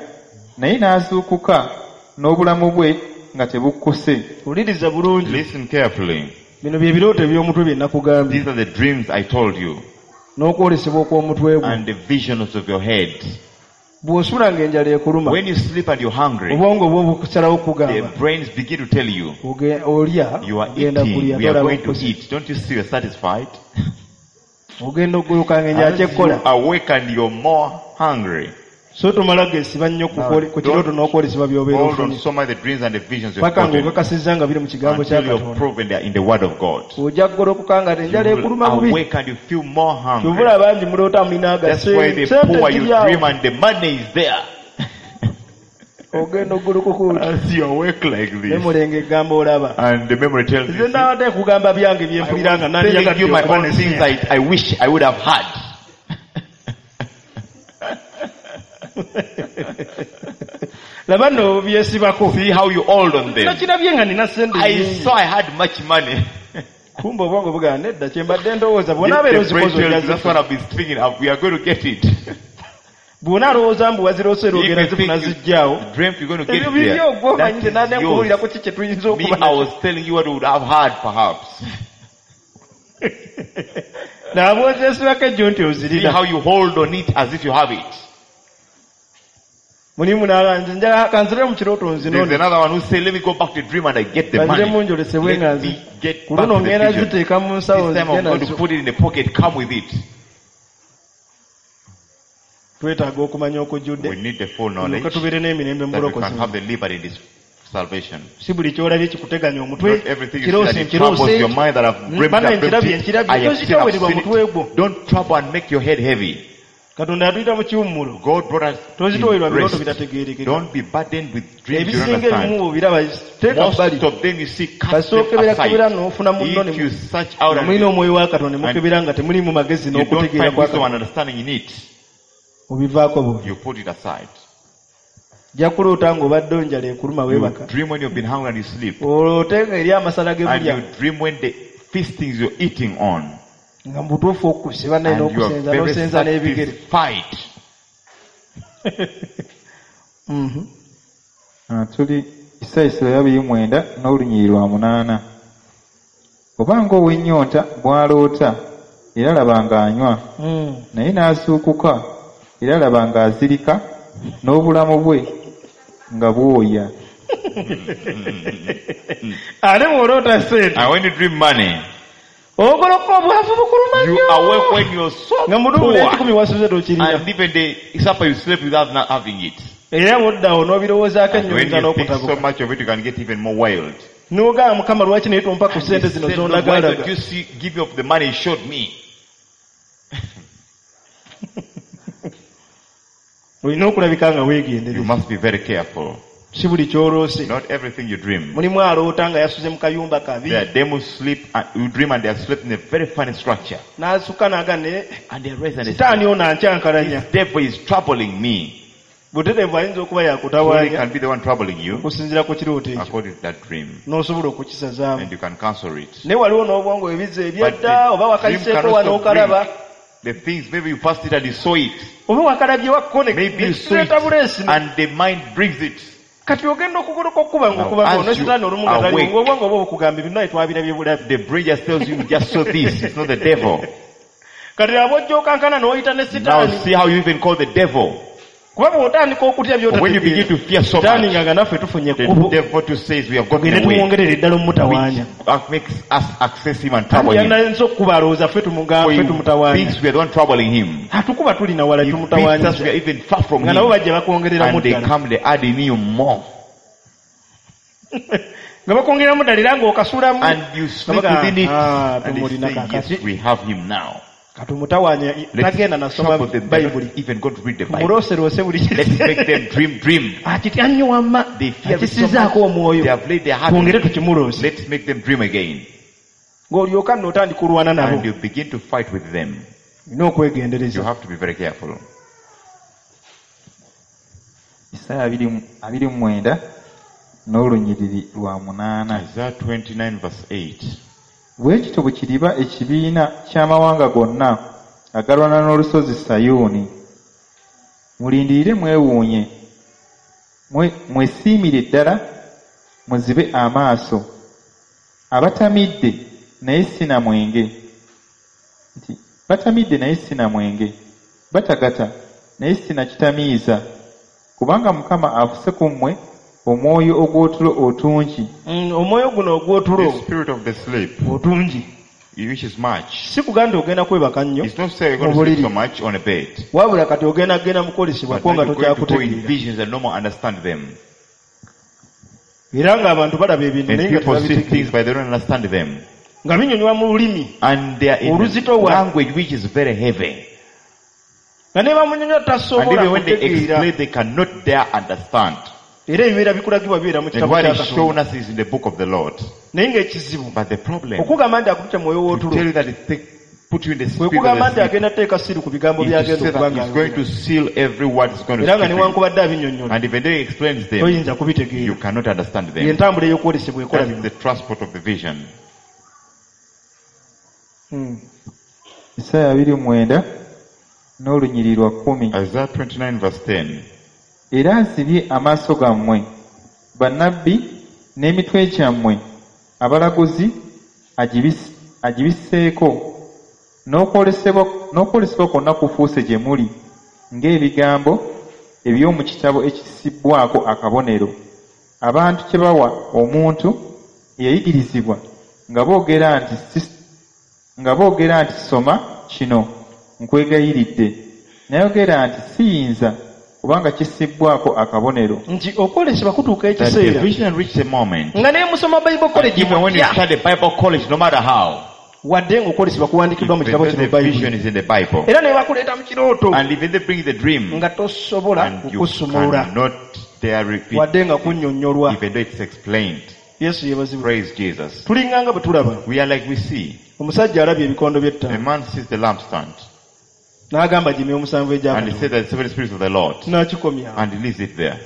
naye n'azuukuka n'obulamu bwe nga tebukkuse. Wuliriza bulungi. Listen carefully. Bino bye birooto eby'omutwe bye nakugambye These are the dreams I told you, n'okwolesebwa okw'omutwe gwo. and the visions of your head. Bw'osula ng'enjala ekuluma, When you sleep and you're hungry, obwongo bwo bukusalawo the okugamba brains begin to tell you, oge- olya you are ogenda eating, kulya we are tolaba going to okukuse. eat. Don't you see you're satisfied? Ogenda okuguluka ng'enjala As you kyekkola. awake and you're more hungry. So tomala geesiba nnyo ku kwole- ku kirooto n'okwolesebwa by'obeera Hold on ofunye so much the dreams and the visions you've paka gotten ng'okakasizza nga biri mu kigambo kya until you're Katonda. proven they are in the word of God. Ojja kugolokoka nga enjala You will ekuluma bubi. awake and you feel more hungry. Kyovula bangi muloota mulina That's why the sente poor you ziri awo. dream and the money is there. Ogenda okugulukuka oti As you awake like this, memory ng'egamba olaba. and the memory tells Nze you, nabadde nkugamba byange bye mpulira nga I was telling you nandyagadde my okuba own ne things ssente. I, I wish I would have had. Laba nno byesibako. See how you hold on them. Nakirabye nga nina ssente I nnyingi. saw I had much money. Kumbe obwongo bugamba nedda kye mbadde ndowooza bw'onaabeera The brain ozikoze tells ojja you, that's what zifuna. I've been thinking of. We are going to get it. Bw'onaalowooza mbu waziroose era If ogenda you think zifuna you zijjaawo. dreamt you're going to get Ebyo it bibyo there. gwe omanyi nze That nadde is nkubuulira yours. ku ki kye tuyinza Me, okuba I nakyo. was telling you what we would have had perhaps. Naaba ozeesibako ejjo nti See ozirina. how you hold on it as if you have it. Mulimu n'alanje njagala kanzire mu kirooto There's nzinone. another one who say, let me go back to dream and I get the Banziremu money. njolesebwe nga Let nzi. me get Ku back luno to the ngenda vision. ziteeka mu nsawo This time nzije I'm going to nazo. put it in the pocket, come with it. Twetaaga okumanya okujjudde. We need the full Tulyoke knowledge tubeere n'emirembe mu that we bulokozi. can have the liberty in this salvation. Si buli ky'olabye kikuteganya omutwe. Not everything you see Kiroose that it troubles nkiroose. your mind that I've dreamt, Bana I've dreamt nkirabye it. nkirabye. I have seen, I've Tozitoowererwa seen mutwe gwo. it. Don't trouble and make your head heavy. Katonda yatuyita mu kiwummulo. God brought us Tozitoowererwa in birooto rest. bitategeerekeka. Don't be burdened with dreams you don't Ebisinga ebimu understand. obiraba teeka Most bbali. of them you see, cast Kasita them okebera kebera aside. n'ofuna munno ne If you search out nga and mulina omwoyo wa Katonda ne and mukebera nga temulimu magezi you don't n'okutegeera find kwa wisdom and Katonda. understanding in it, Obivaako bubi. you put it aside. Ojja kuloota ng'obadde onjala ekuluma You weebaka. dream when you've been hungry and you sleep. Oloote nga eri amasala ge And mulya you dream when the feastings you're eating on. nga mu butuufu okusiba naye And you are n'okusenza very n'osenza n'ebigere. satisfied. Mhm. Ah, tuli Isaaya essula ya abiri mu mwenda n'olunyiriri lwa munaana. Oba ng'ow'ennyonta bw'aloota, era laba ng'anywa, Mm. naye n'azuukuka, era laba ng'azirika, n'obulamu bwe nga bwoya. Ate bw'oloota ssente And when you dream money, ogoloka obwavu bukuluma you nnyo. awake when you're so nga mutuufu poor. n'ekikumi wasuze tokirina. And even the supper you slept without not having it. Era bw'oddawo n'obirowoozaako And ennyo when oyinza you think so n'okutabuka. much of it, you can get even more wild. N'ogamba Mukama lwaki naye tompa ku ssente You zino say, Lord, why don't z'ondagalaga. you see, give me of the money you showed me? Olina okulabika nga You weegendereza. must be very careful. Si buli ky'oloose. Not everything you dream. Mulimu aloota nga yasuze mu kayumba kabi. There are demons sleep and you dream and they are slept in a very funny structure. N'asuka n'aga ne And they rise and they sitaani say, ono ankyankalanya. This devil is troubling me. Butereevu ayinza okuba So he yakutawaanya can be the one troubling you okusinziira ku kirooto ekyo. according to that dream. N'osobola okukisazaamu. And you can cancel it. Naye waliwo n'obwongo ebizza But ebyedda the oba dream can wakayiseeko wano also okalaba. bring the things, maybe you passed it and you saw it. Oba wakalabye wakko ne Maybe you saw it kireeta buleesi. and the mind brings it. Kati ogenda okugoloka okuba Now, ng'okubako as ne you sitaani olumu nga taliwo awake, ng'obwongo bwo bukugamba ebintu naye twabirabye bulabi. The brain just tells you, you just saw this. It's not the devil. Kati abo ojja okankana n'oyita ne Now sitaani. see how you even call the devil. Kuba bw'otandika okutya But when you begin by'otategeera. to fear so Sitaani much, nga nga naffe tufunye the ekkubo. devil to says we have gotten Tugende away. tumwongerere ddala omutawaanya. Which makes us access him and trouble Anti him. yanayinza okukuba alowooza ffe tumugamba For ffe he tumutawaanya. thinks we are the one troubling him. Atukuba tuli na wala He beats us, tumutawaanyiza. we are even far from Nga nabo him. bajja bakwongereramu And they ddala. come, they add in you more. Nga bakwongeramu ddala era ng'okasulamu. And you sleep Nga baga, within it. "Ah, And they tumulina say, kaakati." yes, we have him now. Katumutawaanya Let's tagenda nasoma trouble them. They're Bayibuli. not even going to read the Bible. Tumulooseroose buli Let's make them dream, dream. Akitya nnyo wamma. They fear it so much. Akisizaako omwoyo. They have laid their heart on Twongere it. tukimuloose. Let's make them dream again. Ng'olyoka nno otandika olwana nabo. And you begin to fight with them. Olina okwegendereza. You have to be very careful. Isaaya abiri mu- abiri mu mwenda n'olunyiriri lwa munaana. Isaiah twenty-nine verse eight. Bwe kityo bwe kiriba ekibiina ky'amawanga gonna agalwana n'olusozi Sayuuni. Mulindirire mwewuunye, mwe- mwesiimire ddala, muzibe amaaso. Abatamidde naye si na mwenge. Nti batamidde naye si na mwenge, batagata naye si na kitamiiza. Kubanga Mukama afuse ku mmwe omwoyo ogw'otulo otungi. Mm, omwoyo guno ogw'otulo The spirit of the sleep, otungi. which is much. Si kugamba nti ogenda kwebaka nnyo It's not saying you're going mu to sleep buliri. so much on a bed. Wabula kati ogenda genda mu kwolesebwa But ko now nga you're going to go in tokyakutegeera. visions and no more understand them. Era ng'abantu balaba ebintu And naye nga people see tebabitegeera. things but they don't understand them. Nga binyonywa mu lulimi. And they are in a Oluzitowa. language which is very heavy. Nga ne bamunyonyola And tasobola even when they kutegeera. explain, they cannot dare understand. Era ebibeera bikulagibwa bibeera mu And kitabo what kya is Katonda. shown us is in the book of the Lord. Naye ng'ekizibu But the problem, okugamba nti akutute mwoyo to w'otulo tell you that it take, put you in the kwe spirit of kugamba the nti sleep, agenda kuteeka siru ku bigambo is to by'agenda say okuba that he's going ng'ayogera. to seal every word he's going to Era nga speak to you. newankubadde abinnyonnyola And even though he explains them, toyinza you kubitegeera. cannot understand them. Y'entambula ey'okwolesebwa ekola That's bino. the transport of the vision. Mm. Isaaya abiri mu mwenda n'olunyiriri lwa kkumi. Isaiah twenty-nine verse ten. Era azibye amaaso gammwe, bannabbi n'emitwe gyammwe, abalaguzi agibis- agibisseeko. N'okwolesebwa n'okwolesebwa kwonna kufuuse gye muli ng'ebigambo eby'omu kitabo ekisibbwako akabonero abantu kye bawa omuntu eyayigirizibwa nga boogera nti si- nga boogera nti soma kino nkwegayiridde nayogera nti siyinza kubanga kisibbwako akabonero nti okwolesebwa kutuuka That the ekiseera vision reaches a moment. nga ne musoma bible college Even when you mutya start a Bible college, no matter how, wadde ng'okwolesebwa kuwandiikiddwa mu kitabo even kino the vision bayibuli is in the Bible. era ne bakuleeta mu kirooto And even they bring the dream, nga tosobola and you kukusumulula cannot dare repeat, wadde nga kunnyonnyolwa even though it's explained. yesu yeebazibwe Praise Jesus. tulinganga bwe tulaba We are like we see. omusajja alabye ebikondo A by'ettaano man sees the lampstand, n'agamba gye emyoyo musanvu and he egyakatonda said that the seven spirits of the Lord, n'akikomya and he leaves it there.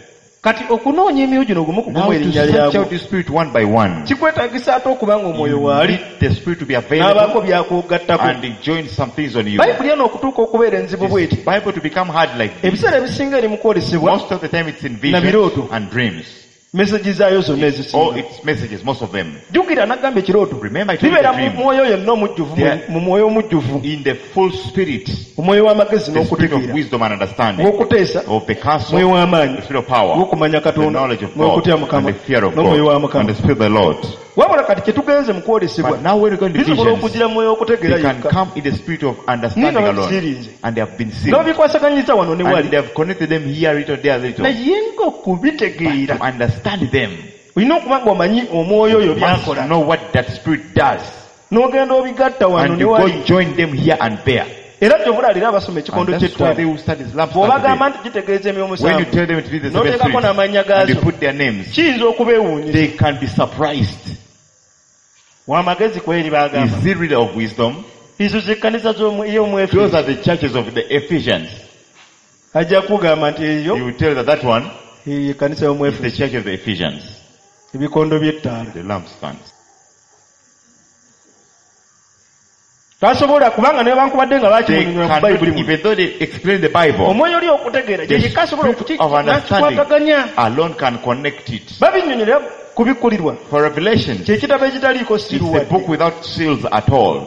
kati okunoonya emyoyo gino gumu ku Now gumu to erinnya search lyagwo out the spirit one by one, kikwetaagisa ate okuba nga omwoyo you waali need the spirit to be n'abaako available by'akugattako and he joins some things on you. bayibuli eno okutuuka okubeera enzibu bw'eti This Bible to become hard like this. ebiseera ebisinga eri mu kwolesebwa Most of the time it's in Na visions birooto. and dreams. meseji zaayo zonna All ezisinga its messages, most of them. jjukira nagamba ekirooto Remember, I told you bibeera the mu dream. mwoyo yonna omujjuvu They mu mwoyo omujjuvu In the full spirit, omwoyo w'amagezi the spirit of n'okutegeera wisdom and understanding, ow'okuteesa of the counsel, mwoyo w'amaanyi the spirit of power, ow'okumanya the katonda knowledge of God, n'okutya and mukama the fear of n'omwoyo wa God, and mukama the spirit of the Lord. wabula kati kye tugenze mu kwolesebwa But now when we go into bisobola visions, okugira mu mwoyo w'okutegeera they can yekka come in the spirit of understanding Ninga alone, babisirinze. and they have been sealed. n'obikwasaganyiza wano ne And wali they have connected them here a little, there a little. naye ng'okubitegeera But to understand them, olina okuba ng'omanyi omwoyo oyo you must by'akola know what that spirit does. n'ogenda obigatta wano And ne you go wali join them here and there. era gy'obulalira abasoma And ekikondo that's why they ky'ettaano will start this lampstand bw'obagamba today. nti kitegeeza emyoyo When you musanvu tell them it is the seven n'oteekako spirits, n'amannya and you gaazo put their names, kiyinza okubeewuunyisa they can be surprised. wamagezi kweri baagamba Is he really of wisdom? ezo zekkanisa ey'omu Those are the churches of the Ephesians. ajja kugamba nti eyo You will tell that that one eyo ekkanisa y'omu is the Efeso church of the Ephesians. ebikondo by'ettaala The lampstands. tasobola kubanga ne bankubadde nga They bakimunyonyola ku cannot, bayibuli muno even though they explain the Bible, omwoyo oli okutegeera the gye yekka asobola spirit of understanding okukikwataganya alone can connect it. babinnyonnyolera kubikkulirwa For Revelation, kye kitabo ekitaliiko it's siru a wadde book without seals at all.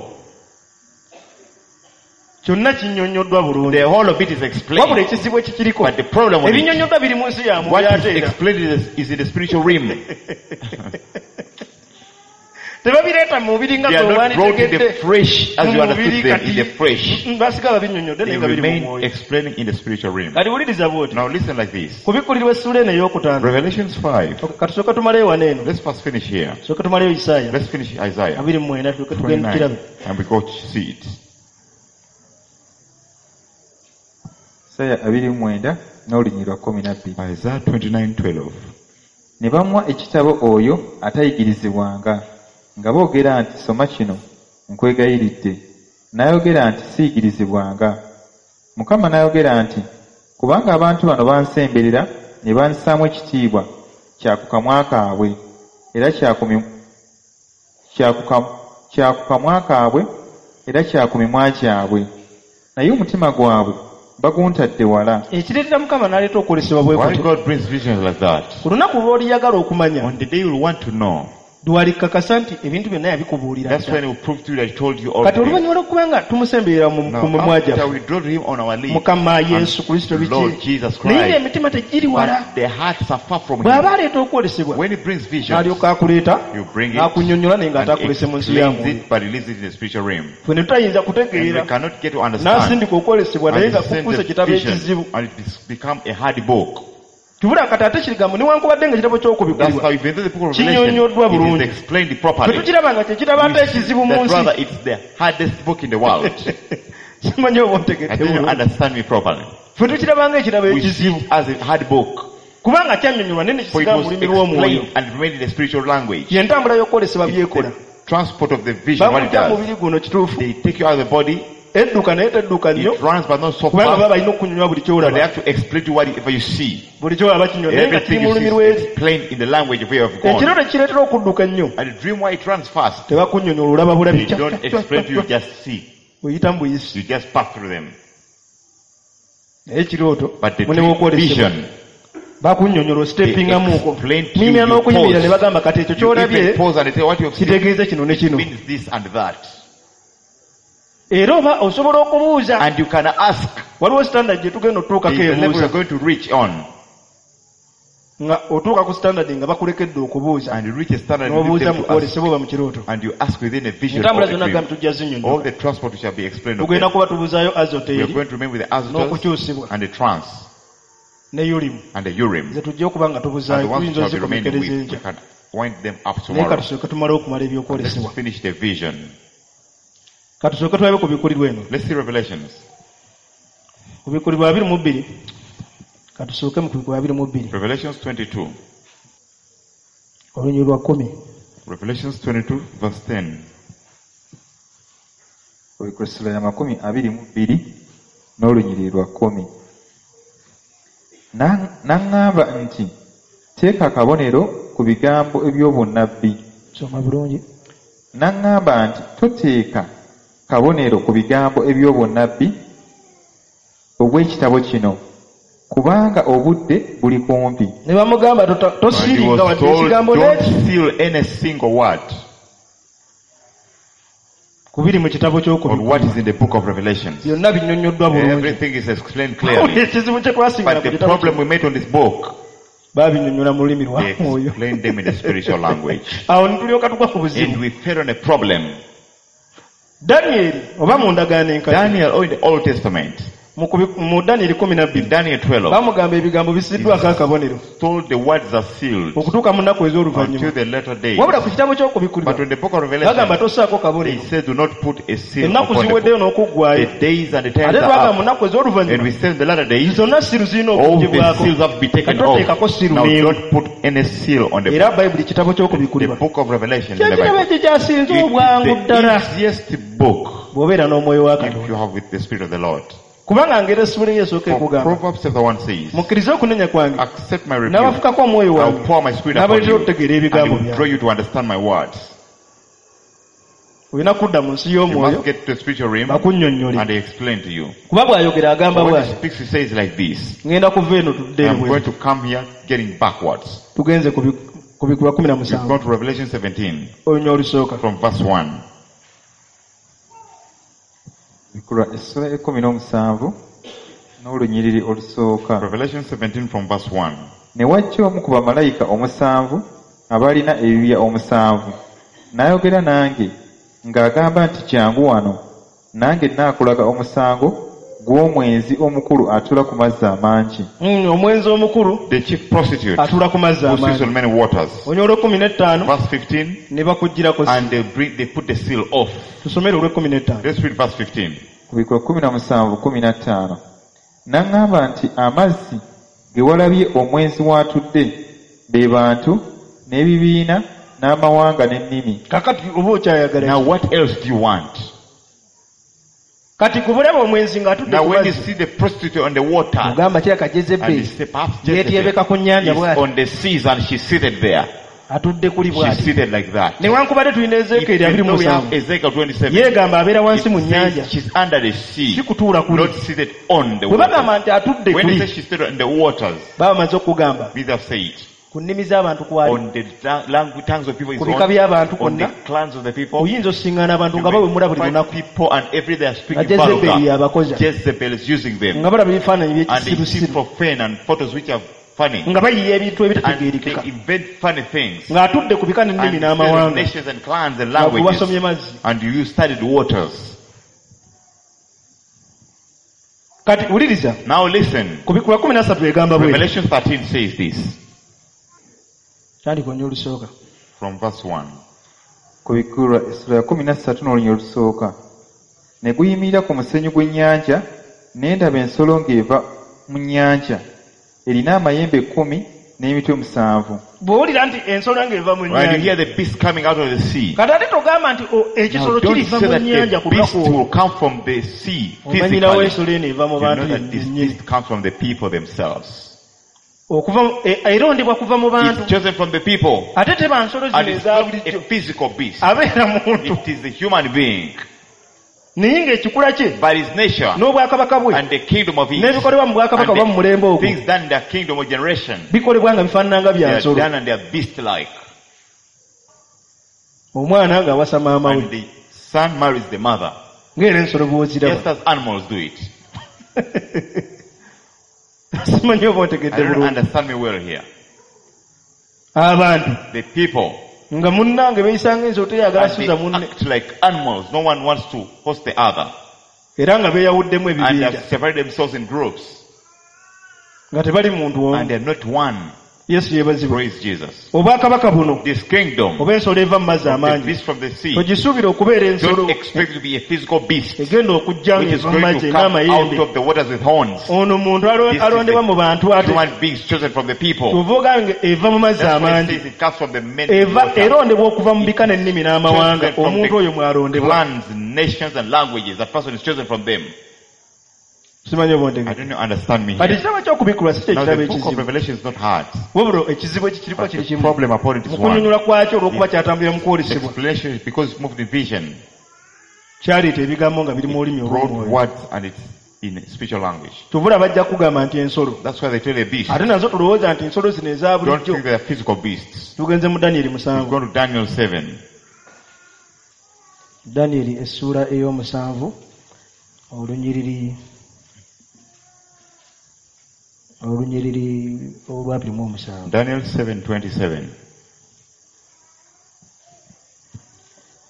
kyonna kinnyonnyoddwa bulungi The whole of it is wabula explained. ekizibu ekikiriko But the problem with it, ebinnyonnyoddwa biri mu nsi ya what mwoyo is ate era explained is, is in the spiritual realm. tebabireeta mu mubiri nga They are gwe not brought in the wanditegedde fresh as mu you understood mubiri them kati in the fresh. Mm, basiga babinnyonnyodde They naye nga biri mu remain mwoyo explaining in the spiritual realm. kati wuliriza bw'oti Now listen like this. kubikkulirwa essuula eno ey'okutaano Revelations five. Okay, katusooke tumaleyo wano eno Let's first finish here. tusooke tumaleyo isaaya Let's finish Isaiah abiri mu mwenda tulyoke tugende tukirabe twenty-nine and we go to see it. Isaya abiri mu mwenda n'olunyiriri lwa kkumi na bbiri Isaiah twenty-nine twelve. ne bamuwa ekitabo oyo atayigirizibwanga nga boogera nti soma kino nkwegayiridde n'ayogera nti siyigirizibwanga mukama n'ayogera nti kubanga abantu bano bansemberera ne bansaamu ekitiibwa kya ku kamwa kaabwe era kya ku mi- kya ku kam- kya ku kamwa kaabwe era kya ku mimwa gyabwe naye omutima gwabwe baguntadde wala ekireetera mukama n'aleeta okwolesebwa bwe Why kutyo God brings visions like that? ku lunaku lw'oliyagala okumanya On the day you'll want to know, lwalikakasa nti ebintu byonna yabikubuulira that's dda. when he will prove to you that he told you all kati things. oluvannyuma lw'okuba nga tumusemberera mu ku Now, mimwa after gyaffe we draw to him on our lips, mukama yesu kristo and Lord biki Jesus naye Christ, ng'emitima tegiri wala but the hearts are far from bw'aba him. aleeta okwolesebwa When he brings visions, n'alyoka akuleeta you bring it n'akunnyonnyola naye and ng'ataakulese mu nsi ya explains mwoyo it, but he leaves it in the spiritual realm. ffe ne tutayinza And we kutegeera cannot get to understand. n'asindika okwolesebwa naye And nga he sends kufuusa the ekitabo vision, ekizibu and it has become a hard book. tubula kati ate kirigambo newankubadde nga ekitabo That's ky'okubikkulirwa how even though the book of Revelation Kinnyonnyoddwa it is bulungi. explained ffe properly. tukiraba nga kyekitabo ate ekizibu mu That nsi rather it's the hardest book in the world. simanyi oba I ontegedde think you bulungi understand me properly. ffe tukiraba nga ekitabo We see ekizibu it as a hard book. kubanga kyannyonnyolwa naye ne For it kisigala mu was lulimi lw'omwoyo explained and remained in the spiritual language. ye ntambula y'okwolesebwa It's byekola the transport of the vision, what it bakujja mu does. mubiri guno kituufu They take you out of the body, edduka naye tedduka nnyo it runs but not so kubanga baba fast. balina okunnyonnyola buli But they kyolaba have to explain to you whatever you see. buli kyolaba kinnyonnyola naye nga kiri Everything mu you lulimi see lw'eri is explained in the language of where you have ekiro gone. tekireetera okudduka ennyo And the dream why it runs fast. tebakunnyonnyola olaba bulabi They don't explain to you, just see. oyita mu buyisi You just pass through them. naye ekirooto But the mune dream w'okwolesebwa vision, bakunnyonnyola ositepingamuuko They explain to you, muyimira you n'okuyimirira pause. ne bagamba kati ekyo you ky'olabye even pause and they say what you have seen kitegeeza kino ne kino means this and that. era oba osobola okubuuza And you can ask, Waliwo standard gye tugenda otutuukako There is a level ebuuza we're going to reach on. Nga otuuka ku standard nga bakulekedde okubuuza And you reach a standard you leave n'obuuza them mu to ask. kwolesebwa oba mu kirooto. And you ask within a vision or Entambula a zonna dream. gambi tujja All zinnyonnyola. the transport shall be explained of Tugenda them. kuba tubuuzaayo We are azoteri going to remain with the Azotus n'okukyusibwa and the trance ne Urim and the Urim. ze tujja okuba nga And the tubuzaayo ones tuyinza which shall be remaining ozikomekereza with, we enkya can wind them up naye tomorrow. katusooke tumale okumala Let's ebyokwolesebwa. finish the vision. Katusooke tulabe ku bikulirwa eno. Let's see Revelations. Ku bikulirwa abiri mu bbiri katusooke mu kubikulirwa abiri mu bbiri Revelations twenty-two. olunyiriri lwa kkumi. Revelations twenty-two verse ten. Okubikulirwa essula ya makumi abiri mu bbiri n'olunyiriri lwa kkumi. Na- N'aŋŋamba nti teeka akabonero ku bigambo eby'obunnabbi. Soma bulungi. N'aŋŋamba nti toteeka kabonero ku bigambo eby'obunnabbi obw'ekitabo kino kubanga obudde buli kumpi. Ne bamugamba tota- And he tosiiringa was wadde told, ekigambo don't n'eki seal any single word kubiri mu kitabo on ky'okubikkulirwa. what is in the book of Revelations. Byonna binnyonnyoddwa bulungi. Everything is explained clearly. Ekizibu kye twasingana But ku the kitabo problem we met on this book, baabinnyonnyola mu lulimi lwa they mwoyo. explained them in the spiritual language. Awo ne tulyoka tugwa ku buzibu. And we fell on a problem. Danyeri oba mu ndagaano enkadde Daniel, or in the Old Testament, mu kubi- mu Danyeri kumi na bbiri in Daniel twelve, bamugamba ebigambo bisiddwako akabonero told the words are sealed okutuuka mu nnaku ez'oluvannyuma. until the later days. Wabula ku kitabo ky'okubikkulirwa But in the book of bagamba Revelation, tossaako they kabonero. said do not put a seal Ennaku upon the ziweddeyo book. n'okuggwaayo. The days and the times Ate are twagamba mu up. nnaku And ez'oluvannyuma we say in the latter days, zonna siru zirina all the okuggyibwako. seals have been taken Kati toteekako off. siru Now n'emu. don't put any seal on the Era book. Bayibuli kitabo The ky'okubikkulirwa. book of Revelation in the Kyekitabo Bible. ekikyasinze It obwangu is ddala the easiest book bw'obeera n'omwoyo wa if Katonda. you have with the Spirit of the Lord. Kubanga ngeri essula eyo esooka For ekugamba Proverbs chapter one says, mukkirize okunenya kwange accept my rebuke. n'abafukako omwoyo I'll wange pour my spirit upon n'abaleetera you okutegeera and ebigambo it will draw byange. you to understand my words. Olina kudda mu nsi You y'omwoyo must get to the spiritual realm bakunnyonnyole. and they explain to you. Kuba bw'ayogera agamba When he bw'ati speaks, he says like this, ŋŋenda kuva eno tudde I'm ebweru. going to come here getting backwards. Tugenze ku bi- ku bikulwa kumi na We've musanvu gone to Revelation seventeen olunya olusooka. from verse one. Okubikulirwa essula ekkumi n'omusanvu n'olunyiriri olusooka. Revelation seventeen from verse one. Ne wajja omu ku bamalayika omusanvu abalina ebibya omusanvu n'ayogera nange ng'agamba nti jangu wano nange nnaakulaga omusango gw'omwenzi omukulu atuula ku mazzi amangi. Mm, omwenzi omukulu The chief prostitute atuula ku mazzi who sits amangi. on many waters. Olunya olw'ekkumi n'ettaano Verse fifteen, ne bakuggyirako and they bring, they put the seal off. tusomere olw'ekkumi n'ettaano. Let's read verse fifteen. Kubikulwa kkumi na musanvu kkumi na ttaano. N'aŋŋamba nti amazzi ge walabye omwenzi w'atudde be bantu n'ebibiina n'amawanga n'ennimi. Kakati oba okyayagala Now ki? what else do you want? Kati gwe bulaba omwenzi ng'atudde Now ku when you mazzi see the prostitute on the water, ogamba kirabika and you Jezebeli say perhaps yeetyebeka ku nnyanja Jezebel is bw'ati on the seas and she's seated there. atudde kuli She's bw'ati. seated like that. Newankubadde tulina Ezeekyeri abiri Even mu though we have musanvu Ezekiel twenty-seven, yeegamba abeera wansi mu it nnyanja says she's under the sea, si kutuula kuli. not seated on the Bwe bagamba waters. nti atudde When they kuli say she's seated on the waters, baba bamaze okugamba these have said ku nnimi z'abantu kwali on the ta- language, tongues of people is ku bika on, by'abantu on the kwonna clans of the people. oyinza osiŋŋaana abantu You nga bawemula may buli find lunaku people and every they are nga speaking Jezebeli vulgar. abakoza Jezebel is using them. nga balaba ebifaananyi And they see by'ekisirusiru profane and photos which are funny. nga bayiya ebintu And ebitategeerekeka they invent funny things. ng'atudde ku bika n'ennimi And they n'amawanga nations and clans and nga gwe wasomye languages. mazzi. And you studied waters. Kati wuliriza Now listen. ku bikulwa kumi na ssatu egamba bw'eti. Revelation thirteen says this. Tandika olunya olusooka. From verse one. Kubikulwa essula ya kkumi na ssatu n'olunya olusooka. Ne guyimirira ku musenyu gw'ennyanja ne ndaba ensolo ng'eva mu nnyanja erina amayembe kkumi n'emitwe musanvu. Bw'owulira nti ensolo ng'eva mu When you nnyanja hear the beast coming out of the sea, kati ate togamba nti o, ekisolo now don't kiriva say mu that nnyanja the ku beast lunaku olwo. will come from the sea Omanyirawo physically. ensolo eno eva mu You bantu know that this yennyini. beast comes from the people themselves. Okuva mu- e- erondebwa kuva mu bantu. It's chosen from the people. Ate teba nsolo And zino it's eza not a bulijjo. physical beast. Abeera muntu. It is a human being. Naye ng'ekikula kye By his nature n'obwakabaka bwe and the kingdom of his n'ebikolebwa mu bwakabaka oba mu and mulembe the ogwo things done in the kingdom of generation, bikolebwa nga bifaanana nga they bya are nsolo. done and they are beast-like. Omwana ng'awasa maama we And the son marries the mother. ng'era ensolo Just bw'oziraba. as animals do it. Simanyi oba I ontegedde don't bulungi. understand me well here. Abantu The people, nga munnange beeyisanga ensolo teyagala and they suza munne act like animals. No one wants to host the other. Era nga beeyawuddemu And they ebibinja have separated themselves in groups. Nga tebali muntu omu. And they're not one. Yesu yeebazibwe. Praise Jesus. Obwakabaka buno This kingdom, oba ensolo eva mu mazzi the amangi beast from the sea, togisuubira okubeera ensolo don't expect to be a physical beast egenda okujja which is ng'eva mu going mazzi to come out n'amayembe. of the waters with horns. Ono muntu alo- This is alondebwa mu bantu ate Human beings chosen from the people. kyova ogange eva mu mazzi That's why it amangi says it comes from the many eva water. erondebwa okuva mu bika n'ennimi n'amawanga Chosen from omuntu the oyo mwalondebwa. Clans, nations, and languages. That person is chosen from them. Simanyi oba I ontegedde. don't know, understand me Kati here. ekitabo ky'okubikkulwa si Now kyekitabo the book of ekizibu Revelation is not hard. wabula ekizibu ekikiriko But kiri the kimu problem upon it is mu one. kunnyonnyola kwakyo olw'okuba kyatambulira mu The kwolesebwa explanation is because it's moved in vision. Kyaleeta ebigambo nga biri mu lulimi Brought olw'omwoyo. words and it's in spiritual language. Kyova olaba bajja kugamba nti ensolo That's why they tell a beast. ate nazo tulowooza nti ensolo zino eza Don't bulijjo. think they are physical beasts. Tugenze mu Danyeri We musanvu. go to Daniel seven. Danyeri essuula ey'omusanvu olunyiriri olunyiriri olwabiri mu omusanvu. Daniel seven twenty-seven.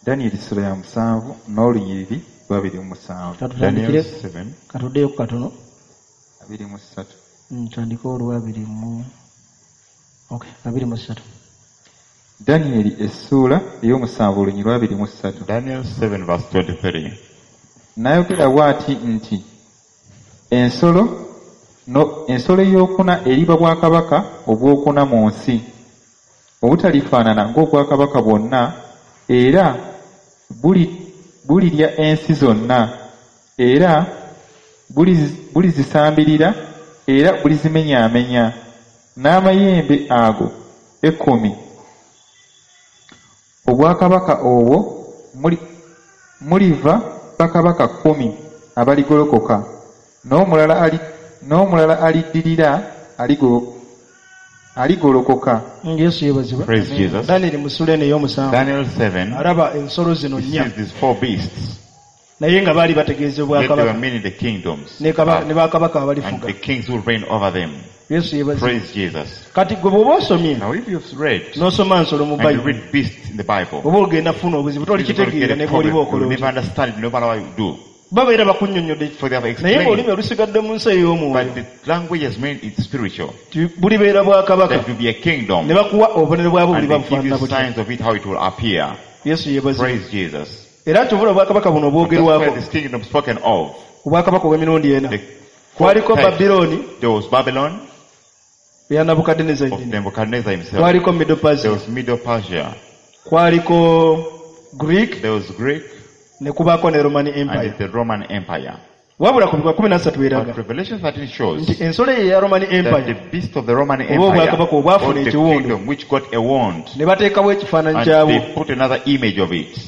Danyeri ssuula ya musanvu n'olunyiriri lwabiri mu musanvu. Katutandikire Daniel seven. Katuddeyo katono. Abiri mu ssatu. Mm, tutandike olwabiri mu okay abiri mu ssatu. Danyeri essuula ey'omusanvu olunyiriri lwabiri mu ssatu. Daniel seven verse twenty-three. N'ayogera bw'ati nti ensolo no, ensolo ey'okuna eriba bwakabaka obwokuna mu nsi obutalifaanana ng'obwakabaka bwonna era buli- bulirya ensi zonna era bulizi- bulizisambirira era bulizimenyaamenya n'amayembe ago ekkumi obwakabaka obwo muli- muliva bakabaka kkumi abaligolokoka n'omulala ali- n'omulala aliddirira aligo- aligolokoka. Mm, yesu yeebazibwe. Praise Jesus. Danyeri mu ssuula eno ey'omusanvu Daniel seven. alaba ensolo zino He nnya sees these four beasts. Naye nga baali bategeeza Yet they were obwakabaka meaning the kingdoms ne kaba- ne bakabaka and abalifuga. The kings who reign over them. Yesu yeebazibwe. Praise Jesus. Kati gwe bw'oba osomye Now if you've read n'osoma nsolo mu and you Bayibuli read beasts in the Bible, oba ogenda kufuna obuzibu you're going to get tolikitegeera a ne bw'oliba problem. okola You'll otya. never understand it no matter what you do. Babeera bakunnyonnyodde For they have naye explained. ng'olulimi olusigadde mu nsi ey'omwoyo But the language has made it spiritual. ti bulibeera bwakabaka That will be a kingdom. ne bakuwa obubonero bwabwo And buliba they give bufaanana you butya. signs of it, how it will appear. Yesu yeebazibwe. Praise Jesus. Era kyovula obwakabaka buno That's why obwogerwako this kingdom spoken of. obwakabaka obw'emirundi ena The four kwaliko types. Babilooni There was Babylon eya Nabukaddeneza of yennyini Nebuchadnezzar himself. kwaliko Medo There Persia was Medo Persia. Kwaliko Greek There was Greek ne kubaako ne Roman and Empire. the Roman Empire. Wabula ku bikwa kumi na ssatu eraga But Revelation thirteen shows nti ensolo eyo eya Roman that the Empire beast of the Roman oba Empire obwakabaka obwafuna or the ekiwundu kingdom which got a wound ne bateekawo ekifaananyi and kyabwo they put another image of it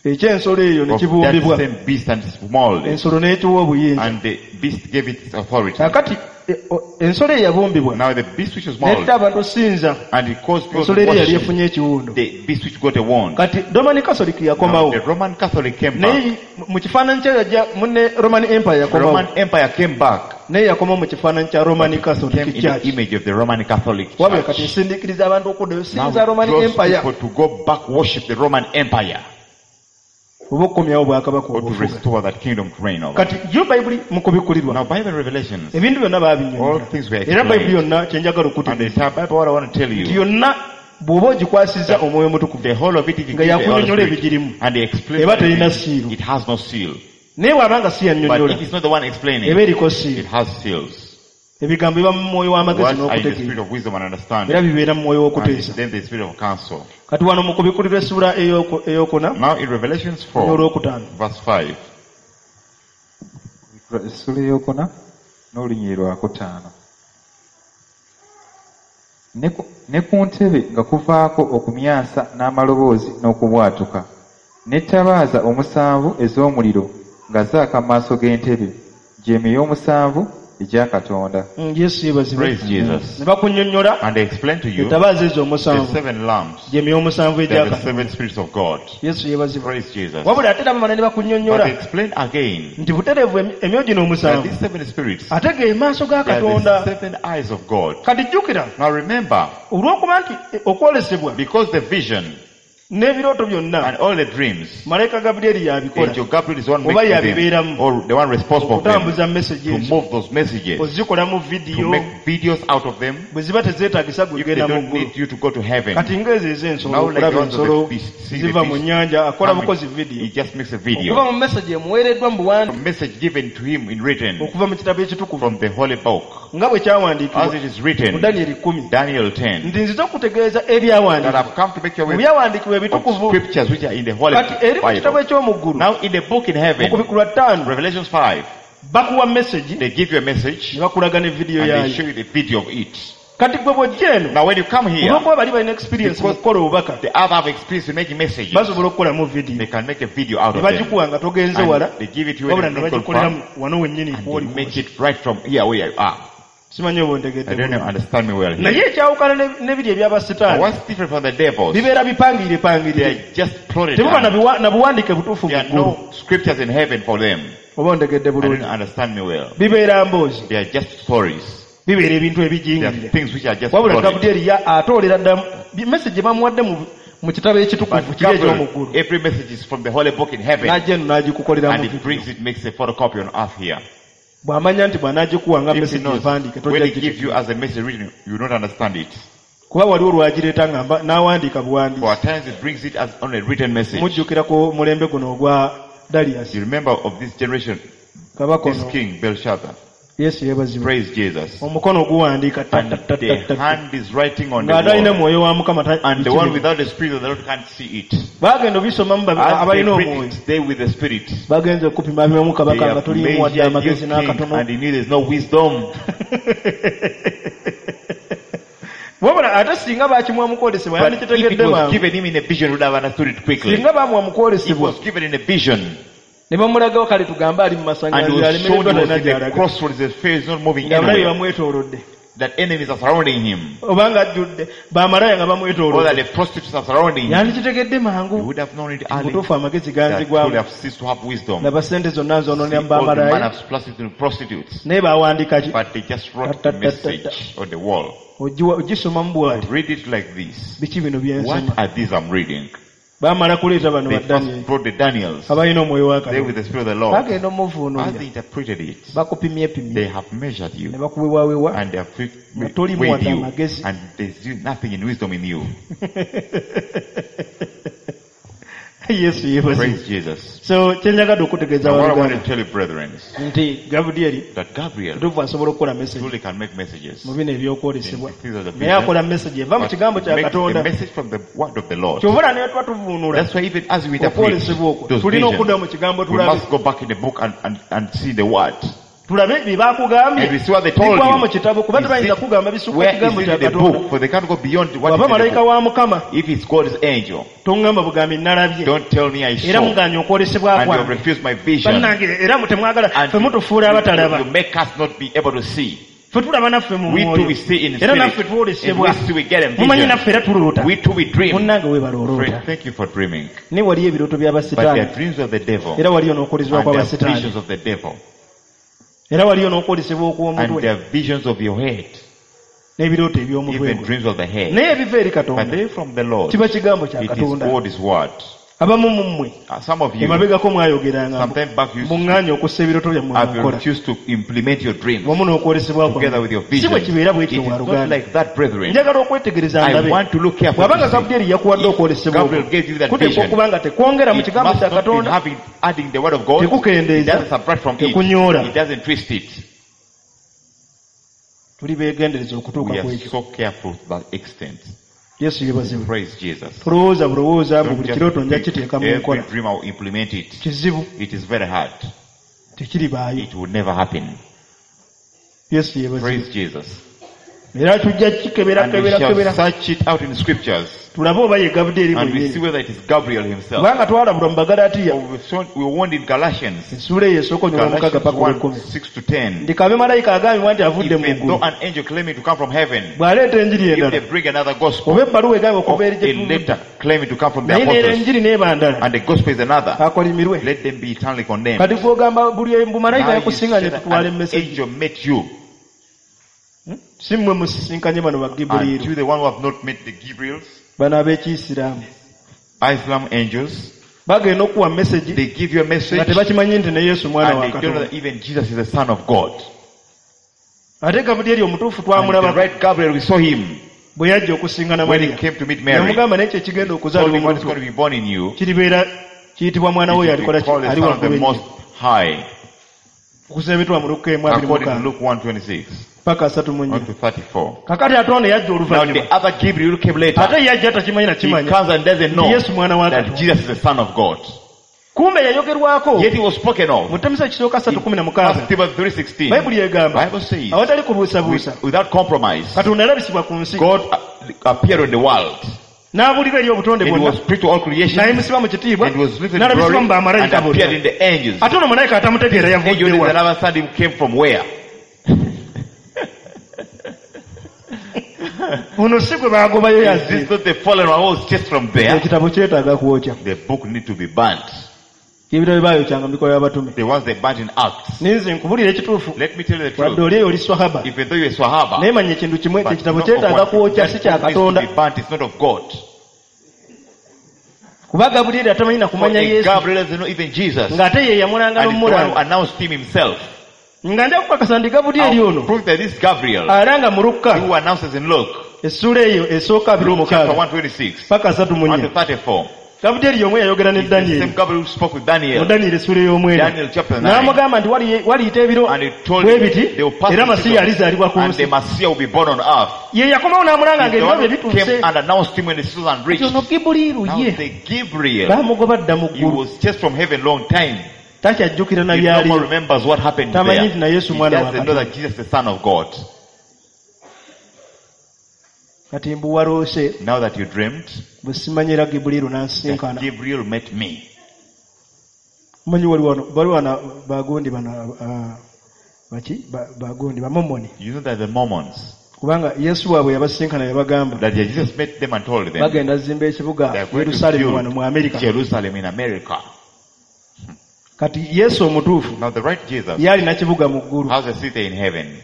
eky'ensolo eyo ne of that kibumbibwa same beast and its mold ensolo n'ekiwa obuyinza. And the beast gave it its authority. Kaakati e- o- ensolo eyo yabumbibwa Now the beast which was molded n'etta abantu osinza and it caused people ensolo to eri yali worship efunye ekiwundu. the beast which got a wound. Kati Roman Catholic Now yakomawo the Roman Catholic came back. naye mu kifaananyi kye yajja munne Roman Empire The yakomawo Roman Empire came back. Naye yakomawo mu kifaananyi kya Roman Came Catholic in the Church. image of the Roman Catholic Wabula kati Church. nsindiikiriza abantu okuddayo Now sinza it Roman draws Empire people to go back worship the Roman Empire oba okukomyawo bwakabaka or to obufuga. Restore that kingdom to reign over. Kati yo Bayibuli mu kubikkulirwa Now Bible Revelations, ebintu byonna all baabinyonnyola things were era Bayibuli explained. yonna kyenjagala And the okutegeeza entire Bible, what I want to tell nti you, yonna bw'oba ogikwasizza Omwoyo Omutukuvu the whole of it, if you nga give the Holy yakunnyonnyola Spirit, ebigirimu and they explain eba terina everything, siiru it has no seal. Naye bw'aba nga si But yannyonnyola if it's not the one explaining, eba eriko it siiru. has seals. Ebigambo biba mu mwoyo w'amagezi Words are in the spirit n'okutegeera of wisdom and era understanding. bibeera mu mwoyo And w'okuteesa. then the spirit of counsel. Kati wano mu kubikkulirwa essuula ey'oku- ey'okuna Now in Revelations four, n'olwokutaano verse five, Essuula eyokuna n'olunyiriri lwakutaano. Ne ku- ne ku ntebe nga kuvaako okumyansa n'amaloboozi n'okubwatuka n'ettabaaza omusanvu ez'omuliro nga zaaka mu maaso g'entebe gy'emyoyo omusanvu egya Katonda. Mm, Yesu yeebazibwe. Praise Jesus. Ne bakunnyonnyola And they explain to you ettabaaza ezo the omusanvu seven lamps, gy'emyoyo omusanvu they egya are the Katonda. seven spirits of God. Yesu yeebazibwe. Praise Jesus. Wabula ate era bamala ne But bakunnyonnyola they explain again nti butereevu emi- emyoyo gino that omusanvu these seven spirits, ate ge maaso ga they are the Katonda. seven eyes of God. Kati jjukira Now remember, olw'okuba nti eh, okwolesebwa because the vision n'ebirooto byonna and all the dreams, malayika Gabulyeri y'abikola Angel Gabriel is the one Oba making them, yabibeeramu. or the one responsible for them, okutambuza message to ezo move those messages, ozikolamu to vidiyo make videos out of them. bwe ziba tezeetagisa If they gwe genda mu don't ggulu. need you to go to heaven, Kati ng'ezo ez'ensolo Now like okulaba the ones of the ensolo beast, see the ziva mu beast nnyanja akola coming, bukozi he vidiyo just makes a okuva video. mu message emuweereddwa mu buwandiike A message given to him in written okuva mu kitabo ekitukuvu from the holy book, nga bwe as kyawandiikibwa it is mu written, Danyeri kkumi Daniel ten, nti nzize okutegeeza that ebyawandiikibwa I've come to make you mu aware byawandiikibwa of ebitukuvu. scriptures which are in the holy Kati eri mu kitabo Bible. eky'omu ggulu Now in the book in mu heaven, kubikulwa ttaano Revelations five, bakuwa message they give you a message ne bakulaga ne vidiyo and they yaayo. show you the video of it. Kati gwe bw'ojja eno Now when you come here, olw'okuba bali balina experience mu Because kukola obubaka the other have experience in making messages. basobola okukolamu vidiyo They can make a video out ne of them. bagikuwa nga togenze wala And they give it to you wabula when ne you don't bagikolera confirm, wano wennyini and kw'oli they make it right from here where you are. Simanyi oba ontegedde I don't know, bulungi. understand me well here. Naye ekyawukana ne- n'ebiri But ebyabasitaani what's different from the devils? bibeera bipangirire They pangirire are just plotted. tebuba na out. biwa- na buwandiike butuufu There mu are ggulu. no scriptures in heaven for them. Oba ontegedde I don't bulungi. understand me well. Bibeera mboozi They are just stories. bibeera ebintu They are ebijingirire. things which are just Wabula plotted. Gabulyeri ya atoolera ddala message gye bamuwadde mu mu kitabo ekitukuvu But kiri eky'omu Gabriel, ggulu every message is from the holy book in heaven. n'ajja eno n'agikukoleramu And he vidiyo. brings it, makes a photocopy on earth here. Bw'amanya nti bw'anaagikuwa nga If he message knows, empandiike when tojja he gives you gitegeera. as a message written, you will not understand it. Kuba waliwo lwagireeta nga mba- n'awandiika For buwandiisi. at times it brings it as on a written message. Mujjukira ku mulembe guno ogwa Darius You remember of this generation, kabaka this ono king Belshazzar. Yesu yeebazibwe. Praise Jesus. Omukono guwandiika ta- And ta- ta- the ta- ta- hand is writing on the ng'atalina wall. mwoyo wa Mukama ta- And the one bikiri. without the spirit of the Lord can't see it. Baagenda obisomamu babi- As they abalina read omwoyo it, they with the spirit. bagenze okupima bimamu They kabaka nga have toliimu wadde measured you amagezi king, n'akatono. and in you there's no wisdom. Wabula ate singa bakimuwa mu kwolesebwa But if it yandikitegedde was mangu. given him in a vision, he would have understood it quickly. Singa bamuwa mu It kwolesebwa was given in a vision. ne bamulagawo kale tugambe ali mu And masanganzira he was shown alemereddwa he was talina in the gy'alaga crossroads, his face is not moving ng'abalabe anywhere. bamwetoolodde That enemies are surrounding him. oba ng'ajjudde bamalaya nga Or that bamwetoolodde the prostitutes are surrounding him. yandikitegedde He mangu would have known it early. butuufu amagezi That he would ganzigwamu have ceased to have wisdom. laba sente zonna nzonoonera See, mu all the man bamalaya have splashed into prostitutes. naye bawandiika ki But they just wrote Ta, ta, a ta, message on the wall. Ogiwa- ogisomamu bw'ati Read it like this. biki bino What byensoma are these I'm reading? baamala kuleeta bano They ba Daniel first brought the Daniels. abalina omwoyo wa They with Katonda the Spirit of the Lord. bagenda As omuvuunulira they interpreted it, bakupimyepimye they have measured ne you bakuwewawewa and they have Nga weighed tolimu wadde you amagezi. and there's nothing in wisdom in you. Yesu yeebazibwe. Praise Jesus. So kyenjagadde okutegeeza Now what I want abooluganda to tell you, brethren, nti Gabulyeri that Gabriel kituufu asobola okukola message truly can make messages. mu bino ebyokwolesebwa In things of the naye vision, akola message eva mu But kigambo kya makes a Katonda. message from the word of the Lord. Kyova olaba ne tuba tuvuunula That's why even as we interpret okwolesebwa okwo those tulina okudda visions, mu kigambo we tulabe must go back in the book and, and, and see the word. tulabe bye bakugambye And we see what they told bigwawa you. mu kitabo kuba Is tebayinza it- kugamba bisukka Where kigambo is kya it in the Katonda. book? For they can't go beyond what Bw'aba is in the malayika book. wa Mukama If it's God's angel, toŋŋamba bugambi nalabye don't tell me I era saw muganye okwolesebwa and you have kwange refused my vision. bannange era mu temwagala And ffe mutufuula abatalaba you make us not be able to see. ffe tulaba naffe mu We too mwoyo we see in era spirit. naffe And twolesebwa we see we get a mumanyi vision. naffe era tuloota We too we dream. munnange weebala oloota Friend, thank you for dreaming. naye waliyo ebirooto But there by'abasitaani are dreams of the devil era waliyo n'okwolesebwa and there are kw'abasitaani visions of the devil era waliyo n'okwolesebwa and okw'omutwe there are visions of your head, n'ebirooto eby'omutwe even gwo dreams of the head. naye ebiva eri But Katonda they from the Lord. kiba kigambo kya It is Katonda. God's word. Abamu mu mmwe Uh, Some of you, emabegako mwayogeranga sometime back, you muŋŋaanye okussa ebirooto byammwe mu have nkola refused to implement your dreams wamu n'okwolesebwa together kwammwe with your si bwe vision. kibeera It bwekityo is not waluganda like that, brethren. njagala okwetegereza I ndabe want to look carefully. bw'abanga to see. Gabulyeri yakuwadde If okwolesebwa Gabriel gave you that kuteekwa vision, okuba nga tekwongera mu it kigambo must kya not be Katonda having, adding the word of God. It tekukendeeza doesn't subtract from it. tekunyoola. It doesn't twist it. Tuli beegendereza okutuuka We ku are ekyo. so careful to that extent. Yesu yeebazibwe. Praise Jesus. Tulowooza bulowooza mbu Don't buli just kirooto nja think kiteeka mu every nkola. dream I will implement it. Kizibu. It is very hard. Tekiribaayo. It will never happen. Yesu yeebazibwe. Praise Jesus. Era tujja kikebera And we kebera shall kebera search it out in scriptures. Tulabe oba ye Gabulyeri And we see mwennyini whether it is Gabriel himself. Kubanga twalabulwa mu Bagalatiya For we were we were warned in Galatians. Essuula eyo esooka onyuma omukaaga Galatians paka one, olw'ekkumi six to ten. Nti kabe malayika agambibwa nti avudde mu Even ggulu though an angel claiming to come from heaven, bw'aleeta enjiri if endala they bring another gospel, oba ebbaluwa egambye or okuva eri gye a tuvudde letter claiming to come from the naye neera apostles, enjiri n'eba ndala and the gospel is another, akolimirwe let them be eternally condemned. Kati gw'ogamba buli mbu malayika Now you yakusinganye say that tutwala an emmeseji angel met you, si mmwe musisinkanye bano and bagibuliiru you the one who have not met the Gabriels, bano ab'ekiyisiraamu Islam angels, bagenda okuwa message they give you a nga message, tebakimanyi nti ne Yesu mwana and wa they don't know Katonda that even Jesus is the Son of God. Ate Gabulyeri omutuufu And the twamulaba right Gabriel, we saw him bwe yajja okusingana when he Mariya came to meet Mary. yamugamba naye ekyo ekigenda Told okuzaalibwa him what is omuntu going to be born in you. kiribeera kiyitibwa mwana It we will alikola be ki called the ali Son of the waggulu ennyo Most High. Okusebetwa mu Luka emu abiri According to mukaaga Luke one twenty-six paka asatu mu nnya on to thirty-four. Kakati ate ono yajja Now oluvannyuma the other Gabriel who came later, ate yajja takimanyi he nakimanya comes and doesn't know nti Yesu mwana wa that Katonda Jesus is the Son of God. Kumbe yayogerwako Yet he was spoken of. mu Timoseewo ekisooka ssatu kumi na First mukaaga Timothy three sixteen. Bayibuli egamba Bible says, awatali kubuusabuusa with, without compromise, Katonda yalabisibwa ku nsi God appeared on the world. N'abuulira eri obutonde And he bwonna was preached to all creation, n'ayimusibwa mu kitiibwa and was lifted in n'alabisibwa glory, mu bamalayika and appeared bonna in the angels. Ate ono malayika atamutegeera Angel yavudde is wa another son who came from where? Ono si gwe baagobayo Is yazze this not the fallen one who was chased from there? Ekitabo kyetaaga kwokya The book need to be burnt. Ebitabo baayokyanga mu bikolwa by'abatume The ones they burnt in Acts. Ninze nkubulira ekituufu Let me tell you the wadde truth. oli eyo oli swahaba Even though you're a Swahaba, naye manya ekintu kimwe but ekitabo not kyetaaga of one- kwokya si that kya book needs to Katonda be burnt, it's not of God. Kuba Gabulyeri atamanyi na For kumanya a Yesu Gabriel doesn't know even Jesus. ng'ate ye yamulanga And he's the one who n'omulanga announced him himself. Nga nja kukakasa nti Gabulyeri I'll ono prove that this Gabriel, alanga mu Lukka who announces in Luke, essuula eyo esooka abiri Luke chapter mukaaga one twenty-six, paka asatu mu one nnya to thirty-four, Gabulyeri y'omu yayogera ne is the Danyeri same Gabriel who spoke with mu Daniel, Danyeri essuula ey'omwenda Daniel chapter nine, n'amugamba nti wali- waliyita ebiro and he told bwe him biti they will pass era the Masiya alizaalibwa ku season, and nsi the Messiah will be born on earth. Ye yakomawo n'amulanga He's the ng'ebiro one bye who bituuse came and announced him when the season Kati reached. ono Gibuliiru Now ye the Gabriel, baamugoba dda mu he ggulu was chased from heaven long time. Takyajjukira na He no more byaliyo remembers what happened Tamanyi there. nti na Yesu He mwana wa doesn't know Katonda that Jesus is the Son of God. Kati mbu waloose Now that you dreamt, bwe simanyi era Gibuliiru that n'ansinkana Gabriel met me. Omanyi wali wano wali wano bagundi bano ah, baki Ba- bagundi bamomoni You know that the Mormons, kubanga Yesu waabwe yabasinkana yabagamba that Jesus met them and told them, bagenda zimba ekibuga they are going to Yerusaalemi wano mu Amerika build Jerusalem in America. Kati Yesu omutuufu Now the right Jesus ye alina kibuga mu ggulu has a city in heaven.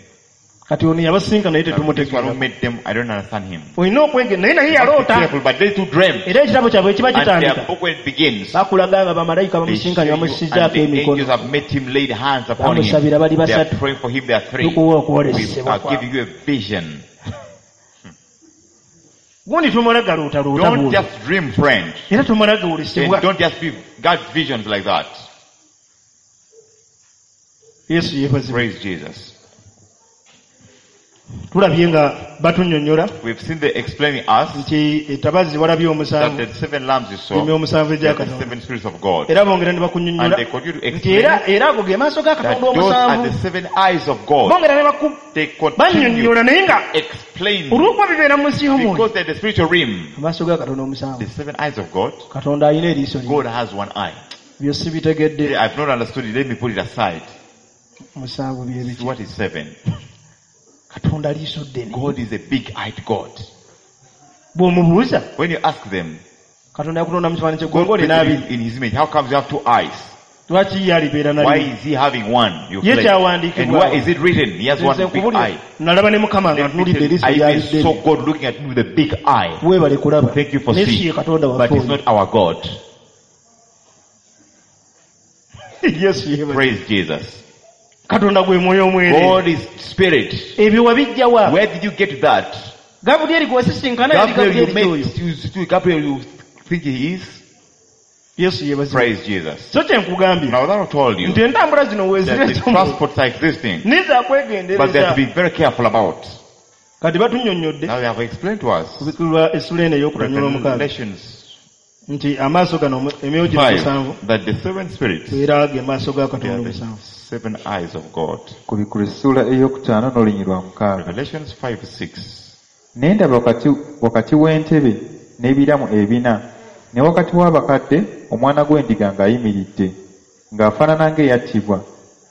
Kati ono yabasinkana naye Now, this one who tetumutegeera met them, I don't understand him. Olina okwege naye naye You must be yaloota careful, but they too dreamt. Era ekitabo kyabwe kiba And their kitandika book when it begins, bakulaga nga bamalayika they show bamusinkanye you, bamussizaako and the emikono angels have met him, laid hands upon him. bamusabira bali They are basatu praying for him, they are three. tukuwa We okwolesebwa are giving you a vision. Gundi tumala galootaloota Don't bw'oli just dream, friend. Era tumala And gawulesebwa don't just be God's visions like that. Yesu yeebazibwe Praise Jesus. Tulabye nga batunnyonnyola We've seen the explaining us nti ettabazi walabye that omusanvu the seven lambs you saw, emyoyo omusanvu they egya are the Katonda seven spirits of God. Era bongera ne And bakunnyonnyola they continue to nti explain era era ago ge maaso ga that Katonda those are omusanvu the seven eyes of God. Bongera ne baku They continue bannyonnyola naye nga to explain olw'okuba bibeera mu nsi y'omwoyo because they're the spiritual realm. Amaaso ga Katonda omusanvu The seven eyes of God, Katonda alina eriiso limu God has one eye. Byo sibitegedde I've not understood it. Let me put it aside. Musanvu bye biki What is seven? Katonda liiso ddene God is a big-eyed God. Bw'omubuuza When you ask them, Katonda yakutonda mu kifaananyi God ky'eggwanga olina created abiri you in his image. How comes you have two eyes? Lwaki ye alibeera Why nalimu is he having one? You Ye claim. kyawandiikibwa. And where is it written? He has Nze one big nkubulira, eye. nalaba ne Mukama nga Let me ntunuulidde tell you, eriiso I lyali even saw ddene God looking at me with a big eye. Weebale kulaba Thank you for naye si seeing. ye Katonda But waffe it's oyo not our God. Yesu yeebale Praise Jesus. Katonda gwe mwoyo omwereere God is spirit. Ebyo wabijja wa Where did you get that? Gabulyeri gwe wasisinkana yali Gabriel, you Gabulyeri oyo met, you, you- Gabriel, you think he is? Yesu yeebazibwe Praise Jesus. So kye nkugambye Now that I told you nti entambula zino that weezira the transports are existing, niza but they have kwegendereza to be very careful about. Kati batunnyonnyodde Now they have explained to us kubikulwa essula eno ey'okutanyola omukaaga Revelations Nti amaaso gano omu- emyoyo gino musanvu Five, that the seven spirits, era ge maaso ga they Katonda are the omusanvu. seven eyes of God. Kubikkulwa essuula ey'okutaano n'olunyiriri lwa mukaaga. Revelations five six. Ne ndaba wakati, wakati w'entebe n'ebiramu ebina ne wakati w'abakadde omwana gw'endiga ng'ayimiridde ng'afaanana ng'eyattibwa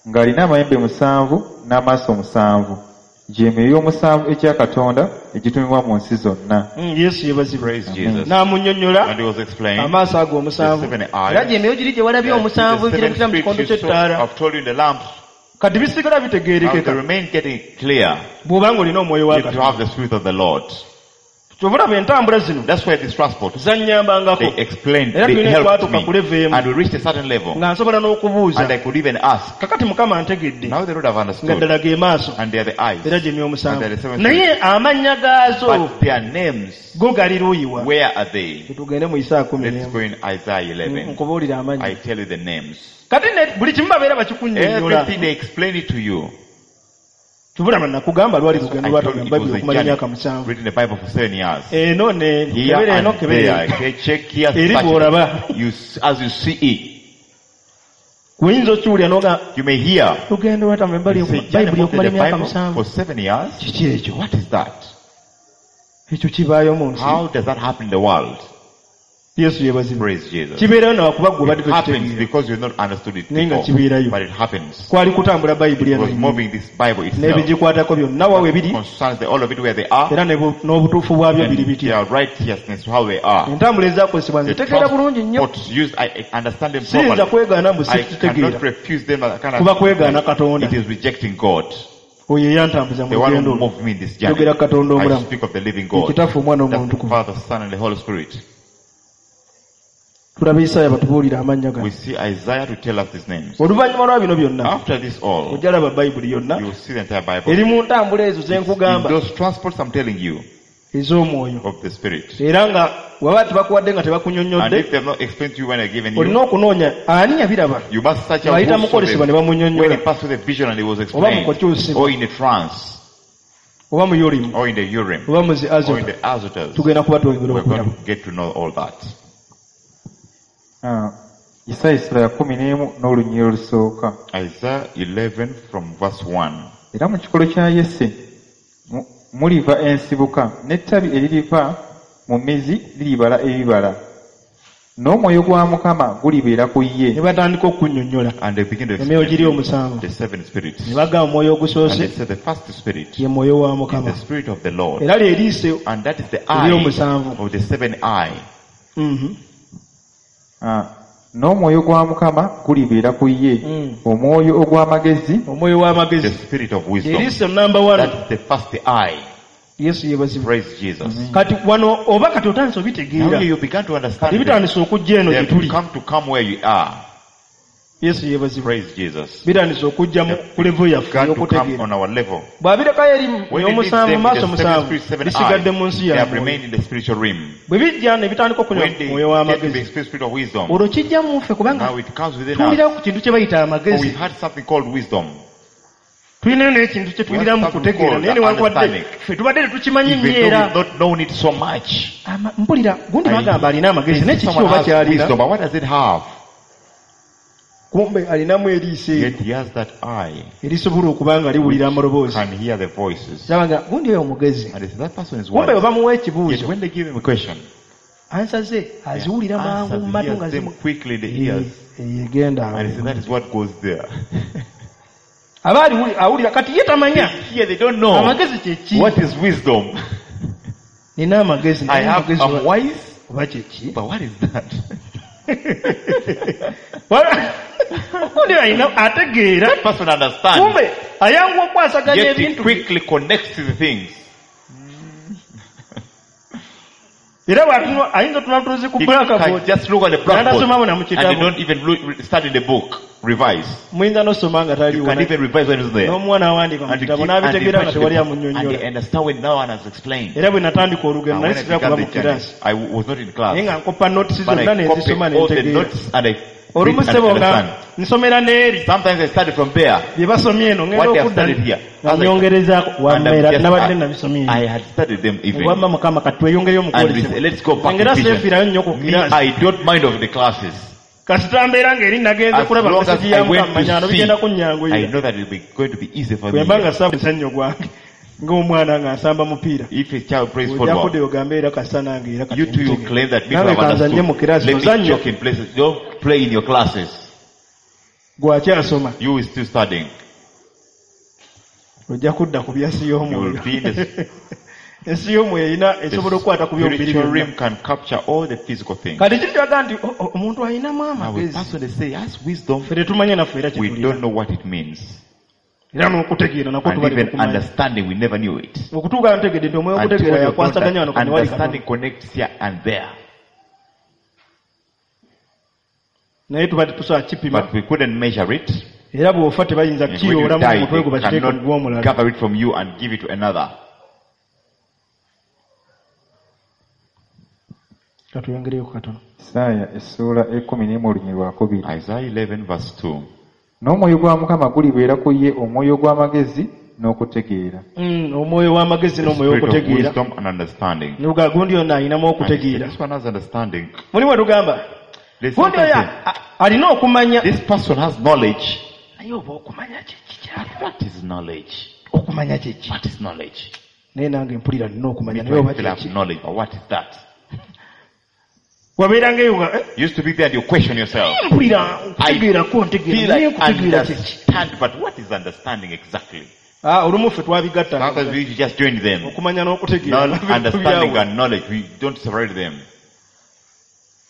ng'alina amayembe musanvu n'amaaso musanvu gy'emyoyo omusanvu egya Katonda egitumibwa mu nsi zonna. Mm, Yesu yeebazibwe. Praise Jesus. N'amunnyonnyola And he was explained. amaaso ago omusanvu The seven eyes. era gy'emyoyo giri gye walabye that omusanvu the seven girabikira mu spirits kikondo you saw, ky'ettaala. I've told you in the lamps. Kati bisigala Now bitegeerekeka they remain getting clear. bw'oba ng'olina omwoyo wa If you Katonda. have the Spirit of the Lord. Kyova olaba entambula zino That's why this transport, zannyambangako they explained, Era they tulina helped twatuuka me. ku level emu. And we reached a certain level. nga nsobola And I n'okubuuza could even ask. kakati Mukama antegedde Now they would have nga understood. ddala ge maaso And they are the eyes. era gy'emyoyo And they are the omusanvu seven naye spirits. amannya gaazo But their names, go gali luuyiwa where are they? tugende mu Isaaya kumi Let's n'emu go in Isaiah eleven. nkubuulire amannya I tell you the names. kati ne buli kimu babeera bakikunnyonnyola Everything they explain it to you. Kyova nakugamba lwali lugendo I told you lwatagamba it Bayibuli was a okumala journey. emyaka musanvu Reading the Bible for seven years. eno ne Here kebera eno and kebera there. eno Okay, check here. Eri search bw'olaba. it. You, s- as you see it, Oyinza okiwulira n'oga you may hear. lugendo lwatamba You say, journey Bayibuli of okumala the emyaka Bible musanvu for seven years. kiki ekyo What is that? ekyo kibaayo mu nsi How does that happen in the world? Yesu yeebazibwe Praise Jesus. kibeerayo nawakuba gwe obadde It happens tokitegeera because you've not understood it Naye nga before. kibeerayo. But it happens. kwali kutambula Bayibuli It eno was moving this Bible itself. n'ebigikwatako byonna wa we biri Concerns the, all of it where they are. era ne bu- n'obutuufu bwabyo biri And bitya their righteousness, how they are. entambula ezakozesebwa The nze tegeera bulungi nnyo transports used, I I understand them siyinza properly. kwegaana mbu I sikitegeera cannot refuse them. I cannot kuba kwegaana Katonda It is rejecting God. oyo eyantambuza mu The one lugendo who olwo moved me in this journey. Njogera Katonda I omulamu speak of the living God. Kitaffe Omwana That's Omwoyo the Omutukuvu Father, Son, and the Holy Spirit. tulaba Isaaya batubuulira amannya gano We see Isaiah to tell us his names. oluvannyuma lwa bino byonna After this all, ojja laba Bayibuli yonna you will see the entire Bible. eri mu ntambula ezo ze In nkugamba those transports I'm telling you ez'omwoyo of the Spirit. era nga waba tebakuwadde nga And tebakunnyonnyodde if they have not explained to you when they've given olina you, okunoonya ani yabiraba you must search out ng'ayita who mu saw kwolesebwa them. ne When bamunnyonnyola he passed through the vision and it was oba mu explained, kukyusibwa or in the trance, oba mu Urim or in the Urim, oba mu zi or in Azota the Azotus, tugenda kuba twongera we're going okulaba to get to know all that. Ah, Isaaya essula ya kkumi n'emu n'olunyiriri olusooka. Isaiah eleven from verse one. Era mu kikolo kya Yese mu- muliva ensibuka n'ettabi eririva mu mizi liribala ebibala. N'omwoyo gwa Mukama gulibeera ku ye. ne batandika okunnyonnyola And they begin to emyoyo giri explain omusanvu the seven spirits. ne bagamba omwoyo And they ogusoose said the first spirit ye mwoyo wa is Mukama the spirit of the Lord. era lye liiso And that is the eye ery'omusanvu of the seven eye. Mhm. Ah, n'omwoyo gwa Mukama gulibeera ku ye. Mm. Omwoyo ogw'amagezi omwoyo The w'amagezi spirit of wisdom. eriiso namba one That is the first eye. Yesu yeebazibwe Praise Jesus. kati wano oba kati otandise Now obitegeera you began to kati understand them. bitandise okujja eno They gye have tuli come to come where you are. Yesu yeebazibwe Praise Jesus. bitandise okujja mu ku level yaffe Began to come ey'okutegeera on our level. bw'abirekayo eri When he leaves omusanvu them in maaso the seven musanvu spirit, seven bisigadde eyes, mu nsi they ya have mwoyo remained in the spiritual realm. bwe bijja ne bitandika okunywa When they mwoyo get to the w'amagezi spirit of wisdom, olwo kijja mu ffe kubanga now it comes within us. tuwulirawo ku kintu kye bayita For we amagezi had something called wisdom. tulinayo n'ekintu kye tuwuliramu We have something kutegeera called naye newankubadde understanding. ffe tubadde tetukimanyi Even nnyo though era we've not known it so much. Ama- mpulira gundi I- bagamba alina amagezi naye kiki Someone oba has kyalina wisdom, but what does it have? kumbe alinamu eriiso eryo Yet he has that eye, erisobola okuba nga liwulira amaloboozi can hear the voices. laba nga gundi oyo omugezi And they say, that person is kumbe bwe wise. bamuwa Yet ekibuuzo when they give him a question, ansa ze aziwulira mangu answers, mu he matu hears nga them zimu quickly in the ears. Eh, egenda And he said, that is what goes there. aba aliwuli- awulira kati ye tamanya Here they don't know amagezi kyeki what is wisdom. nina amagezi I naye have, amagezi I'm oba- wise, oba kyeki but what is that? gundi alina ategeera That person understands, kumbe ayanguwa okwasaganya yet he ebintu quickly connects to the things. era bw'atunula- ayinza otunula butunuzi ku He can blackboard just look at the blackboard N'atasomamu na mu and they kitabo. don't even look, study the book, revise. muyinza n'osoma nga You taliwo can even revise when it's there. n'omuwa n'awandiika mu And, you kitabo keep, and, they n'abitegeera nga touch the tewali book, and amunnyonnyola they understand when no one has explained. era bwe natandika olugendo And nali when I sitera began kuba the mu journey, kiraasi I was not in naye class, nga nkopa notisi but zonna I nenzisoma copied all the nentegeera notes and I read Olumu and ssebo nga understand. nsomera n'eri Sometimes I study from there. bye basomye eno ngenda What they have okudda studied here. nga As I- nyongerezaako And I'm wammeera just- nabadde I, nabisomye I had studied them even. wamma mukama kati tweyongereyo mu And we kwolesebwa say, let's go back ngera in vision. seefiirayo nnyo ku Me, kiraasi I don't mind of the classes. kasita mbeera ng'eri nagenze As kulaba long as mesegi I ya went mukama manyano to see, bigenda I kunnyanguyira know that it will be going to be easy for bwe me. mba nga saba ensannyo gwange ng'omwana nga nsamba mupiira If a child plays ojja football, kudda ogambe era kasita nange era kati you too, you ntegere. claim that people Nange have kanzanye mu understood. kiraasi Let me ozannya joke in places. Don't play in your classes. gwakyasoma You is still studying. ojja kudda ku byansi You will y'omwoyo be in the, ensi y'omwoyo erina esobola the okukwata ku byomubiri spiritual byonna realm can capture all the physical things. kati kiri kyaga nti o- o- omuntu alinamu Now, a amagezi person they say has wisdom. ffe tetumanye naffe era We kyetulina don't know what it means. era n'okutegeera nakwo And tubali even tekumanya understanding, we never knew it. okutuuka ntegedde nti omwoyo Until okutegeera you know yakwasaganya wano that kati wali understanding katono connects here and there. naye tuba tetusobola kipima But we couldn't measure it. era bw'ofa tebayinza And when you kukiyoolamu die, mutwe gwe they bakiteeke mu cannot gw'omulala gather it from you and give it to another. katweyongereyo katono Isaaya essuula ekkumi n'emu olunyiriri lwakubiri. Isaiah eleven verse two. N'omwoyo gwa Mukama gulibeera ku ye omwoyo gw'amagezi n'okutegeera. Mm, omwoyo w'amagezi The n'omwoyo spirit of w'okutegeera wisdom and understanding. nuga gundi yonna alinamu And he said, okutegeera this one has understanding. mulimu tugamba There's gundi oyo sometimes a- alina okumanya this person has knowledge. naye oba okumanya kiki kyali What is knowledge? okumanya kiki What is knowledge? naye nange mpulira nina okumanya Me naye oba too, I feel I have kiki knowledge, but what is that? wabeera ngaeyo nga eh, You used to be there and you question yourself. mpulira okutegeerako ntegeera Feel naye like okutegeera kiki understand, but what is understanding exactly? Ah, olumu ffe twabigatta Sometimes we just join them. okumanya n'okutegeera Not understanding and knowledge, we don't separate them.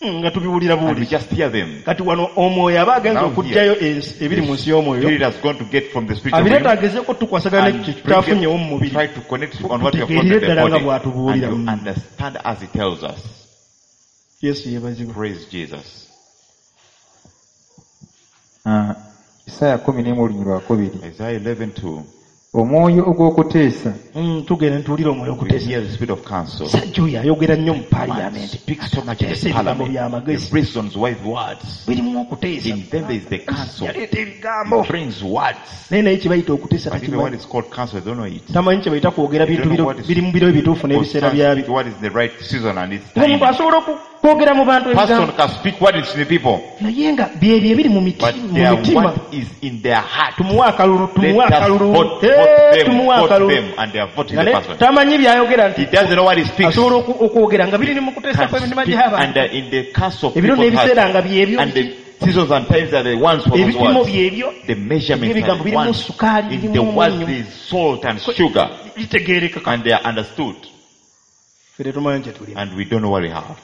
Mm, nga tubiwulira And we buwuli just hear them. kati wano omwoyo aba agenza Now okuggyayo ensi- ebiri mu nsi y'omwoyo Spirit has gone to get from the spiritual abireeta realm agezeeko tukwasagana and nekyo bring kitafunyewo mu them, mubiri try to connect on what you have got Tutegeerere in the ddala nga body bw'atubuulira. and you understand as he tells us. Yesu yeebazibwe Praise Jesus. Ah, Isaaya kkumi n'emu olunyiriri lwakubiri. Isaiah eleven two. Omwoyo ogw'okuteesa Mm, tugenda ntuwulira omwoyo We okuteesa hear the spirit of counsel. sajja oyo ayogera nnyo mu Man paaliyamenti speaks so much in Ateesa the ebigambo parliament. by'amagezi He reasons wise words. birimu okuteesa In them there is the counsel. yaleeta ebigambo He brings words. naye naye kye bayita okuteesa But even what takimanyi is called counsel, they don't know it. tamanyi kye bayita kwogera They bintu don't know biro- what is biri mu biro ebituufu n'ebiseera concerns byabyo what is the right season and its omuntu time. asobola oku- kwogera mu bantu Person ebigambo can speak what is in the people, naye nga byebyo ebiri mu miti- but mu they are mitima what is in their heart. tumuwe akalulu tumuwe Let us akalulu vote, Eh, vote them, tumuwe vote akalulu them, and they are voting Nga the ne- person. tamanyi byayogera nti He doesn't know what he speaks. asobola oku- okwogera nga biri ne mu kuteesa Can kw'emitima speak gy'abantu and uh, in the council of ebiro people's n'ebiseera hearts. nga byebyo And the seasons and times are the ones for those ebipimo words. byebyo The measurements are Ebigambo the birimu ones. sukaali, In the birimu words omunnyo. there is salt and sugar, litegeereka and they are understood. ffe tetumanyi kye tulina And we don't know what we have.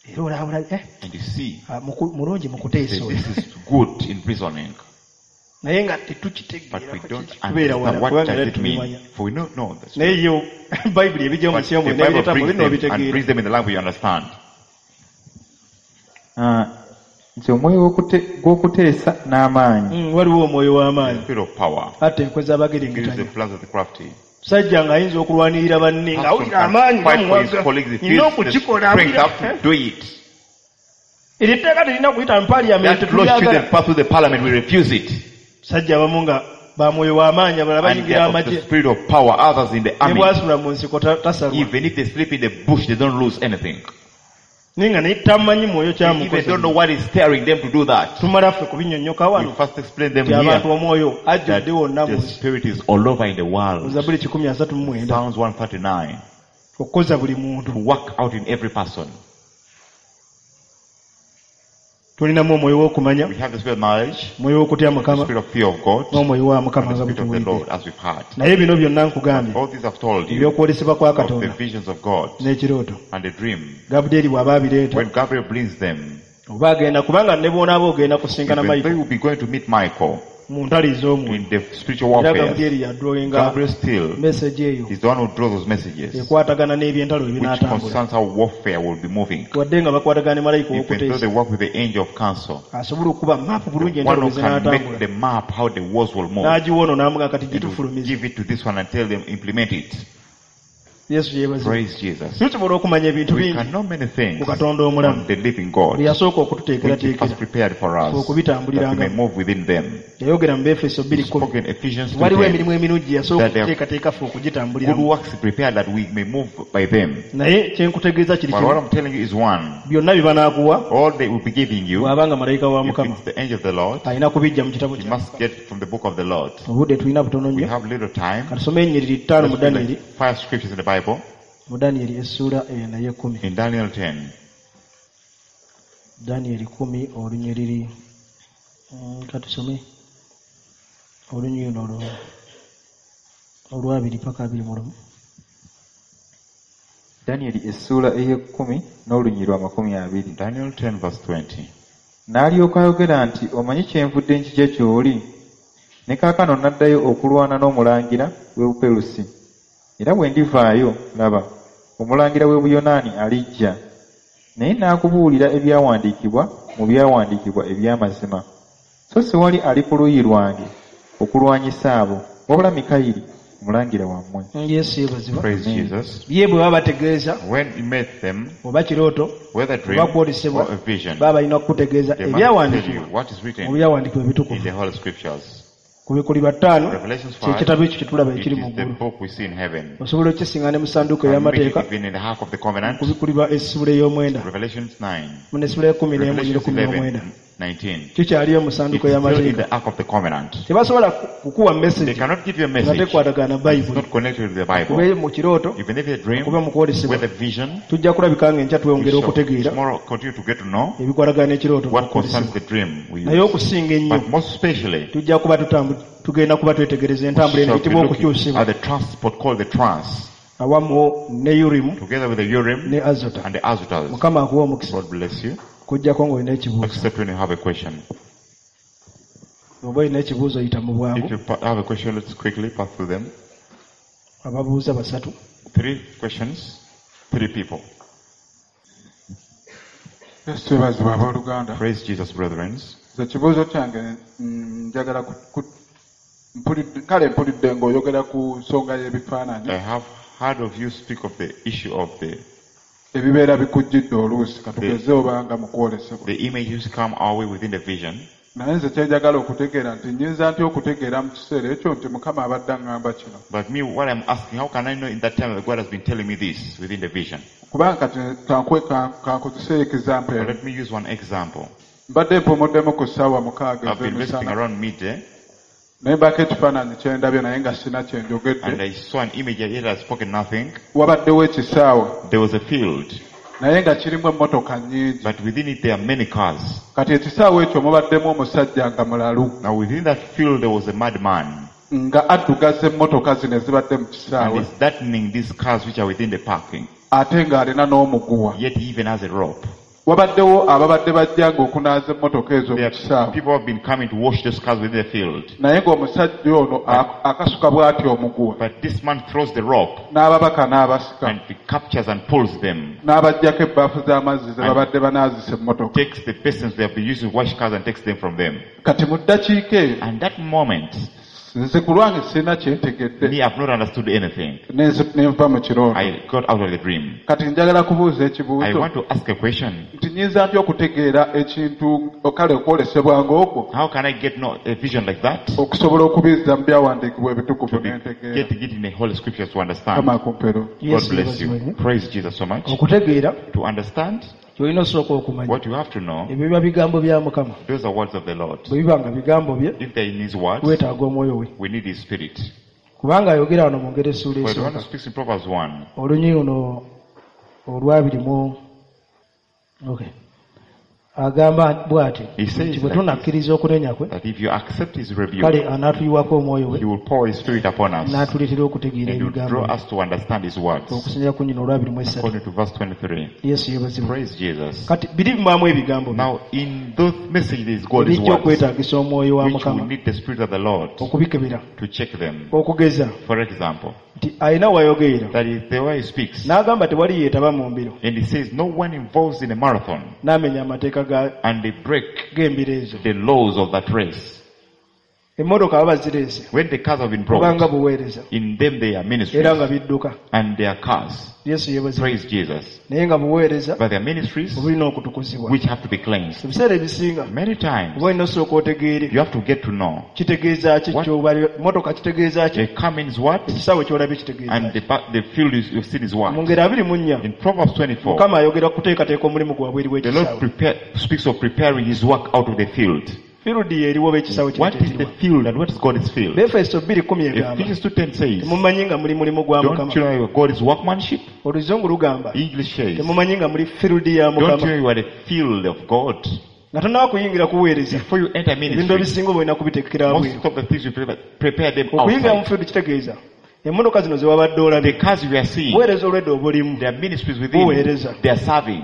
era olabula eh, And you see, ah, muku- mulungi mu say, kuteesa oyo this is good in reasoning, naye nga but we tetukitegeera don't tubeera wala understand what kubanga does era it mean. tubimanya For we don't know. The naye yo bayibuli ebijja mu But nsi the y'omwoyo Bible n'ebireeta mu brings bino them and obitegeera brings them in the language you understand. Ah, nti omwoyo gw'okute- gw'okuteesa n'amaanyi Mm, waliwo omwoyo The w'amaanyi spirit of power atta enkwe gives the z'abagerengetanya plans of the crafty. musajja ng'ayinza okulwanirira banne Person ng'awulira can amaanyi fight for his gamuwaga colleagues. He nina feels the okukikola strength awulira- up to do it. eryo etteeka terina kuyita mu paaliyamenti That law tulyagala shouldn't pass through the parliament. We refuse it. sajja abamu nga ba mwoyo w'amaanyi abalala And they bayingira are of the amagye spirit of power. Others in the ne army. bwasula mu nsiko ta- tasalwa Even if they sleep in the bush, they don't lose anything. naye nga naye tamanyi mwoyo They even kyamukoze don't know what is steering them to do that. tumala ffe kubinnyonnyoka We wano first explain them nti abantu here omwoyo that ajjudde wonna mu the nsi spirit is all over in the mu world. Zabbuli kikumi asatu mu mwenda Psalms one thirty-nine. okukoza buli muntu To work out in every person. tulinamu omwoyo w'okumanya We have the spirit of knowledge, omwoyo w'okutya the mukama spirit of fear of God, n'omwoyo wa mukama and the nga spirit of the bwetuwulidde Lord as we've heard. naye bino byonna nkugambye All these I've told you ebyokwolesebwa kwa of the katonda visions of God n'ekirooto and the dream. gabulyeri bw'aba abireeta When Gabriel brings them, oba agenda kubanga ne bw'onaaba ogenda kusinkana even though mayiko you will be going to meet Michael mu ntalo ez'omwoyo in the spiritual era warfare, gabulyeri yadrawinga Gabriel still message eyo is the one who draws those messages, ekwatagana n'ebyentalo which ebinaatambula concerns how warfare will be moving. wadde nga bakwatagana ne malayika Even though ow'okuteesa they work with the angel of counsel, asobola okuba maapu bulungi the one entalo who bwe can make zinaatambula the map how the wars will move, n'agiwa ono n'amuga kati and will gitufulumize give it to this one and tell them implement it. Yesu yeebazibwe. Praise Jesus. Tusobola okumanya ebintu We bingi can know many things ku Katonda omulamu on the living God, bye yasooka which He okututeekerateekera first prepared for us, that we may okubitambulirangamu. move within them. Yayogera mu Befeso He bbiri kkumi spoke in Ephesians waliwo two ten. emirimu emirungi gye yasooka That there are okuteekateeka ffe good okugitambuliramu. works prepared that we may move by them. Naye kye nkutegeeza kiri But what kimu, I'm telling you is one. byonna bye banaakuwa All they will be giving you, bw'aba nga malayika wa if Mukama it's the angel of the Lord, alina kubijja mu kitabo you kya must get from the book of the Lord. Obudde tulina butono We nnyo. have little time. Katusome ennyiriri ttaano mu Let's read Danyeri. like five scriptures in the Bible. Mu Danyeri essuula eyo naye kkumi. In Daniel ten. Danyeri kkumi olunyiriri. Mm, katusome olunyiriri luno olwabiri paka abiri mu lumu. Danyeri essuula ey'ekkumi n'olunyiriri lwa makumi abiri. Daniel ten verse twenty. N'alyoka ayogera nti omanyi kyenvudde nkijja gy'oli? Ne kaakano n'addayo okulwana n'omulangira w'e Buperusi. Era bwe ndivaayo, laba, omulangira w'e Buyonaani alijja. Naye n'akubuulira ebyawandiikibwa mu byawandiikibwa eby'amazima. So siwali ali ku luuyi lwange okulwanyisa abo, wabula Mikayiri omulangira wammwe. Yesu yeebazibwa. Praise Amen. Jesus. Ye bwe baba bategeeza When he met them, oba kirooto whether dream oba kwolesebwa, or a vision, baba balina kukutegeeza they must tell you ebyawandiikibwa what is mu written byawandiikibwa in ebitukuvu. the Holy Scriptures. Kubikulirwa ttaano Revelations kye five, kitabo ekyo kye tulaba it ekiri mu is the ggulu. book we see in heaven. Osobola okukisiŋŋaana ne mu ssanduuko And meet it ey'amateeka, even in the Ark of the Covenant. kubikulirwa essuula ey'omwenda, Revelations nine, mu n'essuula y'ekkumi n'emu Revelations n'ekkumi n'omwenda. eleven, nineteen. Kikyaliyo mu It's ssanduuko still in y'amateeka. the Ark of the Covenant. Tebasobola kukuwa They message cannot give you a nga message tekwatagana na that's Bayibuli. not connected with the Bible. Kube mu kirooto, Even if it's a dream, kube mu kwolesebwa, whether vision, tujja kulabika ng'enkya we tweyongera shall okutegeera tomorrow continue to get to know ebikwatagana n'ekirooto what concerns n'okwolesebwa. the dream we Naye use. okusinga ennyo But most especially, tujja kuba tutambu- tugenda kuba twetegereza we entambula eno shall be eyitibwa looking okukyusibwa at the transport called the trance, awamu ne Urimu together with the Urim ne Azota. and the Azotas. Mukama akuwa omukisa God bless you. kujjako ng'olina ekibuuzo. Except when you have a question. Oba olina ekibuuzo yita mu bwangu. If you pa- have a question, let's quickly pass through them. Ababuuza basatu. Three questions, three people. Yesu yeebazibwe abooluganda. Praise Jesus, brethren. Nze ekibuuzo kyange mm, njagala ku- ku- mpulidde kale mpulidde ng'oyogera ku nsonga y'ebifaananyi I have heard of you speak of the issue of the, ebibeera bikujjidde oluusi katugeze obanga mu kwolesebwa. the images come our way within the vision. Naye nze kyenjagala okutegeera nti nnyinza ntya okutegeera mu kiseera ekyo nti Mukama abadde aŋŋamba kino. But me, what I'm asking, how can I know in that time that God has been telling me this within the vision? Kubanga kati kankwe kankozese example But eno. let me use one example. Mbadde mpumuddemu ku ssaawa mukaaga I've been resting ez'emisana around midday, naye mbaako ekifaananyi kye ndabye naye nga sina kye njogedde. and I saw an image yet I spoken nothing. Wabaddewo ekisaawe There was a field, naye nga kirimu emmotoka nnyingi. but within it there are many cars. Kati ekisaawe ekyo mubaddemu omusajja nga mulalu Now within that field there was a madman, nga addugaza emmotoka zino ezibadde mu and kisaawe he's threatening these cars which are within the parking. ate ng'alina n'omuguwa. Yet he even has a rope. Wabaddewo ababadde bajjanga okunaaza emmotoka ezo mu There are kisaawe people who have been coming to wash those cars within the field. naye ng'omusajja ono ak- akasuka bw'ati omuguwa But this man throws the rope n'ababaka n'abasika and he captures and pulls them. n'abaggyako ebbaafu z'amazzi ze babadde banaazisa emmotoka. Takes the basins they have been using to wash cars and takes them from them. Kati mu ddakiika eyo And that moment, nze ku lwange sirina kyentegedde me, I've not understood anything. ne nzi- ne nva mu kirooto. I got out of the dream. Kati njagala kubuuza I ekibuuzo want to ask a question. nti nnyinza ntya okutegeera ekintu kale okwolesebwa ng'okwo How can I get no, a vision like that? okusobola okubizza mu byawandiikibwa ebitukuvu To be n'entegeera. getting it in the Holy Scriptures to understand. Mukama akumpeero. God Yesu bless yeebazibwe you. nnyo. Praise Jesus so much. Okutegeera To understand ky'olina osooka okumanya what you have to know, ebyo biba bigambo bya Mukama. those are words of the Lord. Bwe biba nga bigambo bye If they're in His words, weetaaga omwoyo we. we need His Spirit. Kubanga ayogera wano mu ngeri essuula For the one who esooka speaks in Proverbs one, olunyiriri luno olwabiri mu okay. Agamba bw'ati He says nti bwe like tunakkiriza okunenya kwe that if you accept His rebuke, kale anaatuyiwako omwoyo we He will pour His Spirit upon us n'atuleetera okutegeera and will ebigambo draw bye. us to understand His words. Okusinziira ku nnyina olwabiri mu esatu. According to verse twenty-three. Yesu yeebazibwe. Praise Jesus. Kati biri bimwamu ebigambo bye Now, in those messages, God is ebijja words, okwetaagisa omwoyo wa which will Mukama need the Spirit of the Lord okubikebera. to check them. Okugeza For example, nti alina wayogerera that is the way he speaks. n'agamba tewali yeetaba mu mbiro And he says, no one involves in a marathon n'amenya amateeka ga- and they break g'embiro ezo. the laws of that race. Emmotoka baba zireese When the cars have been brought, kubanga buweereza in them they are ministries era nga bidduka. and their cars. Yesu yeebazibwe. Praise Jesus. Naye nga buweereza But there are ministries obulina okutukuzibwa. which have to be cleansed. Ebiseera ebisinga Many times oba olina osooka otegeere you have to get to know kitegeeza ki What? ky'obali motoka kitegeeza ki the car means what ekisaawe ky'olabye kitegeeza and ki. the, pa- the field is, you've seen is Mu what. ngeri abiri mu nnya In Proverbs twenty-four, Mukama ayogera kuteekateeka omulimu gwabwe eri the Lord w'ekisaawe. prepare, speaks of preparing his work out of the field. Field ye eriwo b'ekisaawe kino What is the kyekiriwa. field and what is God's field? Befeso bbiri kkumi egamba Ephesians two ten says, temumanyi nga muli mulimu gwa don't Mukama. you know you are God's workmanship? Oluzungu lugamba English says, temumanyi nga muli field ya don't you Mukama. know you are the field of God? Nga tonnaba kuyingira kuweereza Before you enter ebintu ministry, ebisinga oba olina kubitekera most bweru. of the things you prepare, prepare them Okuyingira mu outside. field kitegeeza emmotoka zino ze wabadde olabye The cars you are seeing, buweereza olwedda obulimu there are ministries within, Buweereza. they are serving.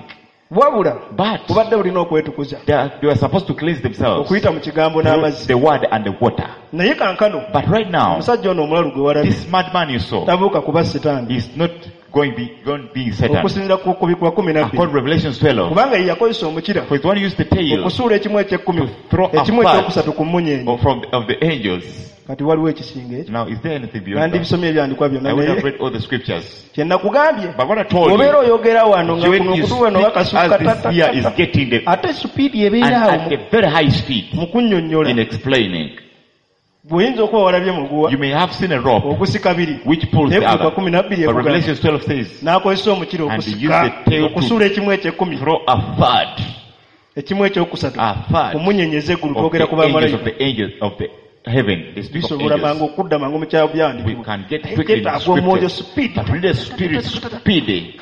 Wabula But bubadde bulina okwetukuza they are, they are supposed to cleanse themselves okuyita mu kigambo through n'amazzi. the word and the water. Naye kankano But right now, omusajja ono omulalu gwe walabye this madman you saw tabuuka kuba sitaani is not going be going being Satan. okusinziira ku kubikwa kumi na bbiri According to Revelation twelve, kubanga ye yakozesa omukira for the one who used the tail okusuula ekimu eky'ekkumi to throw a ekimu part ekyokusatu ku mmunyeenye. of, from of the angels. Kati waliwo ekisinga ekyo. Now, is there anything beyond that? Nandibisomye ebyandikwa byonna I would have naye read all the scriptures. kye nakugambye But what I told obeera you, oyogera wano nga when kuno you okutu wano speak bakasukka as this year is getting the ate supiidi and ebeera awo at a very high speed mu kunnyonnyola in explaining. bw'oyinza okuba walabye muguwa You may have seen a rope ogusika biri which pulls the naye other. kuva kumi na bbiri But ekugamba Revelation twelve says, n'akozesa omukira And he okusika used the tail to okusuula ekimu eky'ekkumi throw a third, ekimu ekyokusatu a third ku mmunyeenye ez'eggulu of twogera the ku angels of bamalayika the angels of the heaven. They speak of bisobola mangu angels. okudda mangu mu kyabyandikibwa We can get Naye quickly in the kyetaaga omwoyo scriptures. speed But we need a spirit speedy.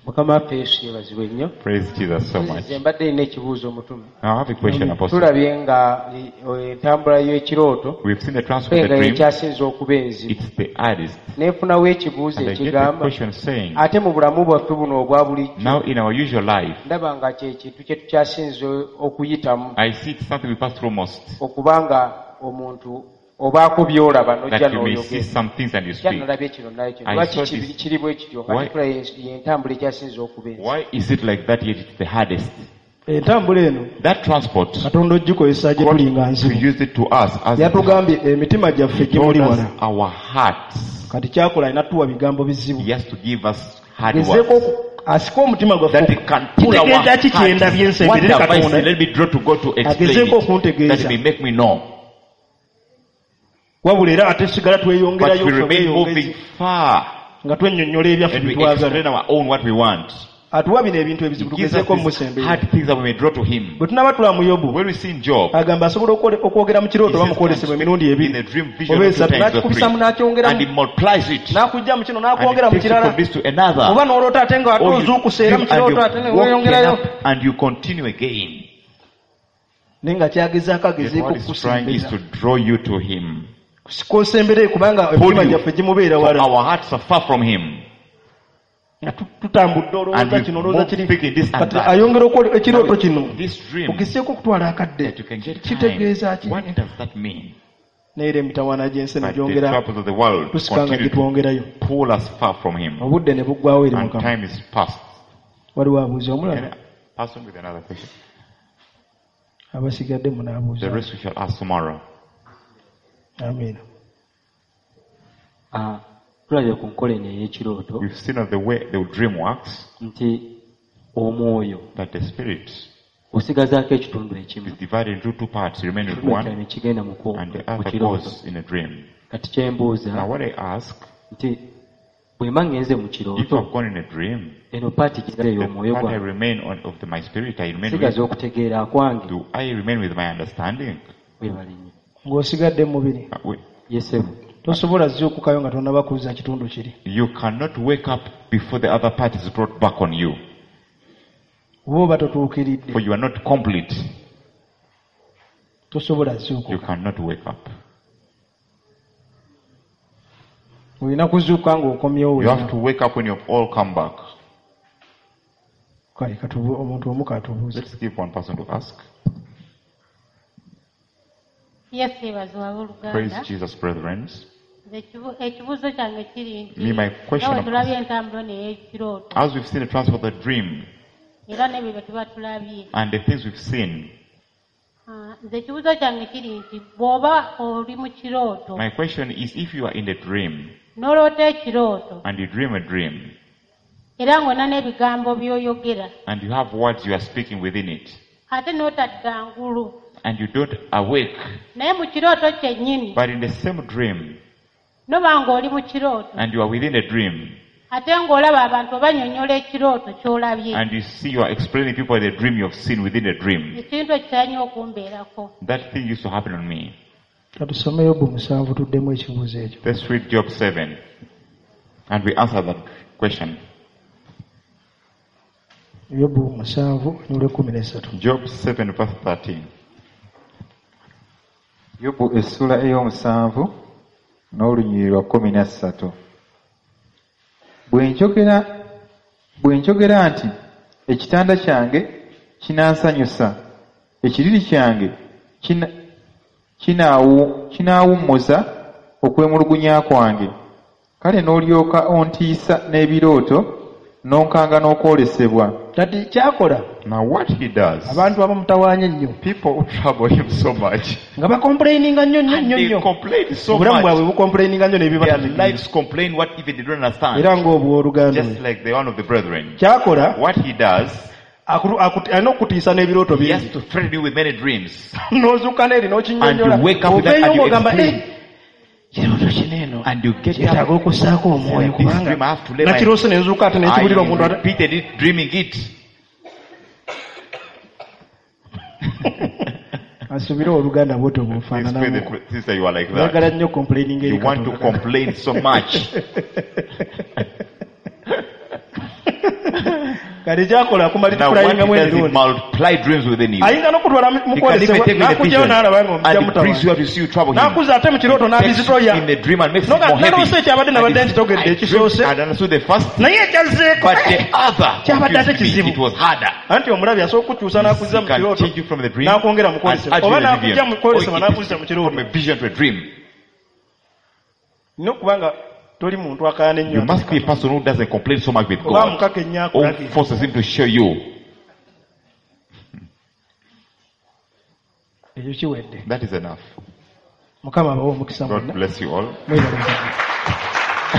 Mukama waffe Yesu yeebazibwe nnyo. Praise Jesus so much. Nze mbadde nina ekibuuzo omutume. Now I have a question, Apostle. Tulabye nga eh, entambula y'ekirooto We've seen the transfer of nga the dream. ekyasinze okuba enzibu. It's the hardest. Neefunawo ekibuuzo And I get the ekigamba question saying, ate mu bulamu bwaffe buno obwa bulijjo now in our usual life, ndaba nga kye kintu kye tukyasinze okuyitamu I see it's something we pass through most. okuba nga omuntu obaako by'olaba n'ojja That you may see n'oyogera. some things and you Kya speak. nalabye kino nalabye kino. I Lwaki saw kiri- this. kiri bwe kityo nga Why- tetulaba y'entambula ekyasinze okuba enzibu. Why is it like that yet it's the hardest? Entambula eno That transport, Katonda ogikozesa gye God tuli nga to nzibu. use it to us as Yatugambye emitima gyaffe He told gimuli us wala. our hearts. Kati kyakola alina tuwa bigambo bizibu. He has to give us hard Gezeeko words. oku- asike omutima gwaffe That he can pull our Kitegeeza ki kye ndabye hearts. What nsemberere have I Katonda? seen? Let me draw to God to explain Agezeeko it. okuntegeeza. That he may make me know. Wabula era ate sigala But tweyongerayo we ffe remain bweyongezi moving far nga twennyonnyola ebyaffe and we bye twagala. explain our own what we want. Atuwa bino ebintu ebizibu He gives us tugezeeko these omusemberera. hard things that we may draw to him. Bwe tunaaba tula mu Yobu When we see in Job, agamba asobola okwole- okwogera mu kirooto he oba says, mu kwolesebwa emirundi in ebiri a dream vision oba of two esatu times or n'akikubisamu three, and he n'akyongeramu multiplies it. n'akujja mu kino And n'akwongera he mu takes you kirala from this to another. oba n'oloota ate nga ate Or you ozuukusa era mu dream and kirooto ate you ne woken weeyongerayo up and you continue again. naye nga kyagezaako Yet agezeeko what he's trying is okukusembeza to draw you to him. kosembere kubanga Pull emitima you. gyaffe gimubeera For wala our hearts are far from him. nga tu- tutambudde And olowooza we kino olowooza move kiri speaking this and kati that. ayongera okwole ekirooto kino This dream ogezeeko okutwala akadde that you can get time. kitegeeza ki What does that mean? naye era emitawaana gy'ensi But the negyongera troubles of the world tusika nga continue to gitwongerayo pull us far from him. obudde ne buggwawo eri And mukama time is past. waliwo abuuza Can omulala I pass on with another question? abasigadde munaabuuza The rest we shall ask tomorrow. amiina Ah, tulabye ku nkola eno ey'ekirooto We've seen of the way the dream works, nti omwoyo that the spirit osigazaako ekitundu ekimu is divided into two parts. You remain with ekitundu ekirala one ne kigenda mu ku- and the mu other kirooto goes in a dream. kati kyembuuza Now what I ask, nti bwe mba ngenze mu if kirooto I've gone in a dream, eno paati kigaza the ey'omwoyo part I gwange remain on of the, my spirit, I remain with, sigaza okutegeera kwange do I remain with my understanding? webale nnyo ng'osigadde mu mubiri Uh, we- yesebo tosobola zuukukayo nga tonnaba kuzza kitundu kiri You cannot wake up before the other part is brought back on you, oba oba totuukiridde for you are not complete. tosobola You zuukuka cannot wake up. olina kuzuukuka ng'okomyewo You have wena to wake up when you've all come back. kale katubu- omuntu omu katubuuze Let's give one person to ask. Yesu yeebazibwe Praise abooluganda. Jesus, brethren. Nze ekibu- ekibuuzo kyange kiri nti Me, my question nga bwe of- tulabye entambula eno ey'ekirooto As we've seen the transfer of the dream era n'ebyo bye tuba tulabye and the things we've seen, Ah, nze ekibuuzo kyange kiri nti bw'oba oli mu kirooto My question is, if you are in a dream n'oloota ekirooto and you dream a dream era ng'olina n'ebigambo by'oyogera and you have words you are speaking within it ate n'otadda ngulu and you don't awake, naye mu kirooto kyennyini but in the same dream noba ng'oli mu kirooto and you are within a dream ate ng'olaba abantu obanyonnyola ekirooto ky'olabye and you see you are explaining people the dream you have seen within a dream, ekintu ekyo kitera nnyo okumbeerako that thing used to happen on me. Katusome Yobu musanvu tuddemu ekibuuzo ekyo. Let's read Job seven and we answer that question. Yobu musanvu n'olwekumi n'essatu. Job seven verse thirteen. Yobu essula ey'omusanvu n'olunyiriri lwa kkumi na ssatu. Bwe njogera, bwe njogera nti ekitanda kyange kinansanyusa, ekiriri kyange kina-, kinaawu-, kinaawummuza okwemulugunya kwange, kale n'olyoka ontiisa n'ebirooto n'onkanga n'okwolesebwa. Kati kyakola. Now what he does, abantu abamutawaanya ennyo, people who trouble him so much, nga bakomplaininga nnyo nnyo and nnyo they nnyo. complain so Obulamu much. bwabwe bukomplaininga nnyo Their n'ebibatamye. lives complain what even they don't understand. Era ng'obw'oluganda. Just like the one of the brethren. Kyakola, What he does, akulu-, akuti-, alina okukutiisa n'ebirooto he has bingi. to threaten you with many dreams. N'ozuuka n'eri n'okinnyonnyola. And you wake up with that Oveeyo and you ng'ogamba, explain. Eh, kirooto kino eno And you get kyetaaga up. okussaako omwoyo This kubanga dream I have to lay my nakiroose ne nzuuka ate ne nkibulira I omuntu ate- repeated it, dreaming it. Asubire oluganda bw'otyo Explain bw'ofaananamu. the sister, you are like that. Oyagala nnyo complaining eri You want to Katonda. complain so much. Kati kyakola Now akumultiplyinga what he does, he emirundi. multiply dreams within you. Ayinza n'okutwala mu He can even kwolesebwa, take you in the n'akuggyayo vision n'alaba ng'omujja and he brings mutawaana. you out to see you trouble him. N'akuza ate mu kirooto He takes you n'abizitoya. in the dream and makes it N'oga, more heavy. naloose ekyabadde And nabadde he nkitegedde I ekisoose. dreamed and understood the first, Naye ekyazzeeko, but the other kyabadde ate confused me. kizibu. It was harder. Anti omulabi asobola okukukyusa n'akuzza He mu can kirooto, change you from the dream n'akwongera mu and kwolesebwa. add you Oba in the n'akujja vision. mu kwolesebwa Or it n'akuzza is mu kirooto. from a vision to a dream. Nina okuba nga toli muntu akaana ennyo You must be a person who doesn't complain so much with Oba God. mukaka ennyo Or akulage. forces him to show you. Ekyo kiwedde. That is enough. Mukama abawe omukisa God mwonna. bless you all. Mwebale Mukama.